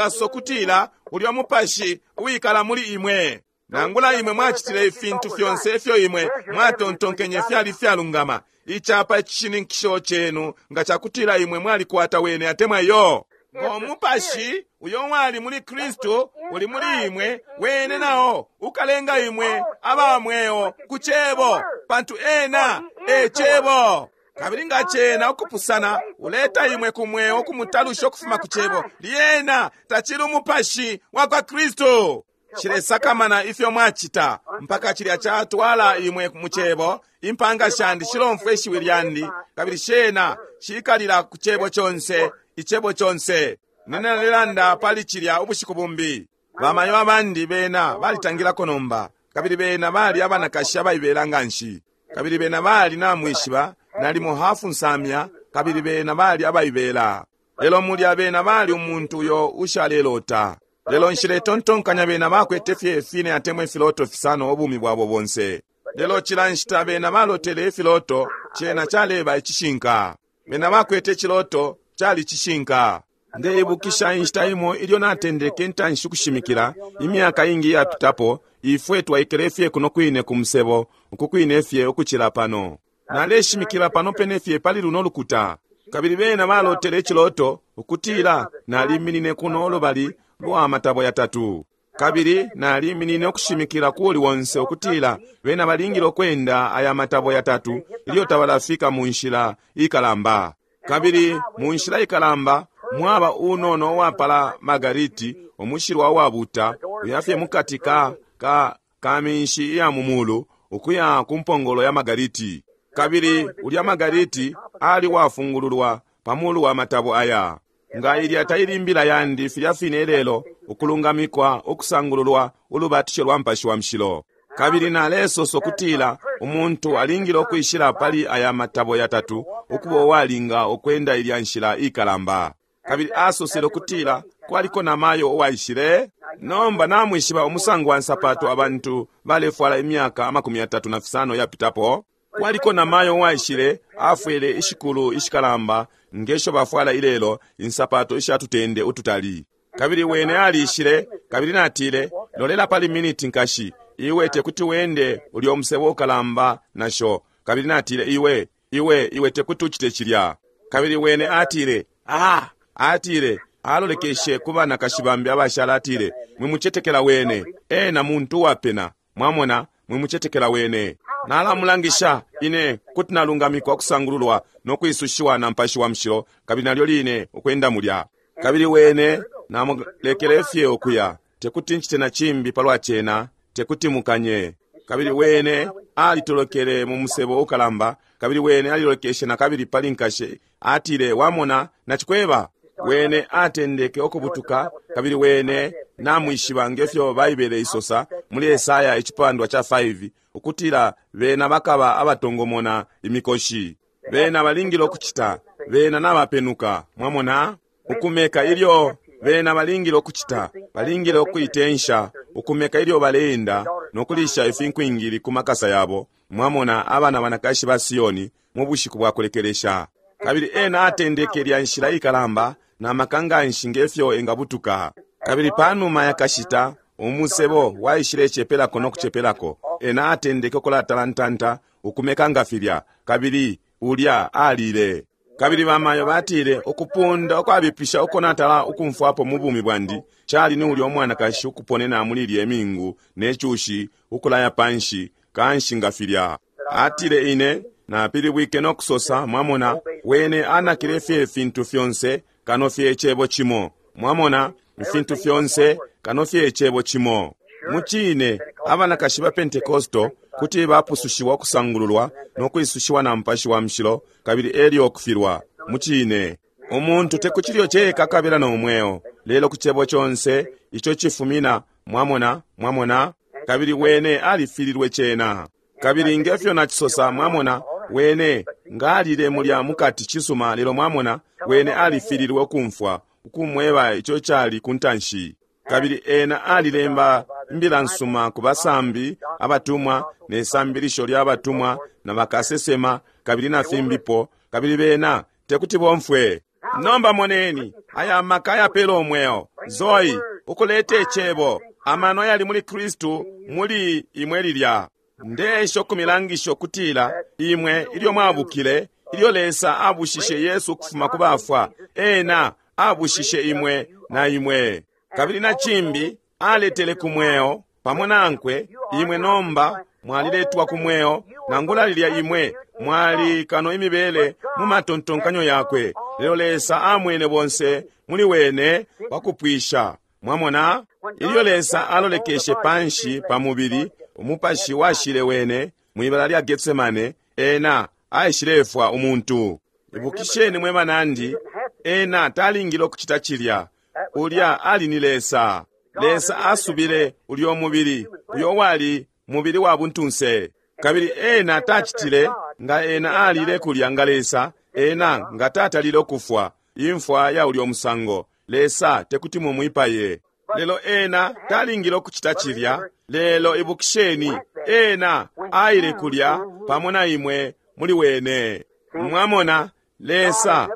mwingasokutila ulyo mupashi uwikala muli imwe? Nangula imwe mwacitile ifintu fyonse ifyo imwe mwatontonkenye fyali fyalungama, icapa icishininkisho cenu nga cakutila imwe mwalikwata wene atemwa iyo. Ngo mupashi uyo wali muli Kristu uli muli imwe, wene nao ukalenga imwe aba mweo ku Cebo, pantu ena e Cebo. Kabili nga cena ukupusana uleta imwe ku mweo ukumutalusha ukufuma ku Cebo, lyena tacili umupashi wa kwa Kristu. Nshilesakamana ifyo mwacita mpaka cilya catwala imwe mu Cebo. Impanga shandi shilomfwa ishiwi lyandi, kabili shena shikalila ku Cebo conse, Icebo conse. Nalelanda pali cilya ubushiku bumbi. Bamayo abandi bena balitangilako nomba, kabili bena bali abanakashi abaibela nganshi. Kabili bena bali, namwishiba, nalimo hafu nsamya, kabili bena bali abaibela. Lelo mulya bena bali umuntu uyo ushalelota. Lelo nshiletontonkanya bena bakwete fye fine atemwa ifiloto fisano ubumi bwabo bonse. Lelo cila nshita bena balotele ifiloto, cena caleba icishinka. Bena bakwete iciloto, cali cishinka. Ndeibukisha inshita imo ilyo natendeke intanshi ukushimikila, imyaka ingi iyapitapo, ifwe twaikele fye kuno kwine ku musebo, uku kwine fye ukucila pano. Naleshimikila pano pene fye pali luno lukuta. Kabili bena balotele iciloto ukutila naliminine kuno lubali lwa matabo yatatu. Kabili naliminine ukushimikila kuli wonse ukutila bena balingile ukwenda aya matabo yatatu ilyo tabalafika mu nshila ikalamba. Kabili mu nshila ikalamba mwaba unono uwapala margariti, umushilwa uwabuta, uyafye mukati ka, ka, ka minshi iya mu mulu ukuya ku mpongolo ya margariti. Kabili ulya margariti ali wafungululwa pa mulu wa matabo aya. Nga ilya taili imbila yandi filya fine ilelo, ukulungamikwa, ukusangululwa, ulubatisho lwa Mupashi wa Mushilo. Kabili nalesosa ukutila umuntu alingile ukwishila pali aya matabo yatatu ukuba uwalinga ukwenda ilya nshila ikalamba. Kabili asosele ukutila kwaliko namayo uwaishile. Nomba namwishiba umusango wa nsapato abantu balefwala imyaka amakumi yatatu na fisano yapitapo. Kwaliko namayo uwaishile, afwele ishikulu ishikalamba ngesho bafwala ilelo, insapato isha tutende ututali. Kabili wene aliishile, kabili natile, Lolela pali miniti nkashi, iwe tekuti wende ulyo musebo ukalamba nasho. Kabili natile, Iwe, iwe, iwe tekuti ucite cilya. Kabili wene atile, Ah! Atile, Alolekeshe ku banakashi bambi abashala, atile, Mwimucetekela wene. Ena muntu uwapena. Mwamona, mwimucetekela wene. Nalamulangisha ine kuti nalungamikwa, kusangululwa no kwisushiwa na Mupashi wa Mushilo, kabili nalyo line ukwenda mulya. Kabili wene namulekele fye ukuya. Tekuti ncite na cimbi palwa cena, tekuti mukanye. Kabili wene alitolokele mu musebo ukalamba, kabili wene alilolekeshe na kabili pali nkashe, atile, Wamona, nacikweba. Wene atendeke ukubutuka, kabili wene namwishiba nge fyo Baibele isosa muli Esaya icipandwa ca 5 ukutila bena bakaba abatongomona imikoshi. Bena balingile ukucita, bena nabapenuka, mwamona, ukumeka ilyo bena balingile ukucita, balingile ukuitensha, ukumeka ilyo baleenda no kulisha ifinkwingili ku makasa yabo, mwamona, abana banakashi ba Sioni mu bushiku bwa kulekelesha. Kabili ena atendeke lya nshila ikalamba na maka nganshi nge fyo engabutuka. Kabili panuma yakashita umusebo waishilecepelako no kucepelako, ena atendeke ukulatalantanta ukumeka nga filya, kabili ulya alile. Kabili bamayo batile, ukupunda ukwabipisha uko natala ukumfwapo mu bumi bwandi cali ni ulya umwanakashi ukuponena muli ilye mingu ne cushi ukulaya panshi kanshi nga filya. Atile, Ine napilibwike no kusosa, mwamona, wene anakile fye ifintu fyonse kano fye icebo cimo. Mwamona, ifintu fyonse kano fye icebo cimo. Mucine, abanakashi ba Pentecostal kuti bapusushiwa, kusangululwa no kwisushiwa na Mupashi wa Mushilo, kabili elyo kufilwa. Mucine, umuntu te ku cilyo ceka akabila no mweo, lelo ku cebo conse ico cifumina. Mwamona, mwamona, kabili wene alifililwe cena. Kabili nge fyo nacisosa, mwamona, wene ngalile mulya mukati cisuma, lelo mwamona, wene alifililwe ukumfwa ukumweba ico cali ku ntanshi. Kabili ena alilemba imbila nsuma ku basambi, abatumwa, ne sambilisho lya batumwa na bakasesema, kabili na fimbipo, kabili bena tekuti bomfwe. Nomba moneni aya maka ayapela umweo, Zoe, ukuleta icebo, amano yali muli Kristu muli imwe lilya. Ndeesha ukumilangisha ukutila imwe ilyo mwabukile, ilyo Lesa abushishe Yesu ukufuma ku bafwa, ena abushishe imwe na imwe. Kabili na cimbi aletele ku mweo pamo nankwe, imwe nomba mwaliletwa ku mweo, nangula lilya imwe mwali kano imibele mu matontonkanyo yakwe, lelo Lesa amwene bonse muli wene wakupwisha. Mwamona, ilyo Lesa alolekeshe panshi pa mubili, umupashi washile wene mwibala lya Getsemane, ena aishilefwa umuntu. Ibukisheni mwe banandi, ena talingile ukucita cilya. Ulya ali ni Lesa. Lesa asubile ulyo mubili, uyo wali mubili wa buntunse. Kabili ena tacitile, nga ena alile kulya nga Lesa, ena nga tatalile ukufwa imfwa ya ulyo musango. Lesa tekuti mumwipaye. Lelo ena talingile ukucita cilya. Lelo ibukisheni, ena aile kulya pamo na imwe muli wene. Mwamona, Lesa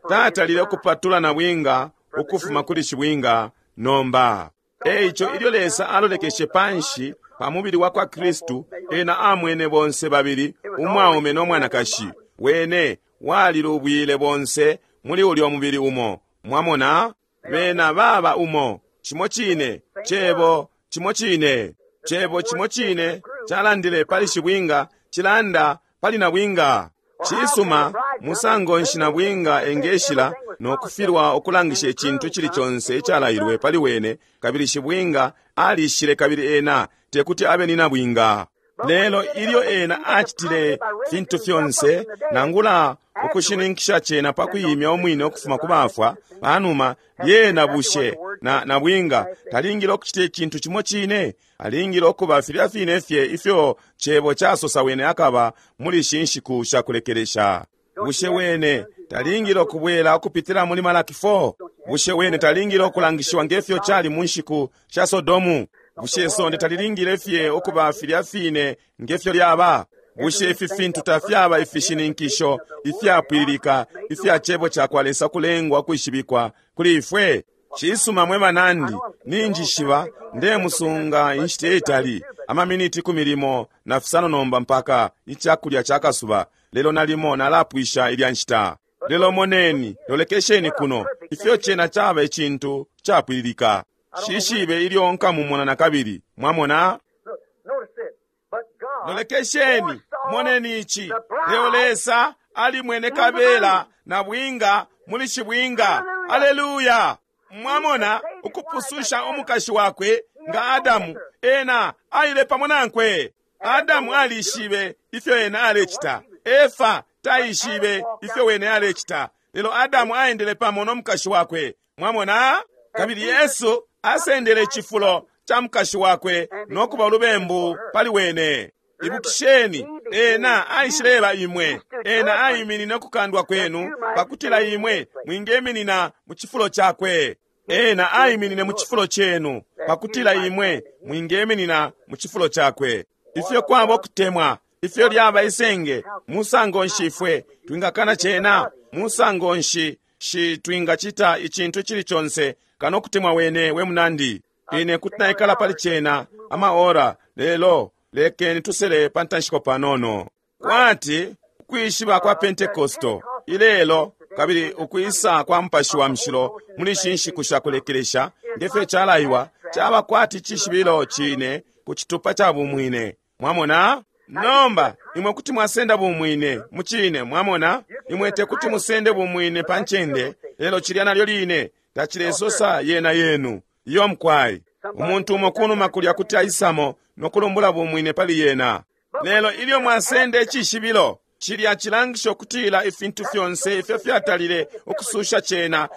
tatalile ukupatula na bwinga ukufuma kuli shibwinga nomba. Eico ilyo Lesa alolekeshe panshi pa mubili wa kwa Kristu, ena amwene bonse babili umwaume no mwanakashi. Wene walilubwile bonse muli ulyo mubili umo. Mwamona, bena baba umo, cimo cine cebo, cimo cine cebo, cimo cine calandile pali shibwinga cilanda pali nabwinga. Cisuma, musango nshi nabwinga engeshila no kufilwa ukulangisha icintu cili conse icalailwe pali wene, kabili shibwinga alishile kabili ena tekuti abe ni nabwinga? Lelo ilyo ena acitile fintu fyonse, nangula ukushininkisha cena pa kuimya umwine ukufuma ku bafwa panuma, lyena bushe na nabwinga talingile ukucita icintu cimo cine? Alingile ukuba filya fine fye ifyo cebo casosa wene akaba muli ishi nshiku sha kulekelesha. Bushe wene talingile ukubwela ukupitila muli Malaki 4? Bushe wene talingile ukulangishiwa nge fyo cali mu nshiku sha Sodomu? Bushe isonde talilingile fye ukuba filya fine nge fyo lyaba? Bushe ifi fintu tafyaba ifishininkisho ifyapwililika ifya cebo ca kwa Lesa kulengwa kwishibikwa kuli ifwe? Cisuma mwe banandi, ninjishiba ndemusunga inshita itali, amaminiti 15 nomba mpaka icakulya ca kasuba, lelo nalimo nalapwisha ilya nshita. Lelo moneni, lolekesheni kuno, ifyo cena caba icintu capwililika. Shishibe ilyo nkamumona nakabili. Mwamona? Look, notice this. But God Lolekesheni, moneni ici. Leo Lesa alimwene kabela na bwinga muli shibwinga. Aleluya! Mwamona ukupususha umukashi wakwe nga Adamu, ena aile pamo nankwe. Adamu alishibe ifyo ena alecita. Efa taishibe ifyo wene alecita. Lelo Adamu aendele pamo no mukashi wakwe. Mwamona? Kabili Yesu asendele icifulo cha mukashi wakwe no kuba ulubembu pali wene. Ibukisheni, ena aishileba imwe, ena aiminine ukukandwa kwenu pakutila imwe mwingeminina mu cifulo chakwe. Ena aiminine mu cifulo chenu pakutila imwe mwingeminina mu cifulo chakwe. Ifyo kwaba ukutemwa, ifyo lyaba isenge, musango nshi ifwe twingakana cena, musango nshi shi twingacita icintu icili conse kano kutemwa wene we munandi. Ine kuti naikala pali cena amaora, lelo lekeni tusele pa ntanshiko panono. Kwati ukwishiba kwa Pentekosto ilelo kabili ukwisa kwa Mupashi wa Mushilo muli ishi nshiku sha kulekelesha ngefyo calaiwa caba kwati cishibilo cine ku citupa ca bumwine. Mwamona? Nomba imwe kuti mwasenda bumwine mucine, mwamona? Imwe tekuti musende bumwine pa ncende, lelo cilya nalyo line tacilesosa yena yenu. Iyo mkwai. Umuntu umo kunuma kulya kuti aisamo no kulumbula bumwine pali yena. Lelo ilyo mwasenda icishibilo, cilya cilangisha ukutila ifintu fyonse ifyo fyatalile ukususha cena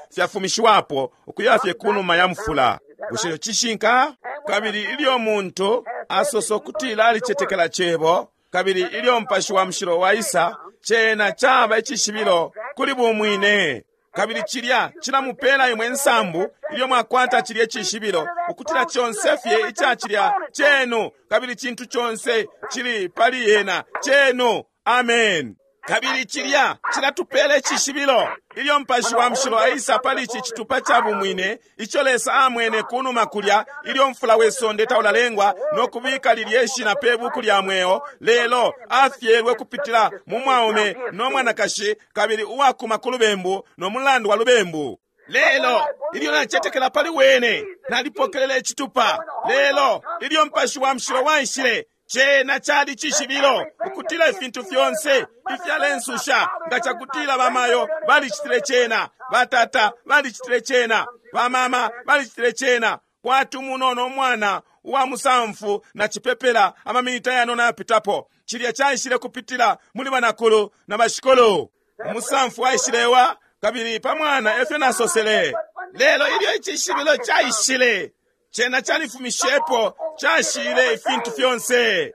fyafumishiwapo ukuya fye kunuma ya mufula. Bushe cishinka? Kabili ilyo muntu asosa ukutila alicetekela cebo, kabili ilyo Mupashi wa Mushilo waisa, cena caba icishibilo kuli bumwine. Kabili cilya cilamupela imwe nsambu ilyo mwakwata cilya icishibilo ukutila conse fye ica cilya cenu, kabili cintu conse cili pali yena cenu. Amen. Kabili cilya cilatupela icishibilo ilyo Mupashi wa Mushilo aisa pali ici citupa ca bumwine ico Lesa amwene kunuma kulya ilyo mfula we sonde taulalengwa no kubika lilye shina pe buku lya mweo, lelo afyelwe kupitila mu mwaume no mwanakashi kabili uwakuma ku lubembu no mulandu wa lubembu. Lelo ilyo nacetekela pali wene nalipokelela icitupa. Lelo ilyo Mupashi wa Mushilo waishile, cena cali cishibilo ukutila ifintu fyonse ifyalensusha nga cakutila bamayo balicitile cena, batata balicitile cena, bamama balicitile cena, kwati umunono umwana uwa musamfu na cipepela amaminita yanono ayapitapo. Cilya caishile kupitila muli banakulu na bashikulu. Umusamfu waishilewa kabili pa mwana efyo nasosele. Lelo ilyo icishibilo caishile, cena califumishepo, cashile ifintu fyonse.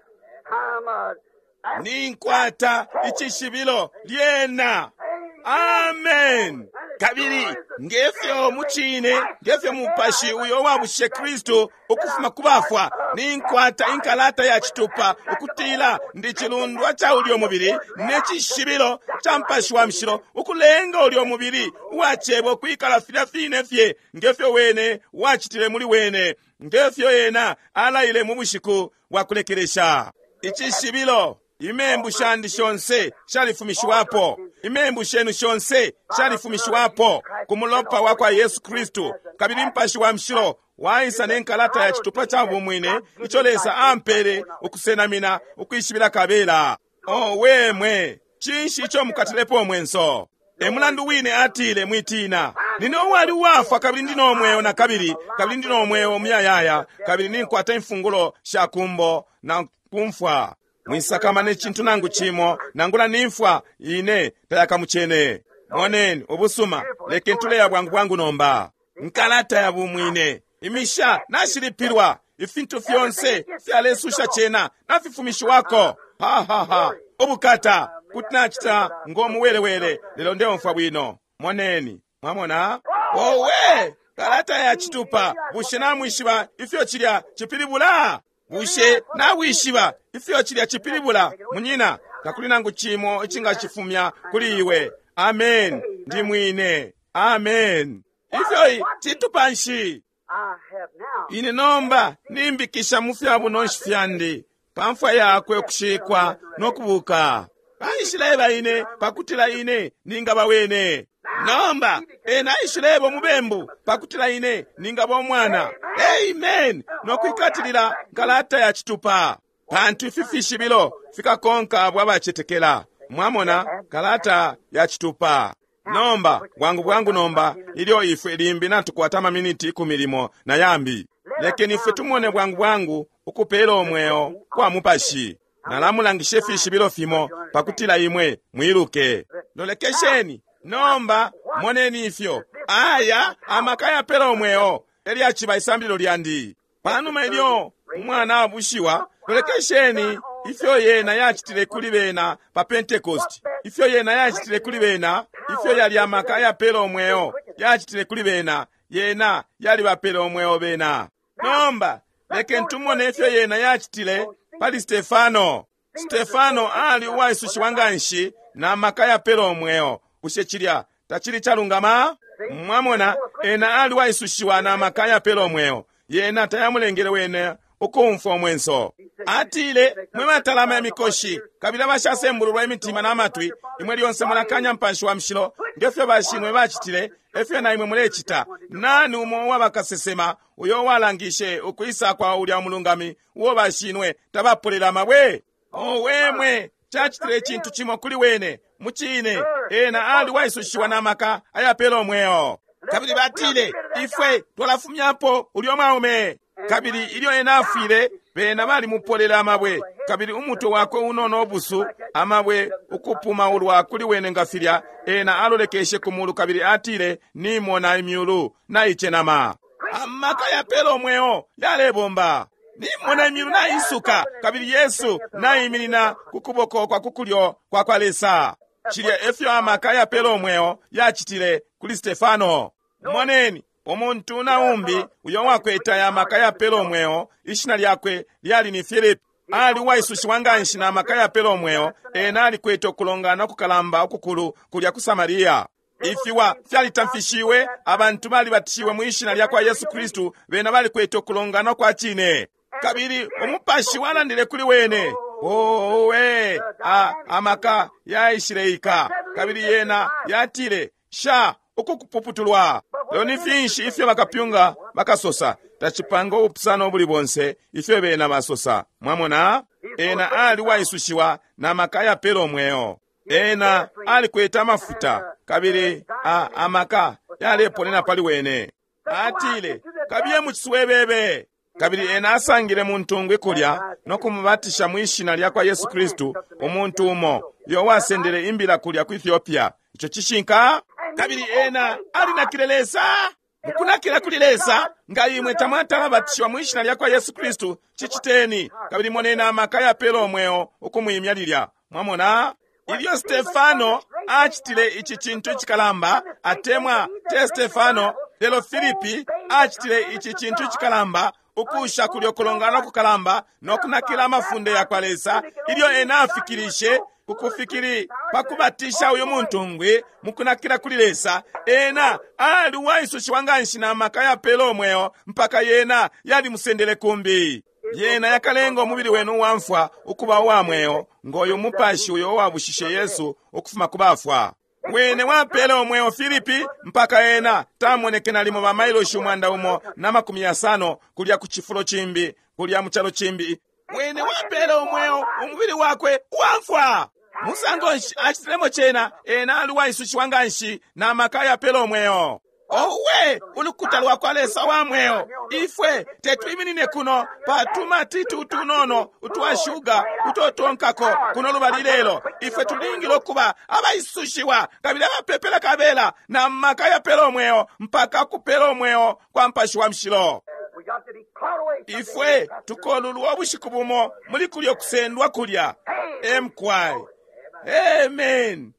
I'm a Ninkwata icishibilo lyena. Amen. Kabili ngefyo mucine, ngefyo mupashi uyo wabushe Kristu ukufuma ku bafwa, ninkwata inkalata ya citupa ukutila ndi cilundwa ca ulyo mubili ne cishibilo ca Mupashi wa Mushilo ukulenga ulyo mubili uwa cebo kwikala filya fine fye ngefyo wene wacitile muli wene, ngefyo ena alaile mu bushiku bwa kulekelesha. Icishibilo, imembu shandi shonse shalifumishiwapo, imembu shenu shonse shalifumishiwapo ku mulopa wa kwa Yesu Kristu. Kabili Mupashi wa Mushilo waisa ne nkalata ya citupa ca bumwine ico Lesa ampele ukusenamina ukwishibila kabela. Oh, wemwe, cinshi ico mukatilepo umwenso? E mulandu wine atile mwitina. Nine uwali uwafwa kabili ndi no mweo na kabili, kabili ndi no mweo muyayaya, kabili ninkwata imfungulo sha kumbo na kumfwa. Mwisakamana icintu nangu cimo, nangula nimfwa ine tayakamucene. Moneni ubusuma, lekeni tuleya bwangu bwangu nomba. Nkalata ya bumwine, imisha nashilipilwa, ifintu fyonse fyalesusha cena nafifumishiwako. Ha ha ha, ubukata kuti nacita ngomuwelewele, lelo ndeumfwa bwino. Moneni, mwamona? Owe, kalata ya citupa, bushe namwishiba ifyo cilya cipilibula? Bushe nawishiba ifyo cilya cipilibula? Munyina, takuli nangu cimo icingacifumya kuli iwe. Amen. Ndi mwine. Amen. Ifyo citupa nshi? I have now Ine nomba nimbikisha mu fya bunonshi fyandi pa mfwa yakwe ukushikwa no kubuka. Aishileba ine pakutila ine ningaba wene. Nomba ena aishileba umubembu pakutila ine ningaba umwana. Amen. Nokwikatilila nkalata ya citupa, pantu ifi fishibilo fikakonka abo abacetekela. Mwamona, kalata ya citupa. Nomba bwangu bwangu nomba, ilyo ifwe limbi natukwata amaminiti 10 limo na yambi, lekeni ifwe tumone bwangu bwangu ukupela umweo kwa mupashi. Nalamulangisha ifishibilo fimo pakutila imwe mwiluke. Lolekesheni nomba, moneni ifyo aya amaka yapela umweo elyaciba isambililo lyandi. Panuma ilyo umwana abushiwa, lolekesheni ifyo yena yacitile kuli bena pa Pentecost, ifyo yena yacitile kuli bena, ifyo yali amaka yapela umweo yacitile kuli bena, yena yalibapela umweo bena. Nomba lekeni tumone ifyo yena yacitile pali Stefano. Stefano ali uwaisushiwa nganshi na maka yapela umweo. Bushe cilya tacili calungama? Mwamona, ena ali uwaisushiwa na maka yapela umweo. Yena tayamulengele wene ukumfwa umwenso. Atile, mwe batalama imikoshi kabili abashasembululwa imitima na matwi, imwe lyonse mulakanya Mupashi wa Mushilo, ngefyo bashinwe bacitile, efyo na imwe mulecita. Nani umo uwabakasesema uyo uwalangishe ukwisa kwa ulya umulungami uo bashinwe tabapolela amabwe? Owe mwe, cacitile icintu cimo kuli wene. Mucine, ena ali waisushiwa na maka ayapela umweo. Kabili batile, ifwe twalafumyapo ulyo mwaume. Kabili ilyo ena afwile, bena balimupolela amabwe, kabili umutwe wakwe unono ubusu, amabwe ukupumaulwa kuli wene nga filya. Ena alolekeshe ku mulu kabili atile, nimona imyulu naicenama. Amaka yapela umweo yalebomba. Nimona imyulu naisuka, kabili Yesu naiminina ku kuboko kwa kukulyo kwa kwa Lesa. Cilya efyo amaka yapela umweo yacitile kuli Stefano. Moneni, umuntu na umbi uyo wakwete aya maka yapela umweo, ishina lyakwe lyali ni Filipi. Ali uwaisushiwa nganshi na maka yapela umweo. Ena alikwete ukulongana ukukalamba ukukulu kulya ku Samaria. Ifiwa fyalitamfishiwe, abantu balibatishiwe mu ishina lya kwa Yesu Kristu, bena balikwete ukulongana kwa cine. Kabili umupashi walandile kuli wene. Owe, amaka yaishileika. Kabili yena yatile, sha ukukupuputulwa. Lelo ni finshi ifyo bakapyunga bakasosa? Tacipanga ubupusano ubuli bonse ifyo bena basosa. Mwamona, ena ali waisushiwa na maka yapela umweo. Ena alikwete amafuta, kabili amaka yaleponena pali wene. Atile, kabiye mu ciswebebe. Kabili ena asangile muntungwi kulya no kumubatisha mu ishina lya kwa Yesu Kristu, umuntu umo uyo wasendele imbila kulya ku Ethiopia. Ico cishinka. Kabili ena alinakile Lesa. Mukunakila kuli Lesa, nga imwe tamwatala batishiwa mu ishina lya kwa Yesu Kristu, ciciteni. Kabili moneni amaka yapela umweo ukumwimya lilya. Mwamona, ilyo Stefano acitile ici cintu icikalamba, atemwa te Stefano, lelo Filipi acitile ici cintu icikalamba, ukusha kulyo kulongana kukalamba no kunakila amafunde ya kwa Lesa, ilyo ena afikilishe kukufikiri pakubatisha uyu muntungwi mukunakila kuli Lesa, ena ali uwaisushiwa nganshi na maka yapela umweo mpaka yena yalimusendele kumbi. Yena yakalenga umubili wenu uwamfwa ukuba uwa mweo, ngoyo mupashi uyo uwabushishe Yesu ukufuma ku bafwa. Wene wapele umweo Filipi mpaka ena tamoneke nalimo ba mailoshi 150 kulya ku cifulo cimbi, kulya mu calo cimbi. Wene wapele umweo umubili wakwe uwamfwa. Musango nshi acitilemo cena? Ena ali uwaisushiwa nganshi na maka yapela umweo. Owe, ulukuta lwa kwa Lesa wa mweo! Ifwe tetwiminine kuno patuma titu utunono utwa shuga utotonkako kuno lubali lelo. Ifwe tulingile ukuba abaisushiwa kabili abapepela kabela na maka yapela umweo mpaka kupela umweo kwa Mupashi wa Mushilo. Ifwe tukolulwa ubushiku bumo muli kulyo kusendwa kulya. Emkwai. Amen.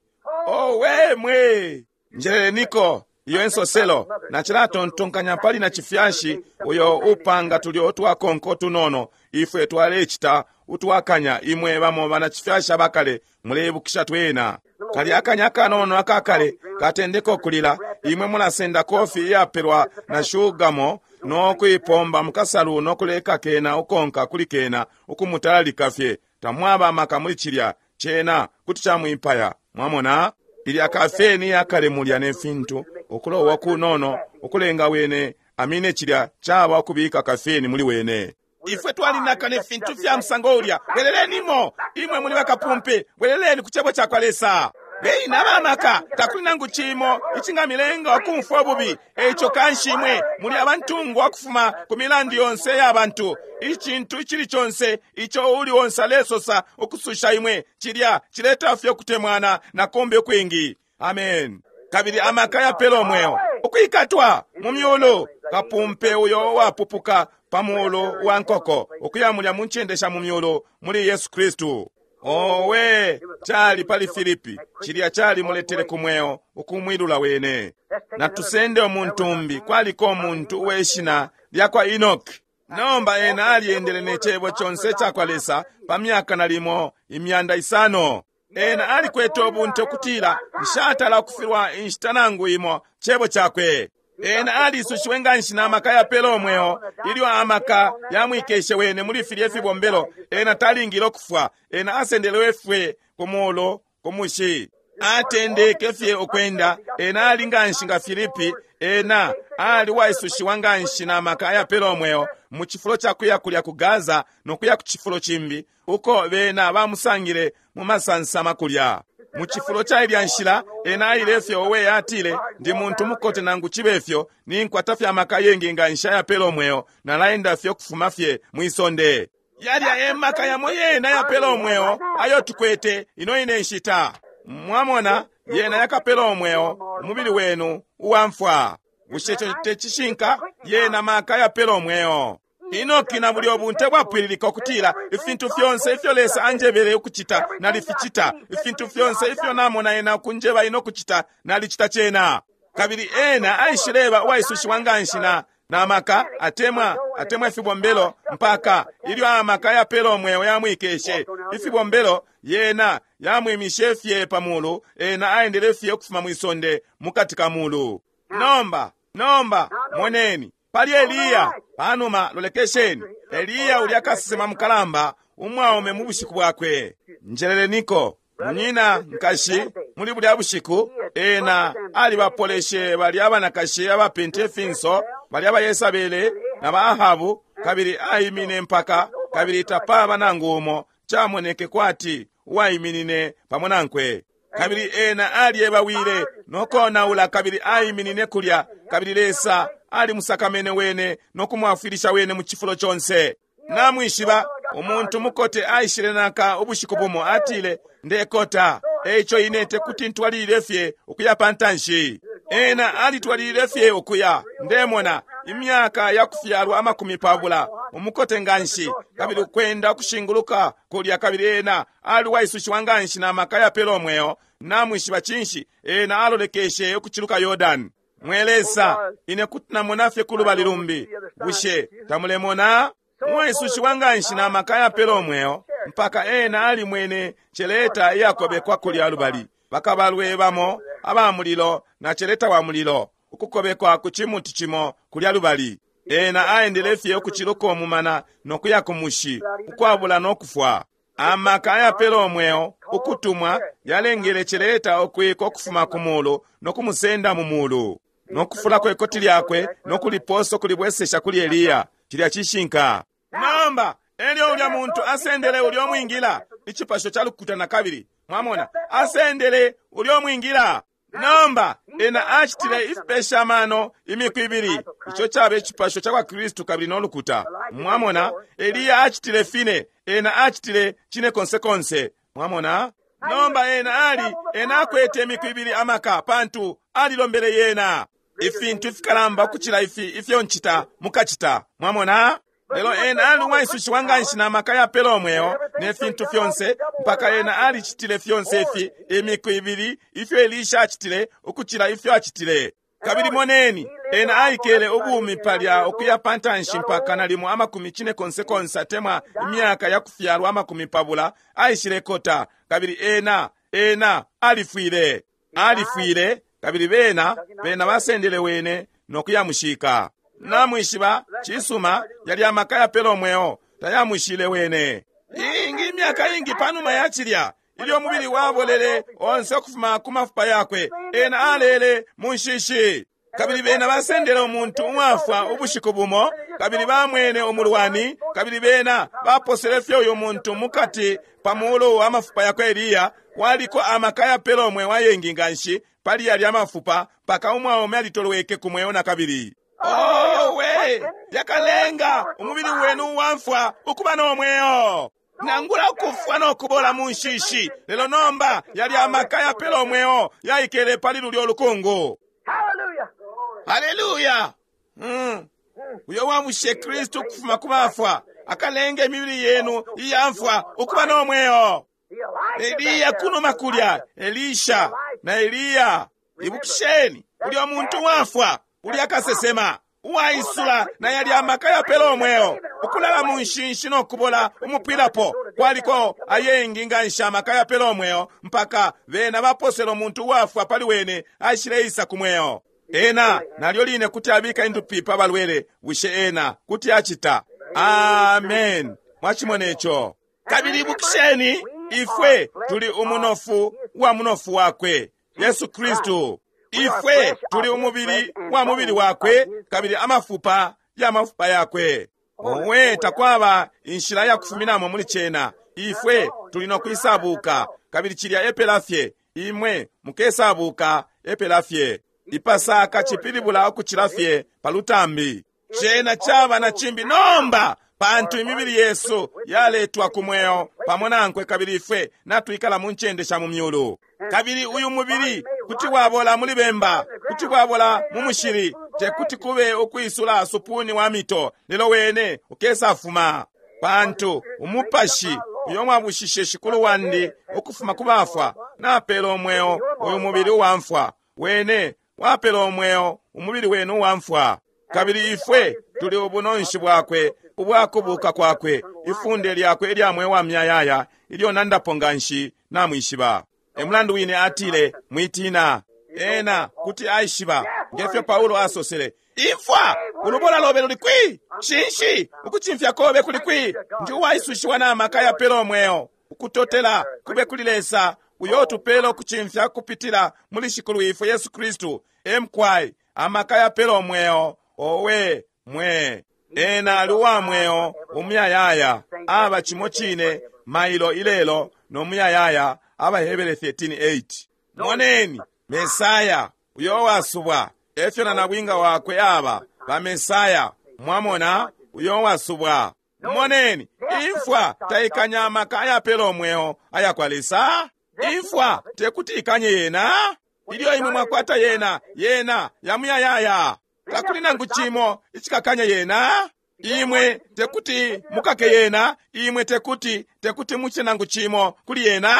Owe mwe. Njeleniko iyo ensoselo nacilatontonkanya pali na cifyashi uyo upanga tulyo utwakonko tunono ifwe twalecita utwakanya. Imwe bamo bana cifyashi abakale muleibukisha twena kali akanya akanono akakale katendeka okulila. Imwe mulasenda kofi iyapelwa na shugamo nokuipomba mukasalu nokuleka kena ukonka kuli kena ukumutalalika fye. Tamwaba amaka muli cilya. Cena kuti camwipaya. Mwamona? Ilya kafeni yakale mulya ne fintu, ukulowa kunono, ukulenga wene amine cilya caba ukubika kafeni muli wene. Ifwe twalinaka ne fintu fya musango ulya. Bwelelenimo! Imwe muli bakapumpe, bweleleni ku Cebo cakwa Lesa. Beni abamaka, takuli nangu cimo icingamilenga ukumfwa ububi. Eico kanshi imwe muli abantungwa ukufuma ku milandu yonse ya bantu. Icintu icili conse ico uuli onse alesosa ukususha imwe, cilya cileta fye ukutemwana na kumbi ukwingi. Amen. Kabili amaka yapela umweo ukwikatwa mu myulu, kapumpe uyo wapupuka pa mulu wa nkoko ukuya mulya mu ncende sha mu myulu muli Yesu Kristu. Owe, cali pali Filipi, cilya cali muletele ku mweo ukumwilula wene. Natusende umuntu umbi, kwaliko umuntu uwe shina lya kwa Enoki. Nomba ena alyendele ne Cebo conse cakwa Lesa pa myaka nalimo 500. Ena alikwete ubunte ukutila nshatala ukufilwa inshita nangu imo Cebo cakwe. Ena alisushiwe nganshi na maka yapela umweo, ilyo amaka yamwikeshe wene muli filye fibombelo, ena talingile ukufwa. Ena asendelewe fye ku mulu ku mushi. Atendeke fye ukwenda. Ena ali nganshi nga Filipi. Ena ali waisushiwa nganshi na maka ayapela umweo, mu cifulo ca kuya kulya ku Gaza no kuya ku cifulo cimbi uko bena bamusangile mu masansama kulya. Mu cifulo ca ilya nshila ena aile fye. Owe, atile, ndi muntu mukote nangu cibe fyo, ninkwata fye amaka yengi nganshi ayapela umweo, nalaenda fye ukufuma fye mwi sonde. Yalya e maka yamo yena ayapela umweo ayo tukwete ino ine nshita. Mwamona, yena yakapela umweo umubili wenu uwamfwa. Bushe ico te cishinka? Yena maka yapela umweo. Enoki na bulyo bunte bwapwililika ukutila ifintu fyonse ifyo Lesa anjebele ukucita nalificita, ifintu fyonse ifyo namona ena ukunjeba ino kucita nalicita cena. Kabili ena aishileba uwaisushiwa nganshi na maka atemwa atemwa ifibombelo, mpaka ilyo amaka yapela umweo yamwikeshe ifibombelo, yena yamwimishe fye pa mulu. Ena aendele fye ukufuma mwisonde mukati ka mulu. Nomba, nomba moneni pali Eliya. Panuma lolekesheni Eliya ulya kasesema mukalamba umwaume mu bushiku bwakwe. Njeleleniko munyina nkashi, muli bulya bushiku ena alibapoleshe balya abanakashi abapente ifinso, balya ba Yesabele na ba Ahabu, kabili aimine mpaka, kabili tapaba nangu umo camoneke kwati uwaiminine pamo nankwe. Kabili ena alyebawile no konaula, kabili aiminine kulya, kabili Lesa alimusakamene wene no kumwafwilisha wene mu cifulo conse. Namwishiba, umuntu mukote aishile naka ubushiku bumo, atile, ndekota, eico ine tekuti ntwalilile fye ukuya pantanshi. Ena alitwalilile fye ukuya, ndemona, imyaka ya kufyalwa 20, umukote nganshi, kabili ukwenda ukushinguluka kulya, kabili ena aliwaisushiwa nganshi na maka yapela umweo. Namwishiba cinshi? Ena alolekeshe ukuciluka Yordani. Mwe Lesa, ine kuti namona fye kulubali lumbi. Bushe tamulemona? Uwaisushiwa nganshi na maka yapela umweo, mpaka ena alimwene celeta iyakobekwa kulya lubali, bakabalwe bamo aba mulilo na celeta wa mulilo ukukobekwa ku cimuti cimo kulya lubali. Ena aendele fye ukuciluka umumana no kuya ku mushi ukwabula no kufwa. Amaka ayapela umweo ukutumwa yalengele celeta ukwika ukufuma ku mulu no kumusenda mu mulu, no kufulako ikoti lyakwe no kuliposa ukulibwesesha kuli Eliya. Cilya cishinka. Nomba elyo ulya muntu asendele ulya mwingila, icipasho ca lukuta na kabili, mwamona, asendele ulya mwingila. Nomba ena acitile ifipesha mano imiku ibili, ico caba icipasho ca kwa Kristu kabili no lukuta. Mwamona, Eliya acitile fine, ena acitile cine konse konse. Mwamona, nomba ena ali, ena akwete imiku ibili amaka, pantu alilombele yena ifintu ifikalamba ukucila ifi ifyo ncita mukacita. Mwamona, lelo ena ali uwaisushiwa nganshi na maka yapela umweo ne fintu fyonse, mpaka ena alicitile fyonse ifi imiku ibili ifyo Elisha acitile ukucila ifyo acitile. Kabili moneni, ena aikele ubumi palya ukuya pantanshi mpaka nalimo 40 atemwa imyaka ya kufyalwa 20, aishile kota, kabili ena ena alifwile. Alifwile, kabili bena bena basendele wene no kuyamushika. Namwishiba, cisuma, yali amaka yapela umweo tayamwishile wene. Ingi imyaka ingi panuma ya cilya, Ilyo umubili wabolele onse ukufuma ku mafupa yakwe, ena alele mu nshishi. Kabili bena basendele umuntu uwafwa ubushiku bumo, kabili bamwene umulwani, kabili bena baposele fye uyu muntu mukati pa mulu wa mafupa yakwe Eliya. Kwaliko amaka yapela umweo ayengi nganshi pali yalya mafupa mpaka umwaume alitolweke ku mweo nakabili. Owe, yakalenga umubili wenu uwamfwa ukuba no mweo, nangula ukufwa no kubola mu nshishi. Lelo nomba yalya amaka yapela umweo yaikele pali lulyo lukungu. Hallelujah. Haleluya! Uyo wabushe Kristu ukufuma ku bafwa akalenga imibili yenu iyamfwa ukuba no mweo. The Elijah Eliya back there. kunuma kulya, Elisha na Eliya. Ibukisheni, ulya muntu wafwa, ulya kasesema uwaisula na yalya amaka yapela umweo, ukulala mu nshinshi no kubola umupwilapo. Kwaliko ayengi nganshi amaka yapela umweo mpaka bena baposele umuntu uwafwa pali wene aishileisa ku mweo. Ena nalyo line kuti abika indupi pa balwele, bushe ena kuti acita? Amen. Mwachimona ico. Kabili ibukisheni, ifwe tuli umunofu wa munofu wakwe Yesu Kristu. Ifwe tuli umubili wa mubili wakwe, kabili amafupa ya mafupa yakwe. Owe, takwaba inshila ya kufuminamo muli cena. Ifwe tuli no kwisabuka, kabili cilya epela fye. Imwe mukesabuka epela fye. Ipasaka cipilibula ukucila fye pa lutambi. Cena caba na cimbi nomba, pantu imibili yesu yaletwa ku mweo pamo nankwe, kabili ifwe natwikala mu ncende sha mu myulu. Kabili uyu mubili kuti wabola muli bemba, kuti wabola mu mushili, tekuti kube ukwisula supuni wa mito, lelo wene ukesafuma. Pantu umupashi uyo mwabushishe Shikulu wandi ukufuma ku bafwa napela umweo uyu mubili uwamfwa, wene wapela umweo umubili wenu uwamfwa. Kabili ifwe tuli ubunonshi bwakwe ubwakubuka kwakwe, ifunde lyakwe ilya mweo wa myayaya ilyo nandapo nganshi namwishiba. E mulandu wine atile, mwitina. Ena kuti aishiba, ngefyo Paulo asosele, imfwa ulubola lobe luli kwi? Shinshi ukucimfya kobe kuli kwi? Ndi uwaisushiwa na maka yapela umweo. Ukutotela kube kuli Lesa uyo utupela ukucimfya kupitila muli Shikulu ifwe Yesu Kristu. Emkwai amaka yapela umweo. Owe mwe, ena ali uwa mweo umuyayaya, aba cimo cine mailo ilelo no muyayaya. Abahebere 13:8. Moneni Mesaya uyo wasubwa, efyo na nabwinga wakwe aba ba Mesaya. Mwamona uyo wasubwa. Moneni, imfwa taikanya amaka ayapela umweo aya kwa Lesa. Imfwa tekuti ikanye yena. Ilyo imwe mwakwata yena, yena yamuyayaya. Takuli nangu cimo icikakanya yena. Imwe tekuti mukake yena, imwe tekuti muche nangu cimo kuli yena.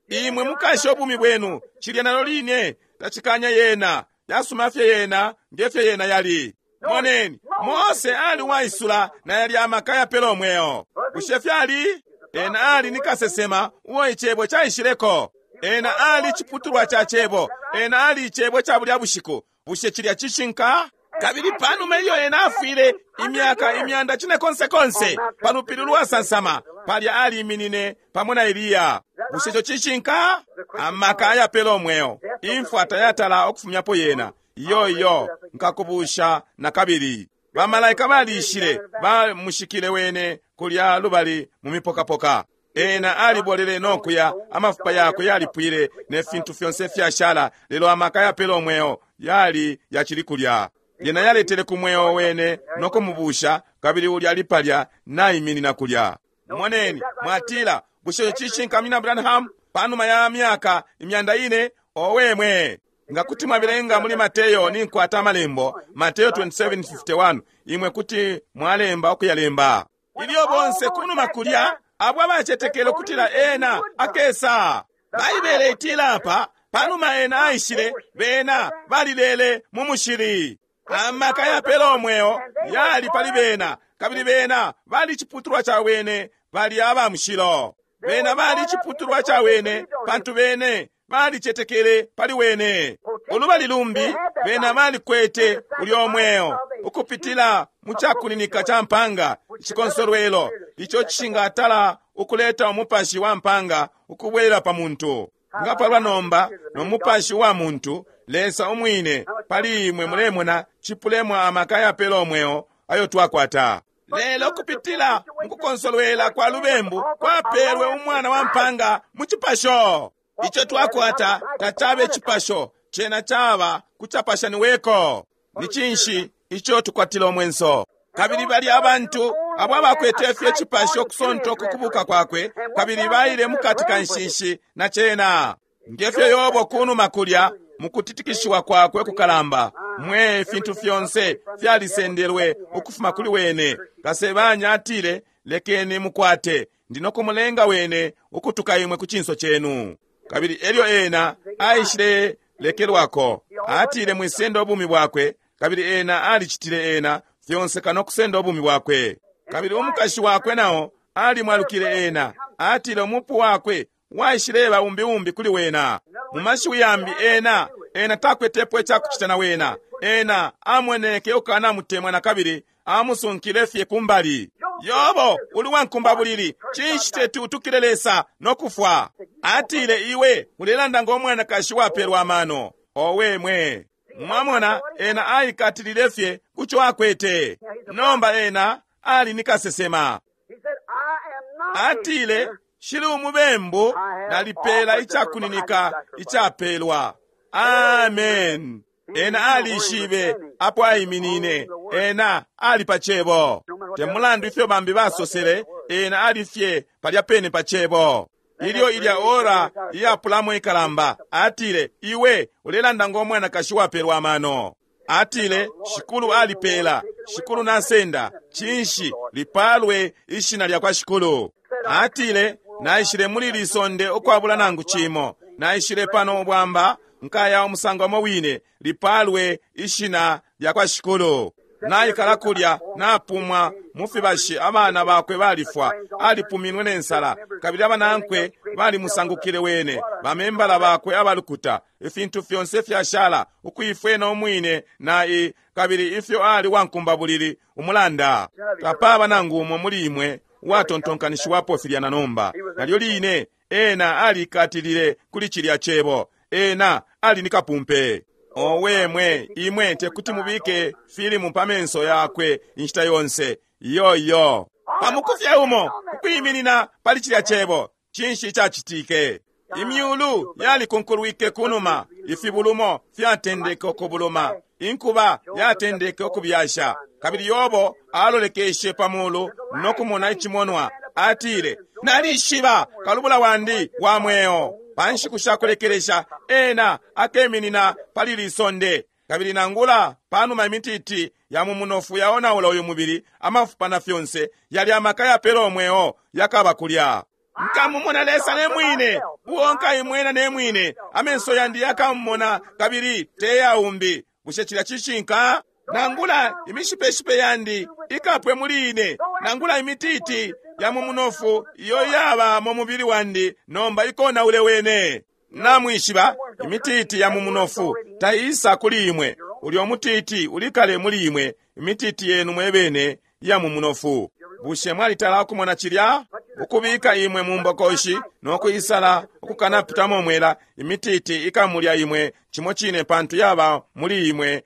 Imwe mukashe ubumi bwenu, cilya nalo line tacikanya yena, yasuma fye yena ngefyo yena yali. Moneni, Mose ali waisula na yali amaka yapela umweo. Bushe fyali? Ena ali ni kasesema uo icebo caishileko. Ena ali ciputulwa ca cebo. Ena ali icebo ca bulya bushiku. Bushe cilya cishinka? Kabili panuma ilyo ena afwile imyaka imyanda cine konse konse pa lupili lwasansama, palya aliminine pamo na Eliya. Bushe ico cishinka? Amaka ayapela umweo, imfwa tayatala okufumyapo yena. Iyo iyo, nkakubusha nakabili. Bamalaika balishile, bamushikile wene kulya lubali mu mipokapoka. Ena alibolele nokuya, amafupa yakwe yalipwile ne fintu fyonse fyashala, lelo amaka yapela umweo yali yacili kulya. Yena yaletele ku mweo wene nokumubusha, kabili ulya ali palya naiminina kulya. Moneni, mwatila, bushe ico cishinka Munyina Branham? Panuma ya myaka imyanda ine, owe mwe. Nga kuti mwabelenga muli Mateyo, ninkwata amalembo, Mateyo 27:51, imwe kuti mwalemba okuyalemba. Ilyo bonse kunuma kulya, abo abacetekele ukutila ena akesa. Baibele itila apa, panuma ena aishile, bena balilele mu mushili. Amaka yapela umweo yali pali bena, kabili bena bali ciputulwa ca wene, bali aba mushilo. Bena bali ciputulwa ca wene, pantu bene balicetekele pali wene. Ulubali lumbi, bena balikwete ulyo mweo ukupitila mu cakuninika ca mpanga, icikonsolwelo ico cishingatala ukuleta umupashi wa mpanga ukubwelela pa muntu. Nga palwa nomba no mupashi wa muntu, Lesa umwine pali imwe, mulemona, cipulemo amaka yapela umweo ayo twakwata. Lelo kupitila mukukonsolwela kwa lubembu kwapelwe umwana wa mpanga mu cipasho. Ico twakwata tacabe cipasho, cena caba kucapashaniweko. Ni cinshi ico tukwatila umwenso? Kabili bali abantu abo abakwete fye icipasho kusonta kukubuka kwakwe, kabili baile mukati ka nshishi na cena. Ngefyo Yobo kunuma kulya mukutitikishiwa kwakwe kukalamba, mwe ifintu fyonse fyalisendelwe ukufuma kuli wene. Kasebanya atile, lekeni mukwate, ndino kumulenga wene ukutuka imwe ku cinso cenu. Kabili elyo ena aishile lekelwako, atile mwisenda ubumi bwakwe, kabili ena alicitile ena fyonse kano kusenda ubumi bwakwe. Kabili umukashi wakwe nao alimwalukile ena, atile umupu wakwe waishileba umbi umbi kuli wena. Mu mashiwi yambi ena, ena takwetepo icakucita na wena. Ena amoneke ukanamutemwa na kabili amusunkile fye kumbali. Yobo, uli wankumbabulili, cinshi teti utukile Lesa no kufwa? Atile iwe ulelanda ngo mwanakashi wapelwa amano. Owe mwe! Mwamona, ena aikatilile fye kuco akwete. Nomba ena ali ni kasesema. He said, I am not a Atile, sinner. shili umubembu, nalipela icakuninika icapelwa. Amen. Ena alishibe apo aiminine. Ena ali pa cebo. Te mulandu ifyo bambi basosele, ena ali fye palya pene pa cebo. Ilyo ilya ora iyapulamo ikalamba, atile, iwe ulelanda ngo mwanakashi wapelwa amano. Atile, Shikulu alipela, Shikulu nasenda, cinshi lipalwe ishina lya kwa Shikulu. Atile, naishile muli lisonde ukwabula nangu cimo, naishile pano ubwamba, nkaya umusango umo wine, lipalwe ishina lya kwa Shikulu. Naikala kulya, napumwa mu fibashi, abana bakwe balifwa, alipuminwe ne nsala, kabili abanankwe balimusangukile wene, bamembala bakwe abalukuta, ifintu fyonse fyashala, ukuifwena umwine na i, kabili ifyo ali wankumbabulili umulanda. Tapaba nangu umo muli imwe uwatontonkanishiwapo filya na nomba. Nalyo line, ena alikatilile kuli cilya cebo, ena ali ni kapumpe. Owe mwe, imwe tekuti mubike filimu pa menso yakwe inshita yonse. Iyo iyo. Pamukufye umo ukwiminina pali cilya cebo, cinshi icacitike? Imyulu yalikunkulwike kunuma, ifibulumo fyatendeke ukubuluma, inkuba yatendeke ukubyasha. Kabili Yobo alolekeshe pa mulu no kumona icimonwa. Atile, nalishiba kalubula wandi wa mweo. Pa nshiku sha kulekelesha ena akeminina pali lisonde. Kabili nangula panuma imititi ya mu munofu yaonaula uyu mubili, amafupa na fyonse yali amaka yapela umweo yakaba kulya. Nkamumona Lesa ne mwine, uo nkaimwena ne mwine, amenso yandi yakamumona kabili teyaumbi. Bushe cilya cishinka? Nangula imishipeshipe yandi ikapwe muli ine, nangula imititi ya mu munofu iyo yaba mu mubili wandi nomba ikonaule wene. Namwishiba imititi ya mu munofu taisa kuli imwe, ulyo mutiti ulikale muli imwe, imititi yenu mwebene ya mu munofu. Bushe mwalitala ukumona cilya? Ukubika imwe mu mbokoshi no kuisala ukukanapitamo mwela, imititi ikamulya imwe cimo cine pantu yaba muli imwe.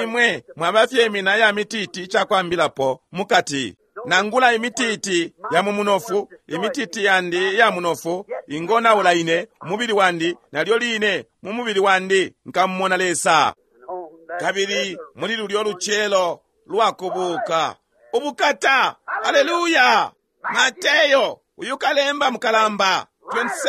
Imwe mwaba fye imina ya mititi icakwambilapo mukati. Nangula imititi ya mu munofu, imititi yandi ya munofu ingonaula ine umubili wandi, nalyo line mu mubili wandi nkamumona Lesa. And on that Kabili muli lulyo lucelo lwakubuka ubukata, haleluya! Mateyo uyu kalemba mukalamba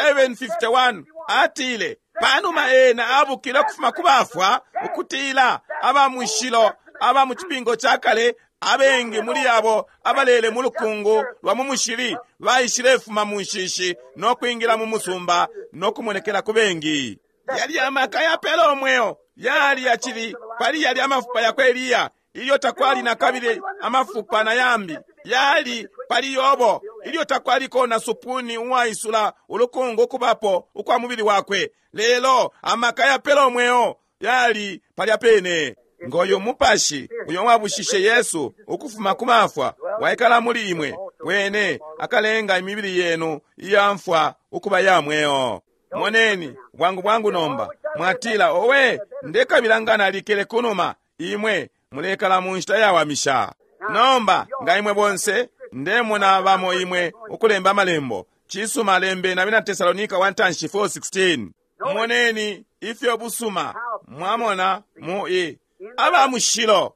27:51 atile, panuma ena abukile ukufuma ku bafwa, ukutila aba mushilo aba mu cipingo ca kale abengi muli abo abalele mu lukungu lwa mu mushili baishilefuma mu nshishi no kwingila mu musumba no kumonekela ku bengi. Yali amaka yapela umweo yali yacili pali yali amafupa yakwe Eliya, ilyo takwali na kabili amafupa na yambi. Yali pali Yobo, ilyo takwaliko na supuni uwaisula ulukungu ukubapo ukwa mubili wakwe. Lelo amaka yapela umweo yali palya pene. Ngoyo mupashi uyo wabushishe Yesu ukufuma ku mafwa waikala muli imwe. Wene akalenga imibili yenu iyamfwa ukuba ya mweo. Moneni, bwangu bwangu nomba. Mwatila, owe, ndekabila nga nalikele kunuma. Imwe mulekala mu nshita yawamisha. Nomba, nga imwe bonse, ndemona bamo imwe ukulemba amalembo. Cisuma lembe na bena Tesalonika 1:4-16. Moneni ifyo busuma mwamona mu i aba mushilo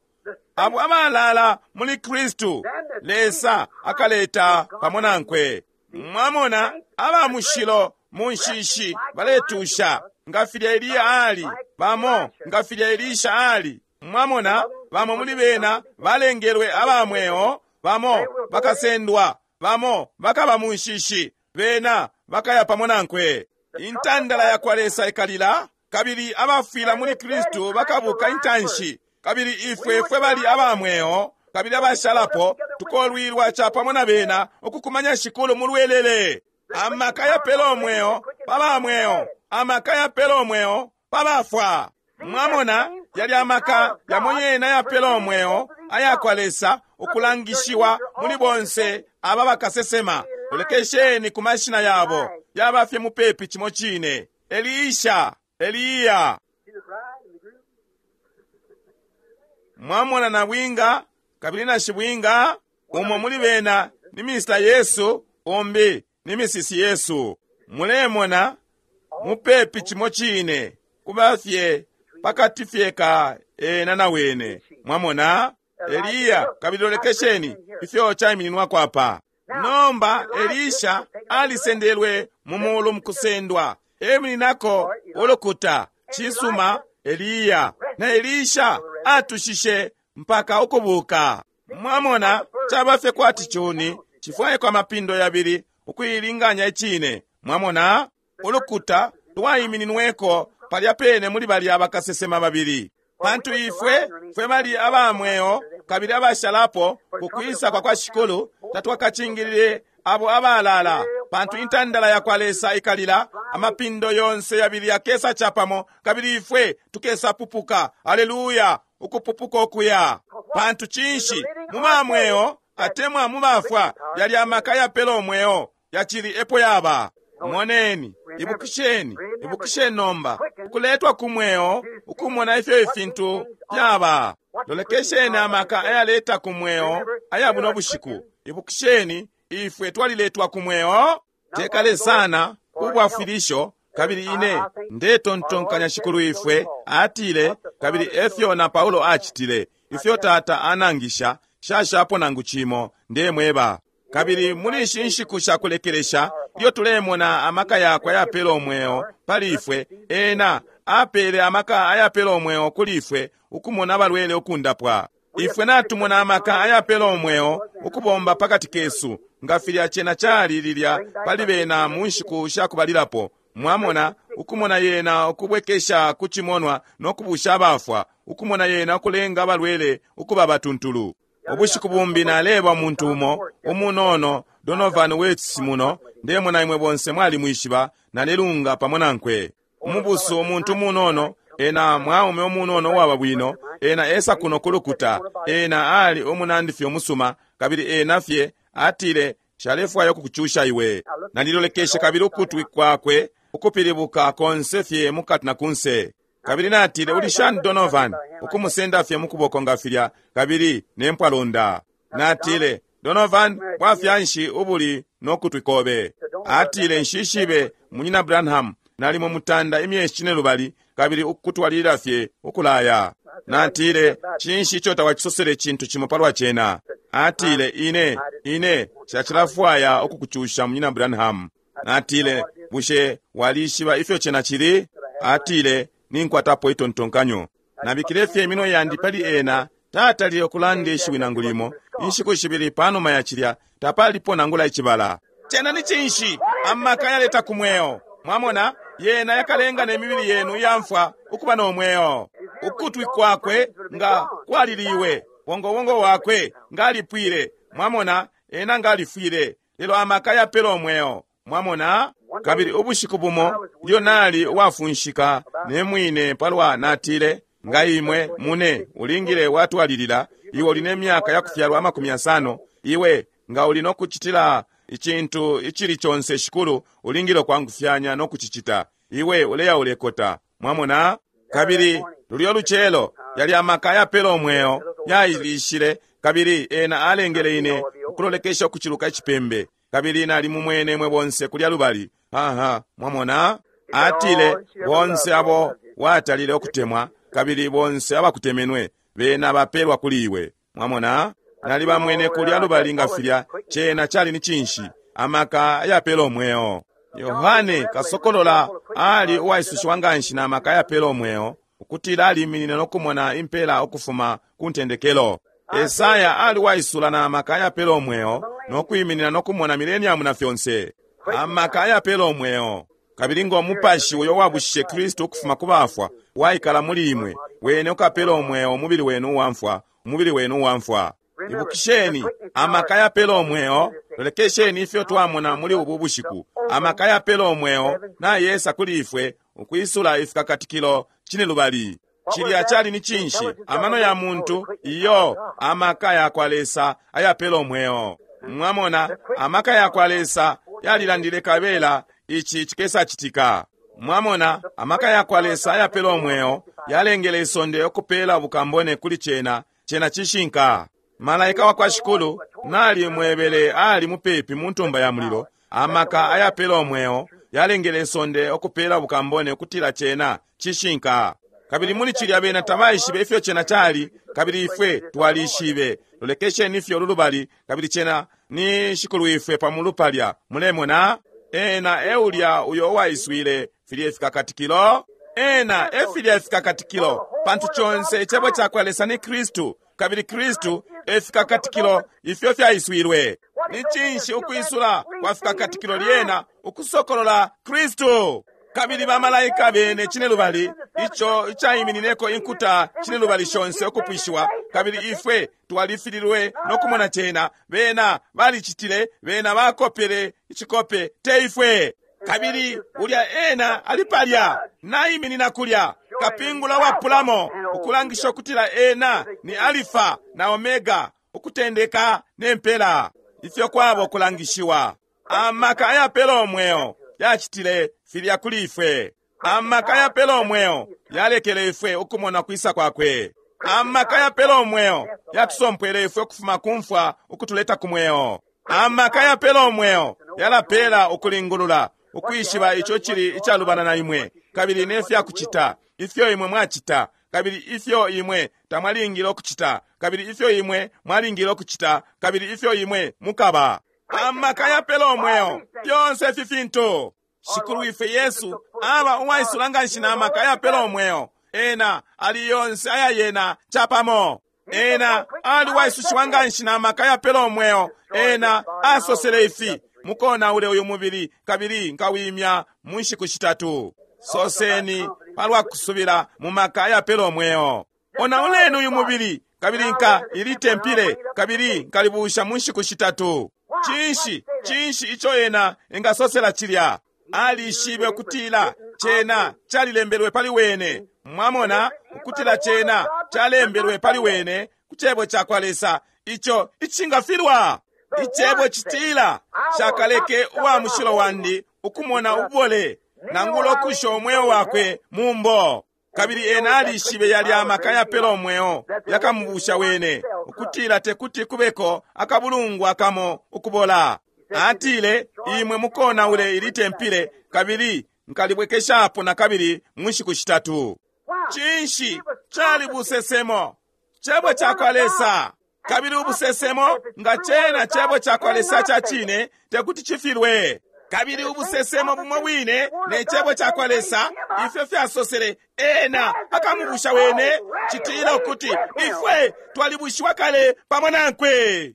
abo abalala muli Kristu Lesa akaleta pamo nankwe. Mwamona aba mushilo mu nshishi baletusha nga filya Eliya ali, bamo nga filya Elisha ali. Mwamona bamo muli bena balengelwe aba mweo, bamo bakasendwa, bamo bakaba mu nshishi, bena bakaya pamo nankwe. Intandala ya kwa Lesa ikalila, kabili abafwila muli Kristu bakabuka intanshi, kabili ifwe fwe bali aba mweo kabili abashalapo tukolwilwa capamo na bena ukukumanya Shikulu mu lwelele. Amaka yapela umweo pa ba mweo, amaka yapela umweo pa bafwa. Mwamona yali amaka yamo yena yapela umweo aya kwa Lesa ukulangishiwa muli bonse aba bakasesema. Lolekesheni ku mashina yabo, yaba fye mupepi cimo cine. Elisha, Eliya. See the bride and the groom? Mwamona nabwinga kabili na shibwinga, umo muli bena ni Mr. Yesu, umbi ni Mrs. Yesu. Mulemona mupepi cimo cine, kuba fye pakati fye ka ena na wene. Mwamona Eliya, kabili lolekesheni ifyo chaimininwako apa. Nomba Elisha alisendelwe mu mulu mukusendwa, emininako ulukuta. Cisuma, Eliya na Elisha atushishe mpaka ukubuka. Mwamona caba fye kwati cuni cifwaikwa amapindo yabili ukuilinganya icine. Mwamona ulukuta lwaimininweko palya pene muli balya bakasesema babili. Pantu ifwe fwe bali aba mweo kabili abashalapo ku kwisa kwa kwa Shikulu tatwakacingilile abo abalala, pantu intandala ya kwa Lesa ikalila, amapindo yonse yabili yakesa capamo, kabili ifwe tukesa pupuka. Aleluya! Ukupupuka okuya. Pantu cinshi? Mu ba mweo atemwa mu bafwa yali amaka yapela umweo yacili epo yaba. Moneni, ibukisheni, ibukisheni nomba ukuletwa ku mweo, ukumona ifyo ifintu fyaba. Lolekesheni amaka ayaleta ku mweo aya buno bushiku. Ibukisheni, ifwe twaliletwa ku mweo tekale sana ubwafwilisho. Kabili ine ndetontonkanya Shikulu ifwe atile, kabili efyo na Paulo acitile, ifyo Tata anangisha shashapo nangu cimo ndemweba. Kabili muli ishi nshiku shakulekelesha ilyo tulemona amaka yakwe ayapela umweo pali ifwe, ena apele amaka ayapela umweo kuli ifwe ukumona abalwele ukundapwa. Ifwe natumona amaka ayapela umweo ukubomba pakati kesu nga filya cena cali lilya pali bena mu nshiku shakubalilapo. Mwamona ukumona yena ukubwekesha ku cimonwa no kubusha abafwa, ukumona yena ukulenga abalwele ukuba batuntulu. Ubushiku bumbi naleba umuntu umo umunono Donovan Weitz muno, ndemona imwe bonse mwalimwishiba, nalelunga pamo nankwe. Umubusu umuntu umunono, ena mwaume umunono uwaba bwino, ena esa kuno kulukuta, ena ali umunandi fye umusuma, kabili ena fye atile shalefwaya ukukucusha iwe. Nalilolekeshe kabili ukutwi kwakwe ukupilibuka konse fye mukati na kunse. Kabili natile, uli shani Donovan? Ukumusenda fye mukuboko nga filya, kabili nempwalonda. Natile, Donovan, bwafya nshi ubuli no kutwi kobe? Atile, nshishibe munyina Branham, nalimo mutanda imyeshi cine lubali, kabili ukutwalilila fye ukulaya. Natile, cinshi ico tawacisosele cintu cimo palwa cena? Atile, ine nshacilafwaya ukukucusha munyina Branham. Natile, bushe walishiba ifyo cena cili? Atile, ninkwatapo itontonkanyo. Nabikile fye iminwe yandi pali ena, tatalile ukulanda ishiwi nangu limo. Inshiku shibili panuma ya cilya tapalipo nangula icibala. Cena ni cinshi? Amaka yaleta ku mweo. Mwamona, yena yakalenga ne mibili yenu iyamfwa ukuba no mweo. Ukutwi kwakwe nga kwaliliwe, wongowongo wakwe nga alipwile. Mwamona, ena nga alifwile, lelo amaka yapela umweo. Mwamona? Kabili ubushiku bumo ilyo nali uwafunshika ne mwine palwa, natile, nga imwe mune ulingile watwalilila, iwe uli ne myaka yakufyalwa 50, iwe Nga uli no kucitila icintu icili conse Shikulu, ulingile ukwangufyanya no kucicita. Iwe uleya ulekota. Mwamona? Kabili lulyo lucelo yali amaka ayapela umweo yailishile, kabili ena alengele ine ukulolekesha ukuciluka icipembe, kabili nali mumwene mwe bonse kulya lubali. Aha, mwamona? Atile, bonse abo watalile ukutemwa, kabili bonse abakutemenwe, bena bapelwa kuli iwe. Mwamona? Nali bamwene kulya lubali nga filya. Cena cali ni cinshi? Amaka ayapela umweo. Yohane kasokolola ali uwaisushiwa nganshi na maka ayapela umweo, ukutila aliminine no kumona impela ukufuma ku ntendekelo. Esaya ali uwaisula na maka ayapela umweo, no kwiminina no kumona mileniamu na fyonse. Amaka ayapela umweo. Kabili ngo mupashi uyo wabushishe Kristu ukufuma ku bafwa waikala muli imwe, wene ukapela umweo umubili wenu uwamfwa, umubili wenu uwamfwa. Ibukisheni, amaka yapela umweo. Lolekesheni ifyo twamona muli ubu bushiku. Amaka yapela umweo nayesa kuli ifwe ukwisula ifikakatikilo cinelubali. Cilya cali ni cinshi? Amano ya muntu iyo, amaka ya kwa Lesa ayapela umweo. Mwamona, amaka ya kwa Lesa yalilandile kabela ici cikesacitika. Mwamona, amaka ya kwa Lesa ayapela umweo yalengele isonde ukupela bukambone kuli cena. Cena cishinka. Malaika wa kwa Shikulu nali mwebele ali mupepi mu ntumba ya mulilo. Amaka ayapela umweo yalengele isonde ukupela bukambone ukutila cena cishinka. Kabili muli cilya bena tabaishibe ifyo cena cali, kabili ifwe twalishibe. Lolekesheni ifyo lulubali, kabili cena ni Shikulu ifwe pamulu palya. Mulemona? Ena eulya uyo uwaiswile filya ifikakatikilo. Ena efilya ifikakatikilo, pantu conse icebo cakwa Lesa ni Kristu, kabili Kristu efikakatikilo ifyo fyaiswilwe. Ni cinshi ukwisula kwa fikakatikilo lyena? Ukusokolola Kristu. Kabili bamalaika bene cinelubali, ico icaiminineko inkuta cinelubali shonse ukupwishiwa, kabili ifwe twalifililwe no kumona cena. Bena balicitile, bena bakopele icikope, te ifwe. Kabili ulya ena ali palya, naiminina kulya, kapingula wapulamo, ukulangisha ukutila ena ni Alifa na Omega, ukutendeka ne mpela. Ifyo kwabo kulangishiwa. Amaka ayapela umweo yacitile filya kuli ifwe. Amaka ayapela umweo yalekele ifwe ukumona kwisa kwakwe. Amaka ayapela umweo yatusompwele ifwe ukufuma ku mfwa ukutuleta ku mweo. Amaka ayapela umweo yalapela ukulingulula, ukwishiba ico cili icalubana na imwe, kabili ne fya kucita, ifyo imwe mwacita, kabili ifyo imwe tamwalingile ukucita, kabili ifyo imwe mwalingile ukucita, kabili ifyo imwe mukaba. Amaka yapela umweo, fyonse ifi fintu. Shikulu ife Yesu aba uwaisula nganshi na maka yapela umweo. Ena ali yonse aya yena capamo. Ena ali uwaisushiwa nganshi na maka yapela umweo. Ena asosele ifi, mukonaule uyu mubili kabili nkawimya mu nshiku shitatu. Soseni palwa kusubila mu maka yapela umweo. Onauleni uyu mubili kabili nka ilitempile kabili nkalibusha mu nshiku shitatu. Cinshi, cinshi ico ena engasosela cilya? Alishibe ukutila cena calilembelwe pali wene. Mwamona, ukutila cena calembelwe pali wene ku cebo cakwa Lesa, ico icingafilwa. Icebo citila, shakaleke uwa mushilo wandi ukumona ubole, nangula ukusha umweo wakwe mu mbo. Kabili ena alishibe yali amaka yapela umweo yakamubusha wene, ukutila tekuti kubeko akabulungwa kamo ukubola. Atile, imwe mukonaule ilitempile kabili nkalibwekeshapo na kabili mu nshiku shitatu. Cinshi cali busesemo? Cebo cakwa Lesa. Kabili ubusesemo nga cena cebo cakwa Lesa ca cine tekuti cifilwe. Kabili ubusesemo bumo bwine ne cebo cakwa Lesa ifyo fyasosele ena akamubusha wene, citila ukuti ifwe twalibushiwa kale pamo nankwe.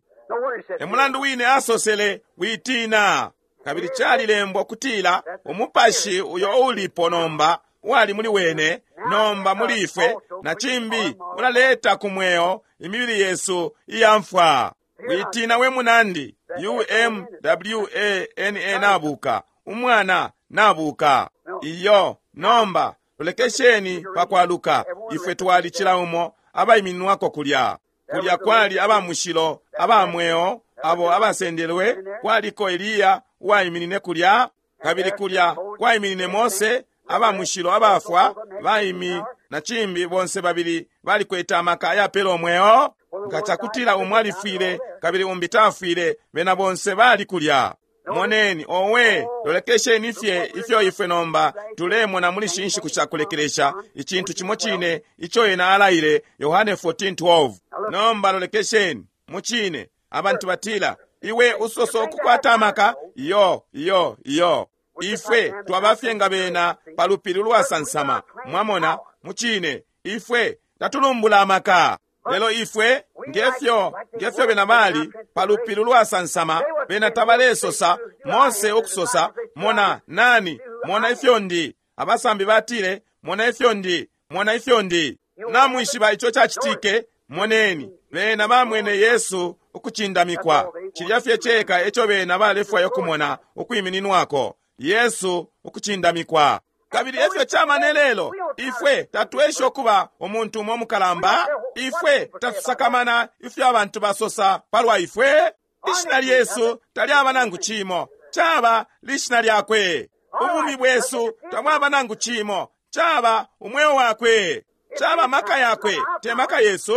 E mulandu wine asosele, witina. Kabili calilembwa kutila umupashi uyo ulipo nomba wali muli wene, nomba muli ifwe, na cimbi ulaleta ku mweo imibili yesu iyamfwa. Witina we munandi, umwana nabuka, umwana nabuka. Iyo, nomba lolekesheni pakwaluka, ifwe twali cila umo abaimininwako kulya. Kulya kwali abamushilo, abamweo, abo abasendelwe, kwaliko Eliya uwaiminine kulya, kabili kulya kwaiminine Mose, aba mushilo abafwa baimi na cimbi, bonse babili balikwete amaka ayapela umweo. Nga cakutila umo alifwile kabili umbi tafwile, bena bonse bali kulya. Moneni, owe, lolekesheni fye ifyo ifwe nomba tulemona muli shi nshiku shakulekelesha, icintu cimo cine ico ena alaile, Yohane 14:12. Nomba lolekesheni mucine, abantu batila, iwe usosa ukukwata amaka. Iyo, iyo, iyo. Ifwe twabafye nga bena pa lupili ulwasansama. Mwamona, mucine, ifwe tatulumbula amaka. Lelo ifwe ngefyo ngefyo bena bali pa lupili ulwasansama, bena tabalesosa, Mose ukusosa, mona nani, mona ifyo ndi. Abasambi batile, mona ifyo ndi, mona ifyo ndi. Namwishiba ico cacitike? Moneni, bena bamwene Yesu ukucindamikwa. Cilya fye ceka eco bena balefwaya ukumona ukwimininwako, Yesu ukucindamikwa. Kabili efyo caba ne lelo, ifwe tatwesha ukuba umuntu umo mukalamba, ifwe tatusakamana ifyo abantu basosa palwa ifwe. Ishina lyesu talyaba nangu cimo, caba lishina lyakwe. Ubumi bwesu tabwaba nangu cimo, caba umweo wakwe, caba maka yakwe, te maka yesu.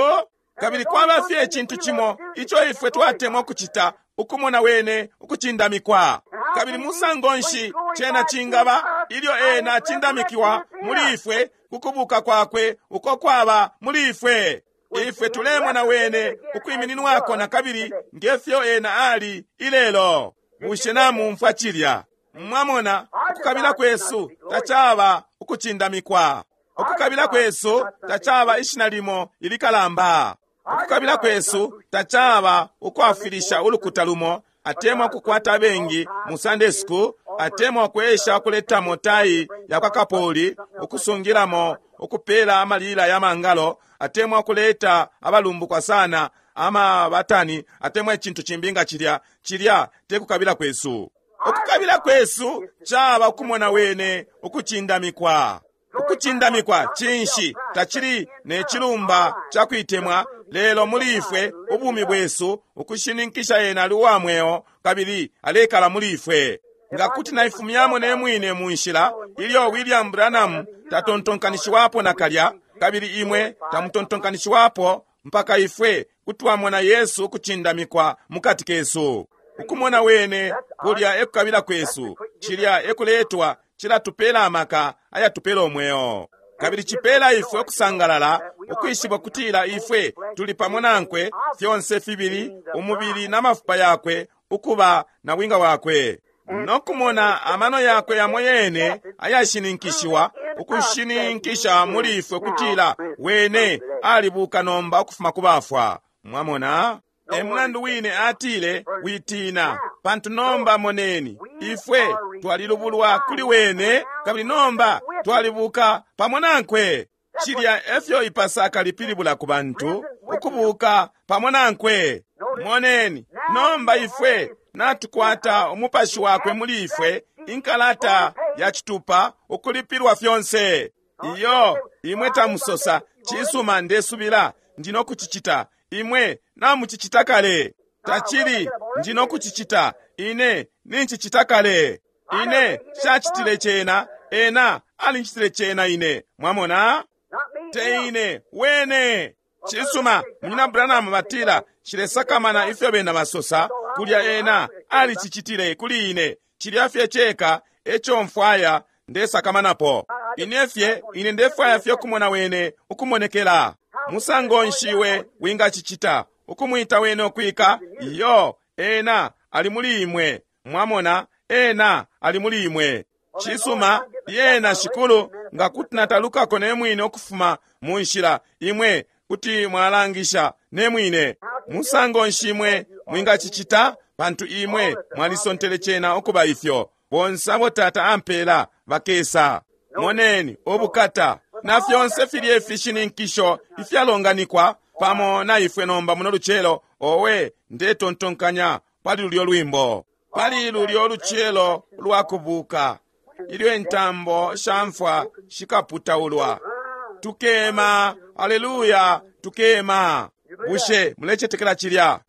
Kabili kwaba fye icintu cimo ico ifwe twatemwa ukucita, ukumona wene ukucindamikwa. Kabili musango nshi cena cingaba ilyo ena acindamikiwa muli ifwe kukubuka kwakwe uko kwaba muli ifwe? Ifwe tulemona wene ukwimininwako na kabili ngefyo ena ali ilelo. Bushe namumfwa cilya? Mwamona, ukukabila kwesu tacaba ukucindamikwa. Ukukabila kwesu tacaba ishina limo ilikalamba. Ukukabila kwesu tacaba ukwafwilisha ulukuta lumo, atemwa kukwata abengi mu Sunday school, atemwa kwesha kuletamo tai ya kwa kapoli, ukusungilamo ukupela amalila ya mangalo, atemwa kuleta abalumbukwa sana ama batani, atemwa icintu cimbi nga cilya. Cilya te kukabila kwesu. Ukukabila kwesu caba ukumona wene ukucindamikwa. Ukucindamikwa cinshi? Tacili ne cilumba ca kuitemwa, lelo muli ifwe ubumi bwesu ukushininkisha ena ali uwa mweo kabili alekala muli ifwe. Nga kuti naifumyamo ne mwine mu nshila ilyo William Branham tatontonkanishiwapo nakalya, kabili imwe tamutontonkanishiwapo mpaka ifwe kutwamona Yesu ukucindamikwa mukati kesu. Ukumona wene kulya ekukabila kwesu, cilya ekuletwa, cilatupela amaka ayatupela umweo. Kabili cipela ifwe ukusangalala, ukwishiba kutila ifwe tuli pamo nankwe, fyonse fibili, umubili na mafupa yakwe, ukuba na bwinga wakwe. Nokumona amano yakwe yamo yene ayashininkishiwa, ukushininkisha muli ifwe kutila wene alibuka nomba ukufuma ku bafwa. Mwamona? E mulandu wine atile, witina, pantu nomba moneni, ifwe twalilubulwa kuli wene, kabili nomba twalibuka pamo nankwe. Cilya efyo ipasaka lipilibula ku bantu, ukubuka pamo nankwe. Moneni, nomba ifwe natukwata umupashi wakwe muli ifwe, inkalata ya citupa, ukulipilwa fyonse. Iyo, imwe tamusosa, cisuma ndesubila, ndino kucicita. Imwe namucicita kale. Tacili, ndino kucicita. Ine nincicita kale. Ine shacitile cena, ena alincitile cena ine. Mwamona? Te ine, wene. Cisuma, Munyina Branham batila, shilesakamana ifyo bena basosa, kulya ena alicicitile kuli ine. Cilya fye ceka eco mfwaya ndesakamanapo. Ine fye, ine ndefwaya fye ukumona wene ukumonekela. Musango nshi iwe wingacicita? Ukumwita wene ukwika? Iyo, ena ali muli imwe. Mwamona, ena ali muli imwe. Cisuma, yena shikulu, nga kuti natalukako ne mwine ukufuma mu nshila, imwe kuti mwalangisha ne mwine. Musango nshi imwe mwingacicita? Pantu imwe mwalisontele cena ukuba ifyo. Bonse abo Tata ampela bakesa. Moneni ubukata na fyonse filye ifishininkisho ifyalonganikwa pamo na ifwe nomba muno lucelo. Owe, ndetontonkanya pali lulyo lwimbo, pali lulyo lucelo lwa kubuka, ilyo intambo sha mfwa shikaputaulwa. Tukema, aleluya, tukema. Bushe mulecetekela cilya?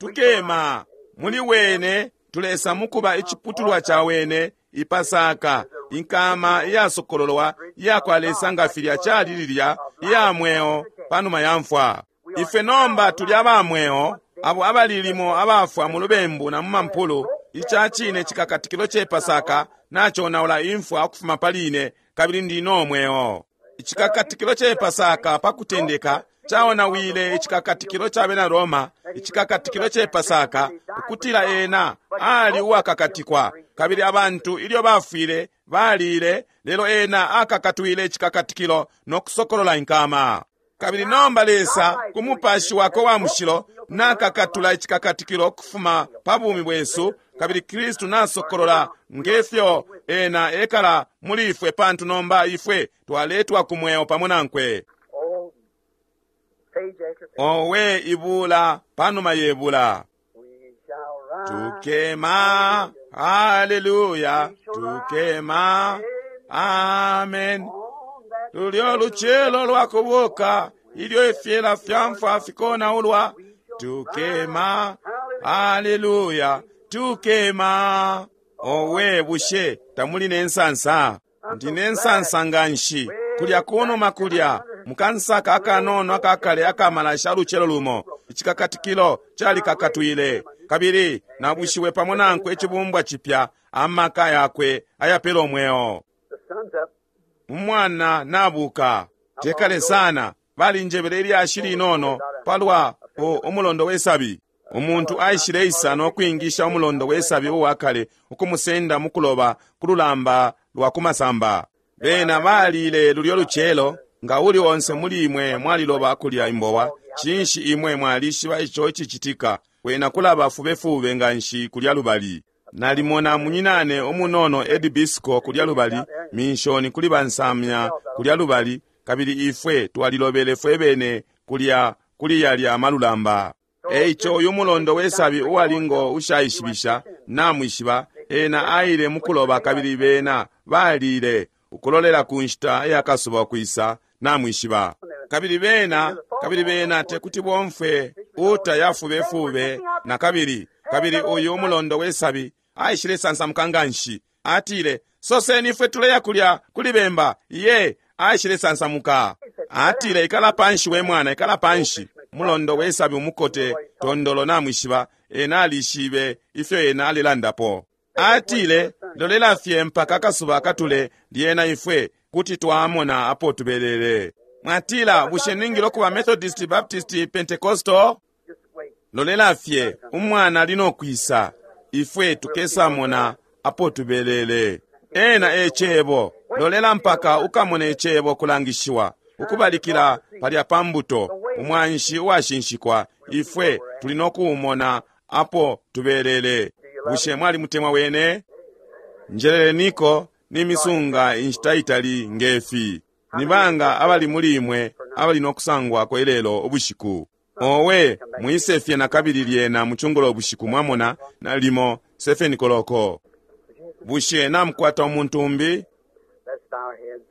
Tukema muli wene, tulesa mukuba iciputulwa ca wene, ipasaka, inkama iyasokololwa iyakwa Lesa nga filya cali lilya iya mweo panuma ya mfwa. Ifwe nomba tuli aba mweo, abo abalilimo abafwa mu lubembu na mu mampulu. Ica cine cikakatikilo ce Pasaka naconaula imfwa ukufuma pali ine, kabili ndi no mweo. Icikakatikilo ce Pasaka pa kutendeka caonawile icikakatikilo ca bena Roma, icikakatikilo ce Pasaka, ukutila ena ali uwakakatikwa, kabili abantu ilyo bafwile balile, lelo ena akakatwile icikakatikilo no kusokolola inkama. Kabili nomba Lesa ku Mupashi wakwe wa Mushilo nakakatula icikakatikilo ukufuma pa bumi bwesu, kabili Kristu nasokolola ngefyo ena ekala muli ifwe, pantu nomba ifwe twaletwa ku mweo pamo nankwe. Oh, page after page. Owe ibula panuma yebula. We shall rise. Tukema, haleluya, tukema, amen. On that Lulyo lucelo lwakubuka, ilyo ifyela fya mfwa fikonaulwa. Tukema, haleluya, tukema. Owe bushe tamuli ne nsansa? Ndi ne nsansa nganshi. Kulya kunuma kulya, mukansaka akanono akakale akamalasha lucelo lumo, icikakatikilo calikakatwile, kabili nabushiwe pamo nankwe icibumbwa cipya, amaka yakwe ayapela umweo. the sun's up. Umwana nabuka. Tekale sana, balinjebele ilyashi linono palwa umulondo wesabi. Umuntu aishile isa no kwingisha umulondo wesabi uwakale ukumusenda mukuloba ku lulamba lwa kumasamba. Bena balile lulyo lucelo, nga uli onse muli imwe mwaliloba kulya imbowa, cinshi imwe mwalishiba ico icicitika, kwena kulaba fubefube nganshi kulya lubali. Nalimona munyinane umunono Ed Bisco kulya lubali, minshoni kuli bansamya kulya lubali, kabili ifwe twalilobele fwebene kulya kuli yalya malulamba. Eico uyu mulondo wesabi uwalingo ushaishibisha namwishiba, ena aile mukuloba kabili bena balile ukulolela ku nshita yakasuba kwisa namwishiba. Kabili bena, kabili bena tekuti bomfwe uta yafubefube na kabili, kabili uyu umulondo wesabi aishile sansamuka nganshi. Atile, soseni ifwe tuleya kulya kuli bemba. Iye, aishile sansamuka. Atile, ikala panshi we mwana, ikala panshi. Mulondo wesabi umukote tondolo namwishiba, ena alishibe ifyo ena alilandapo. Atile, lolela fye mpaka akasuba katule, lyena ifwe kuti twamona apo tubelele. Mwatila, bushe ningile okuba Methodist, Baptist, Pentecostal? Just wait. Lolela fye, umwana ali no kwisa, ifwe tukesamona apo tubelele. Ena e cebo, lolela mpaka ukamone icebo kulangishiwa, ukubalikila palya pa mbuto, umwanshi uwashinshikwa, ifwe tuli no kuumona apo tubelele. Bushe mwalimutemwa wene? Njeleleniko n'imisunga inshita itali ngefi. Ni banga abali muli imwe abali no kusangwako ilelo ubushiku? Owe, mwisefye na kabili lyena mucungulo ubushiku mwamona nalimo 7 koloko. Bushe namukwata umuntu umbi? Let's bow our heads.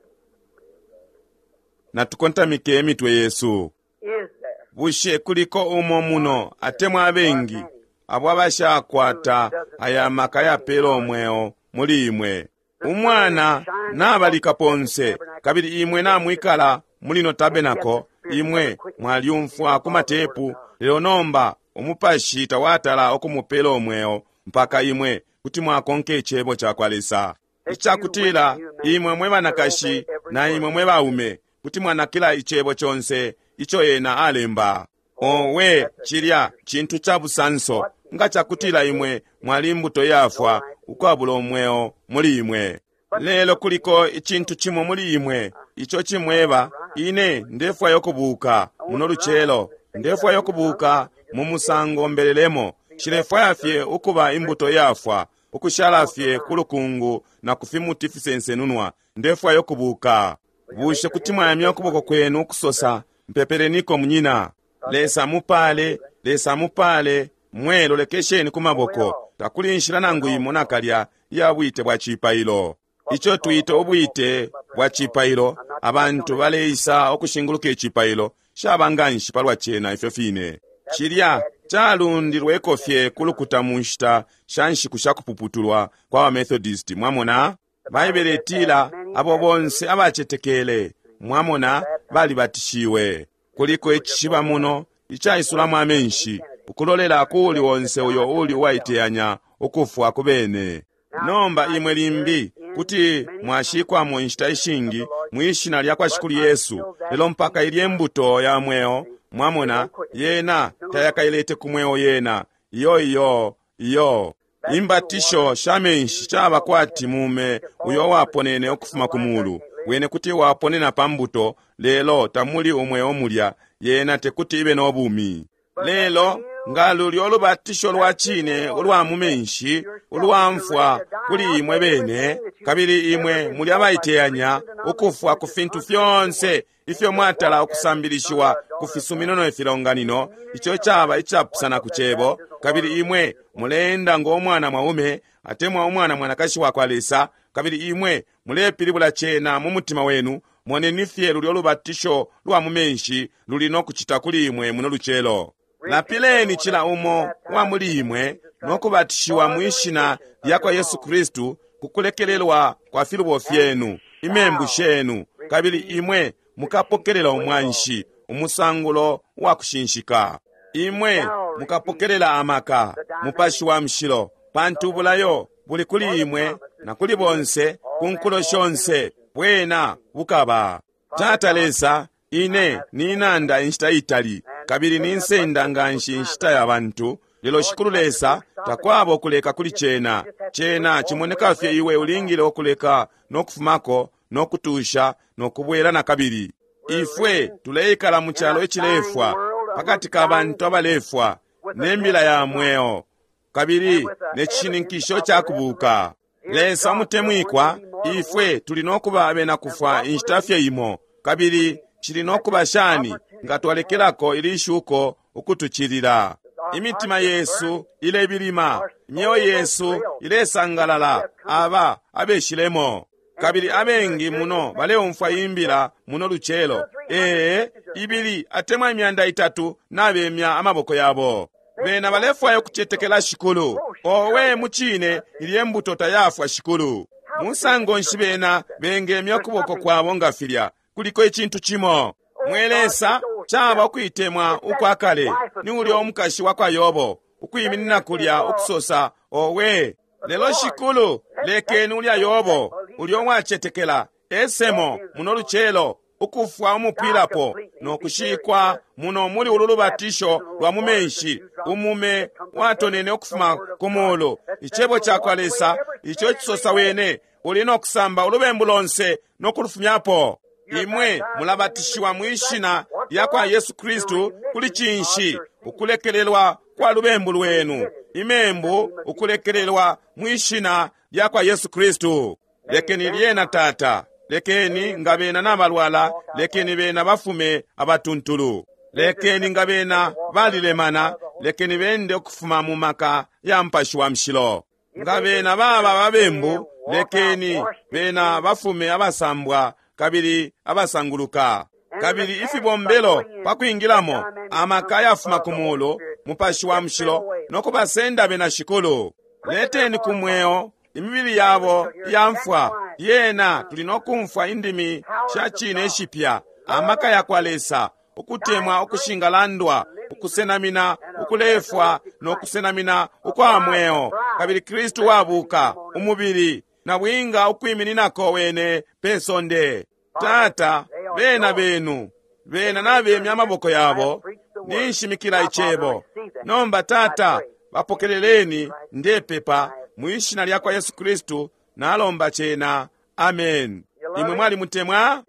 Natukontamike emitwe yesu. Is there Bushe kuliko umo muno atemwa abengi abo abashakwata aya maka yapela umweo muli imwe? Umwana nabalika ponse, kabili imwe namwikala muli no tabenako, imwe mwalyumfwa ku matepu, lelo nomba umupashi tawatala okumupela umweo mpaka imwe kuti mwakonka icebo cakwa Lesa. Icakutila imwe mwe banakashi na imwe mwe baume kuti mwanakila icebo conse ico ena alemba. Owe, cilya cintu ca busanso nga cakutila imwe mwali imbuto yafwa ukwabula umweo muli imwe. Lelo kuliko icintu cimo muli imwe ico cimweba, ine ndefwaya ukubuka muno lucelo, ndefwaya ukubuka mu musango mbelelemo. Nshilefwaya fye ukuba imbuto yafwa, ukushala fye ku lukungu na ku fimuti fisensenunwa. Ndefwaya ukubuka. Bushe kuti mwayamya ukuboko kwenu ukusosa, mpepeleniko munyina? Lesa mupale, Lesa mupale, mwe lolekesheni ku maboko. Takuli inshila nangu imo nakalya iya bwite bwa cipailo. Ico twita ubwite bwa cipailo, abantu baleisa ukushinguluka icipailo, shaba nganshi palwa cena ifyo fine. Cilya calundilweko fye ku lukuta mu nshita sha nshiku sha kupuputulwa kwa ba Methodist. Mwamona? Baibele itila, Abo bonse abacetekele, mwamona, balibatishiwe. Kuliko icishiba muno icaisulamo amenshi, ukulolela ku uli onse uyo uli uwaiteyanya ukufwa ku bene. Nomba imwe limbi kuti mwashikwamo inshita ishingi mwi Shina lyakwa Shikulu Yesu, lelo mpaka ilye Mbuto ya Mweo, mwamona, yena tayakailete ku mweo yena. Iyo, iyo, iyo. Imbatisho sha menshi caba kwati mume uyo waponene ukufuma ku mulu. Wene kuti waponena pa mbuto, lelo tamuli umweo mulya, yena tekuti ibe no bumi. Lelo nga lulyo lubatisho lwa cine ulwa mu menshi ulwa mfwa kuli imwe bene, kabili imwe muli abaiteyanya ukufwa ku fintu fyonse ifyo mwatala ukusambilishiwa ku fisumino ne filonganino, ico caba icapusana ku Cebo, kabili imwe muleenda ngo mwana mwaume atemwa umwana mwanakashi wakwa Lesa, kabili imwe mulepilibula cena mu mutima wenu, moneni fye lulyo lubatisho lwa mu menshi luli no kucita kuli imwe muno lucelo. Lapileni cila umo wa muli imwe no kubatishiwa mwi Shina lyakwa Yesu Kristu ku kulekelelwa kwa filubo fyenu, imembu shenu, kabili imwe mukapokelela umwanshi, umusangulo wa kushinshika. Imwe mukapokelela amaka, Mupashi wa Mushilo, pantu ubulayo buli kuli imwe na kuli bonse ku nkulo shonse, bwena bukaba. Tata Lesa, ine ninanda inshita itali, kabili ninsenda nganshi inshita ya bantu, lelo Shikulu Lesa, takwaba ukuleka kuli cena. Cena cimoneka fye iwe ulingile ukuleka no kufumako no kutusha no kubwela nakabili. Ifwe tuleikala mu calo icilefwa, pakati ka bantu abalefwa, ne mbila ya mweo, kabili ne cishininkisho ca kubuka. Lesa umutemwikwa, ifwe tuli no kuba abena kufwa inshita fye imo, kabili cili no kuba shani nga twalekelako ili shuko ukutucilila? Imitima yesu ilebilima, imyeo yesu ilesangalala, aba abeshilemo. Kabili abengi muno baleumfwa imbila muno lucelo, ee, ibili atemwa imyanda itatu nabemya amaboko yabo. Bena balefwaya ukucetekela Shikulu. Owe, mucine, ilye mbuto tayafwa, Shikulu. Musango nshi bena bengemya ukuboko kwabo nga filya? Kuliko icintu cimo. Mwe Lesa, caba ukuitemwa ukwa kale. Ni ulya umukashi wa kwa Yobo, ukwiminina kulya ukusosa, Owe, lelo Shikulu, lekeni ulya Yobo, ulya uwacetekela, esemo muno lucelo, ukufwa umupwilapo no kushikwa muno muli ulu lubatisho lwa mu menshi, umume watonene ukufuma ku mulu, Icebo cakwa Lesa ico cisosa wene uli no kusamba ulubembu lonse no kulufumyapo. Imwe mulabatishiwa mwi Shina lyakwa Yesu Kristu kuli cinshi? Ukulekelelwa kwa lubembu lwenu, imembu ukulekelelwa mwi Shina lyakwa Yesu Kristu. Lekeni lyena, Tata, lekeni nga bena nabalwala, lekeni bena bafume abatuntulu. Lekeni nga bena balilemana, lekeni bende ukufuma mu maka ya Mupashi wa Mushilo. Nga bena baba babembu, lekeni bena bafume abasambwa kabili abasanguluka. Kabili ifibombelo pa kwingilamo, amaka yafuma ku mulu, Mupashi wa Mushilo, no kubasenda bena, Shikulu. Leteni ku mweo imibili yabo iya mfwa. Lyena tuli no kumfwa indimi sha cine ishipya, amaka yakwa Lesa, ukutemwa ukushingalandwa, ukusenamina ukulefwa no kusenamina ukwa mweo, kabili Kristu wabuka, umubili, na bwinga ukwimininako wene pe sonde. Tata, bena benu, bena nabemya amaboko yabo, ninshimikila Icebo. Nomba, Tata, bapokeleleni, ndepepa, mwi Shina lyakwa Yesu Kristu, nalomba cena. Amen. Imwe mwalimutemwa?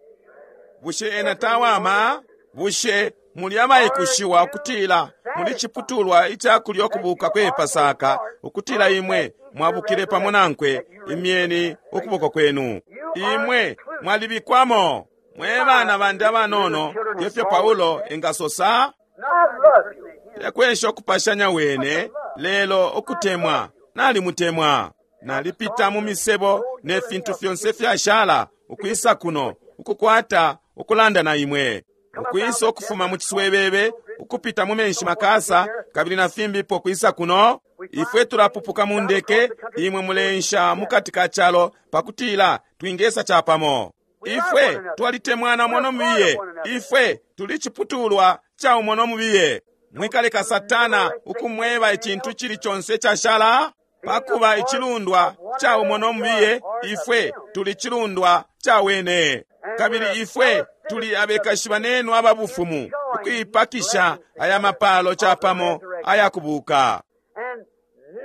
Bushe ena tawama? Bushe muli abaikushiwa ukutila muli ciputulwa ica kulya ukubuka kwe Pasaka, ukutila imwe mwabukile pamo nankwe? Imyeni ukuboko kwenu. Imwe mwalibikwamo, mwe bana bandi abanono, ngefyo Paulo engasosa. Tekwesha ukupashanya wene, lelo ukutemwa. Nalimutemwa. Nalipita mu misebo ne fintu fyonse fyashala, ukwisa kuno, ukukwata ukulanda na imwe, ukwisa ukufuma mu ciswebebe. ukupita mu menshi makasa kabili na fimbipo kwisa kuno? Ifwe tulapupuka mu ndeke, imwe mulensha mukati ka calo pakutila twingesa capamo. Ifwe twalitemwana umo no mubiye, ifwe tuli ciputulwa ca umo no mubiye. Mwikaleka Satana ukumweba icintu cili conse cashala. Pakuba icilundwa ca umo no mubiye, ifwe tuli cilundwa ca wene, kabili ifwe tuli abekashi banenu aba bufumu, ukuipakisha aya mapalo capamo ayakubuka. And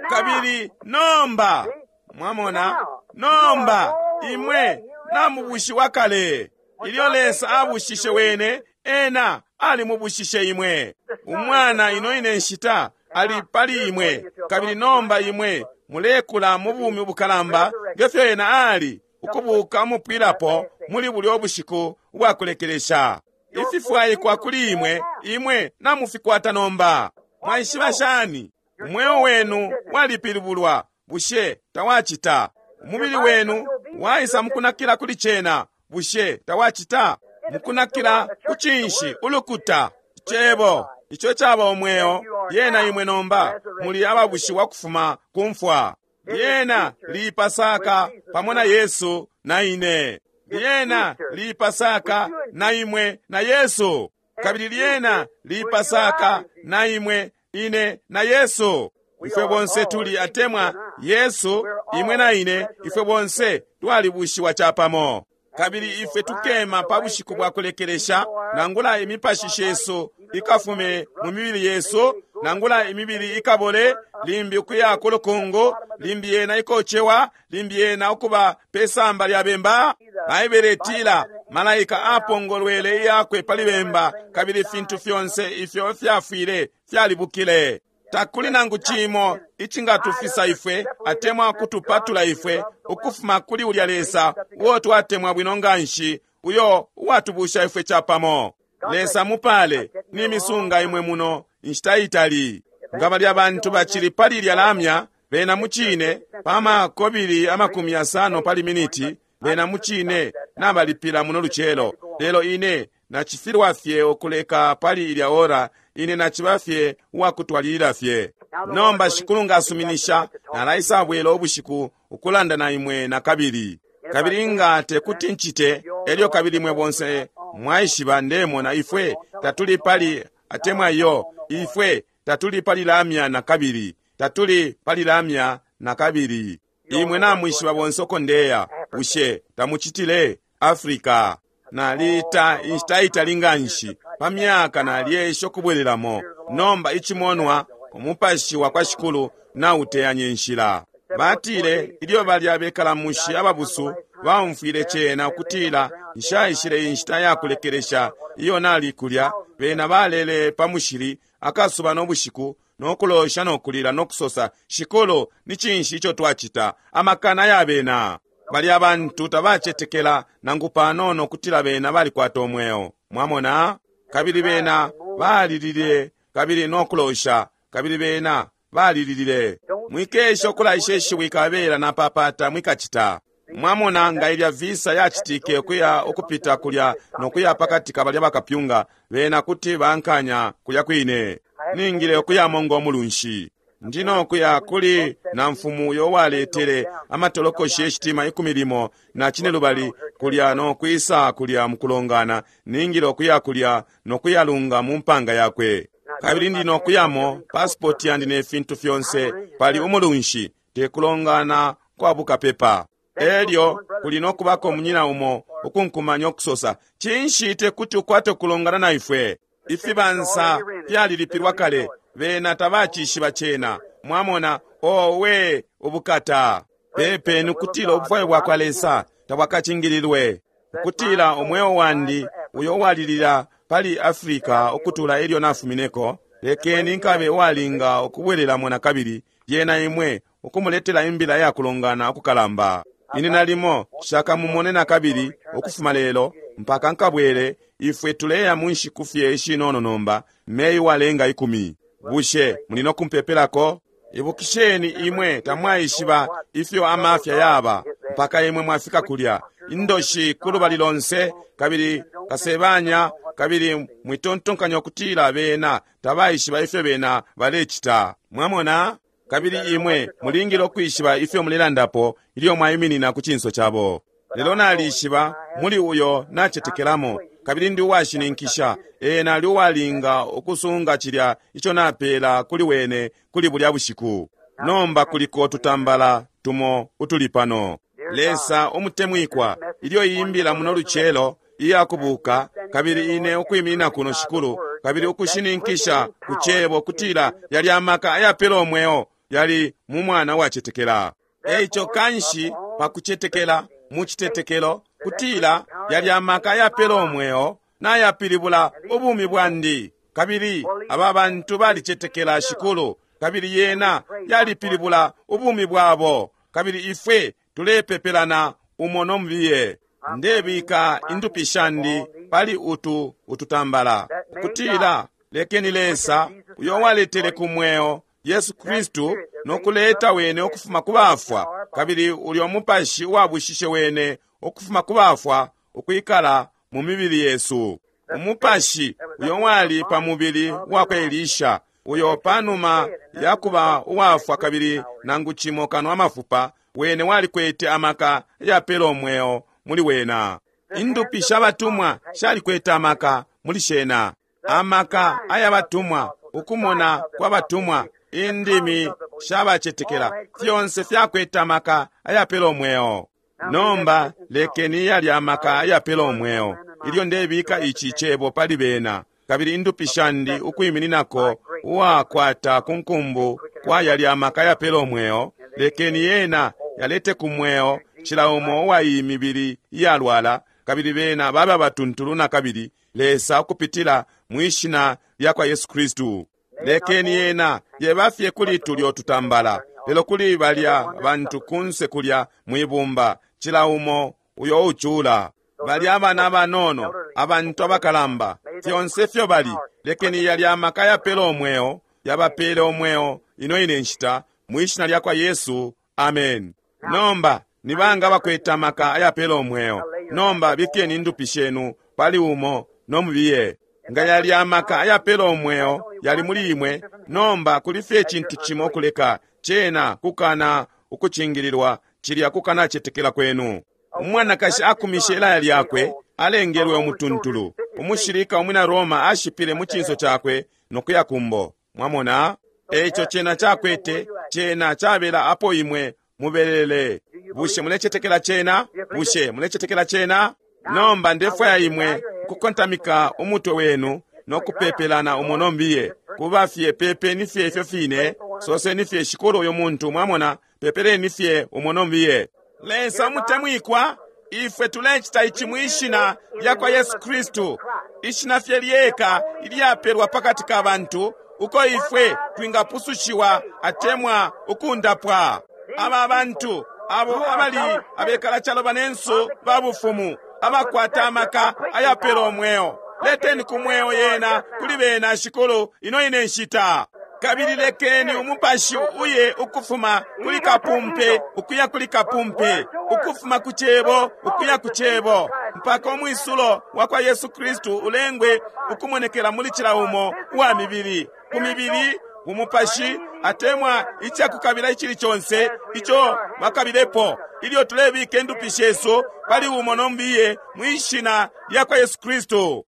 now, Kabili nomba mwamona, nomba imwe namubushiwa kale. Ilyo Lesa abushishe wene, ena alimubushishe imwe. Umwana ino ine nshita ali pali imwe, kabili nomba imwe mulekula mu bumi ubukalamba ngefyo ena ali, ukubuka umupwilapo muli bulyo bushiku ubwakulekelesha. Ififwaikwa kuli imwe, imwe namufikwata nomba. Mwaishiba shani? Umweo wenu walipilibulwa, bushe tawacita? Umubili wenu waisa mukunakila kuli cena, bushe tawacita? Mukunakila ku cinshi? Ulukuta, Cebo, ico caba umweo. Lyena imwe nomba muli ababushiwa kufuma ku mfwa. Lyena lipasaka pamo na Yesu na ine. Lyena lipasaka na imwe na Yesu. Kabili lyena lipasaka na imwe, ine na Yesu. Ifwe bonse tuli atemwa Yesu, imwe na ine, ifwe bonse twalibushiwa capamo. Kabili ifwe tukema pa bushiku bwa kulekelesha, nangula imipashi shesu ikafume mu mibili yesu, nangula imibili ikabole, limbi ukuya ku lukungu, limbi yena ikocewa, limbi yena ukuba pe samba lya bemba. Baibele itila malaika apongolwele iyakwe pali bemba, kabili ifintu fyonse ifyo fyafwile fyalibukile. Takuli nangu cimo icingatufisa ifwe atemwa kutupatula ifwe ukufuma kuli ulya Lesa uo twatemwa bwino nganshi, uyo uwatubusha ifwe capamo. Lesa mupale nimisunga imwe muno inshita itali. Nga balya bantu bacili pali lya lamya, bena mucine pa makobili 50 pali miniti, bena mucine nabalipila muno lucelo. Lelo ine nacifilwa fye ukuleka pali ilya ora, ine naciba fye uwakutwalilila fye. Nomba Shikulu ngasuminisha, nalaisabwela ubushiku ukulanda na imwe nakabili. Kabili nga tekuti ncite, elyo kabili imwe bonse mwaishiba ndemona ifwe tatuli pali atemwa iyo, ifwe tatuli pali lamya nakabili, tatuli pali lamya nakabili. Imwe namwishiba bonse uko ndeya, bushe tamucitile? Africa. Nalita inshita itali nganshi, pa myaka nalyesha ukubwelelamo. Nomba icimonwa, umupashi wa kwa Shikulu nauteyanye nshila. Batile ilyo balya bekalamushi ababusu baumfwile cena ukutila nshaishile inshita ya kulekelesha iyo nali kulya, bena balele pa mushili akasuba no bushiku, no kulosha no kulila no kusosa, Shikulu, ni cinshi ico twacita? Amakana ya bena. Balya bantu tabacetekela nangu panono kutila bena balikwata umweo. Mwamona? Kabili bena balilile kabili no kulosha, kabili bena balililile. Mwikesha ukulaisha ishiwi kabela napapata, mwikacita. Mwamona nga ilya visa yacitike ukuya ukupita kulya no kuya pakati ka balya bakapyunga, bena kuti bankanya kulya kwine. Ningile ukuyamo ngo mulunshi. Ndino kuya kuli na mfumu uyo waletele amatolokoshi yeshitima 15 kulya no kwisa kulya mukulongana. Ningile ukuya kulya no kuyalunga mu mpanga yakwe. Kabili ndino kuyamo pasipoti yandi ne fintu fyonse pali umulunshi, tekulongana kwa bukapepa. Elyo kuli no kubako munyina umo ukunkumanya ukusosa, cinshi tekuti ukwate kulongana na ifwe? Ifibansa fyalilipilwa kale, bena tabacishiba cena. Mwamona, owe ubukata. Pepeni ukutila ubufwayo bwa kwa Lesa tabwakacingililwe, ukutila umweo wandi uyo walilila pali Afrika ukutula ilyo nafumineko, lekeni nkabe uwalinga ukubwelelamo nakabili, lyena imwe ukumuletela imbila ya kulongana ukukalamba. Ine nalimo shakamumone nakabili ukufuma lelo mpaka nkabwele. Ifwe tuleya mu nshiku fye ishinono nomba, Meyi walenga 10. Bushe muli no kumpepelako? Ibukisheni imwe tamwaishiba ifyo amafya yaba mpaka imwe mwafika kulya. Indoshi kulubali lonse, kabili kasebanya Kabili mwitontonkanya ukutila bena tabaishiba ifyo bena balecita. Mwamona? Kabili imwe mulingile ukwishiba ifyo mulelandapo ilyo mwaiminina ku cinso cabo. Lelo nalishiba muli uyo nacetekelamo, kabili ndi uwashininkisha ena ali uwalinga ukusunga cilya ico napela kuli wene kuli bulya bushiku. Nomba kuliko tutambala tumo utuli pano. Lesa umutemwikwa, ilyo iyi mbila muno lucelo iya kubuka, kabili ine ukwiminina kuno, Shikulu, kabili ukushininkisha ku Cebo kutila yalya maka ayapela umweo yali mu mwana wacetekela. Eico kanshi pa kucetekela mu citetekelo kutila yalya maka ayapela umweo nayapilibula ubumi bwandi, kabili aba bantu balicetekela, Shikulu, kabili yena yalipilibula ubumi bwabo, kabili ifwe tulepepelana umo no mubiye. Ndebika indupi shandi pali utu ututambala, ukutila lekeni Lesa uyo waletele ku mweo Yesu Kristu no kuleta wene ukufuma ku bafwa, kabili ulyo mupashi uwabushishe wene ukufuma ku bafwa ukwikala mu mibili yesu. Umupashi uyo wali pa mubili wa kwa Elisha, uyo panuma ya kuba uwafwa kabili nangu cimo kano amafupa, wene walikwete amaka yapela umweo muli wena. Indupi sha batumwa shalikwete amaka muli shena, amaka aya batumwa, ukumona kwa batumwa, indimi shabacetekela, fyonse fyakwete amaka ayapela umweo. Nomba lekeni yalya amaka ayapela umweo ilyo ndebika ici cebo pali bena, kabili indupi shandi ukwimininako uwakwata ku nkumbu kwa yalya amaka ayapela umweo, lekeni yena yalete ku mweo cila umo uwa iyi mibili iyalwala, kabili bena babe abatuntulu na kabili, Lesa, ukupitila mwi Shina lya kwa Yesu Kristu. Lekeni yena yeba fye kuli tulyo tutambala, lelo kuli balya bantu kunse kulya mwibumba, cila umo uyo ucula, balya abana abanono, abantu abakalamba, fyonse ifyo bali, lekeni yalya amaka yapela umweo yabapele umweo ino ine nshita, mwi Shina lya kwa Yesu. Amen. Nomba ni banga abakwete amaka ayapela umweo? Nomba bikeni indupi shenu pali umo no mubiye. Nga yalya amaka ayapela umweo yali muli imwe, nomba kuli fye icintu cimo kuleka cena kukana ukucingililwa, cilya kukanacetekela kwenu. Umwanakashi akumishe ilaya lyakwe, alengelwe umutuntulu. Umushilika umwina Roma ashipile mu cinso cakwe no kuya kumbo. Mwamona? Eico cena cakwete, cena cabela apo imwe mubelele. Bushe mulecetekela cena? Bushe mulecetekela cena? Nomba ndefwaya imwe ukukontamika umutwe wenu no kupepelana umo no mbiye. Kuba fye pepeni fye ifyo fine, soseni fye Shikulu uyu muntu, mwamona, pepeleni fye umo no mbiye. Lesa umutemwikwa, ifwe tulecita ici mwi Shina lya kwa Yesu Kristu, Ishina fye lyeka ilyapelwa pakati ka bantu uko ifwe twingapusushiwa atemwa ukundapwa. Aba bantu abo abali abekala calo banensu ba bufumu, abakwata amaka ayapela umweo, leteni ku mweo yena kuli bena, Shikulu, ino ine nshita. Kabili lekeni umupashi uye ukufuma kuli kapumpe ukuya kuli kapumpe, ukufuma ku Cebo ukuya ku Cebo, mpaka umwisulo wa kwa Yesu Kristu ulengwe ukumonekela muli cila umo uwa mibili, ku mibili, ku mupashi, atemwa icakukabila icili conse ico bakabilepo, ilyo tulebika indupi shesu pali umo no mbiye mwi Shina lya kwa Yesu Kristu.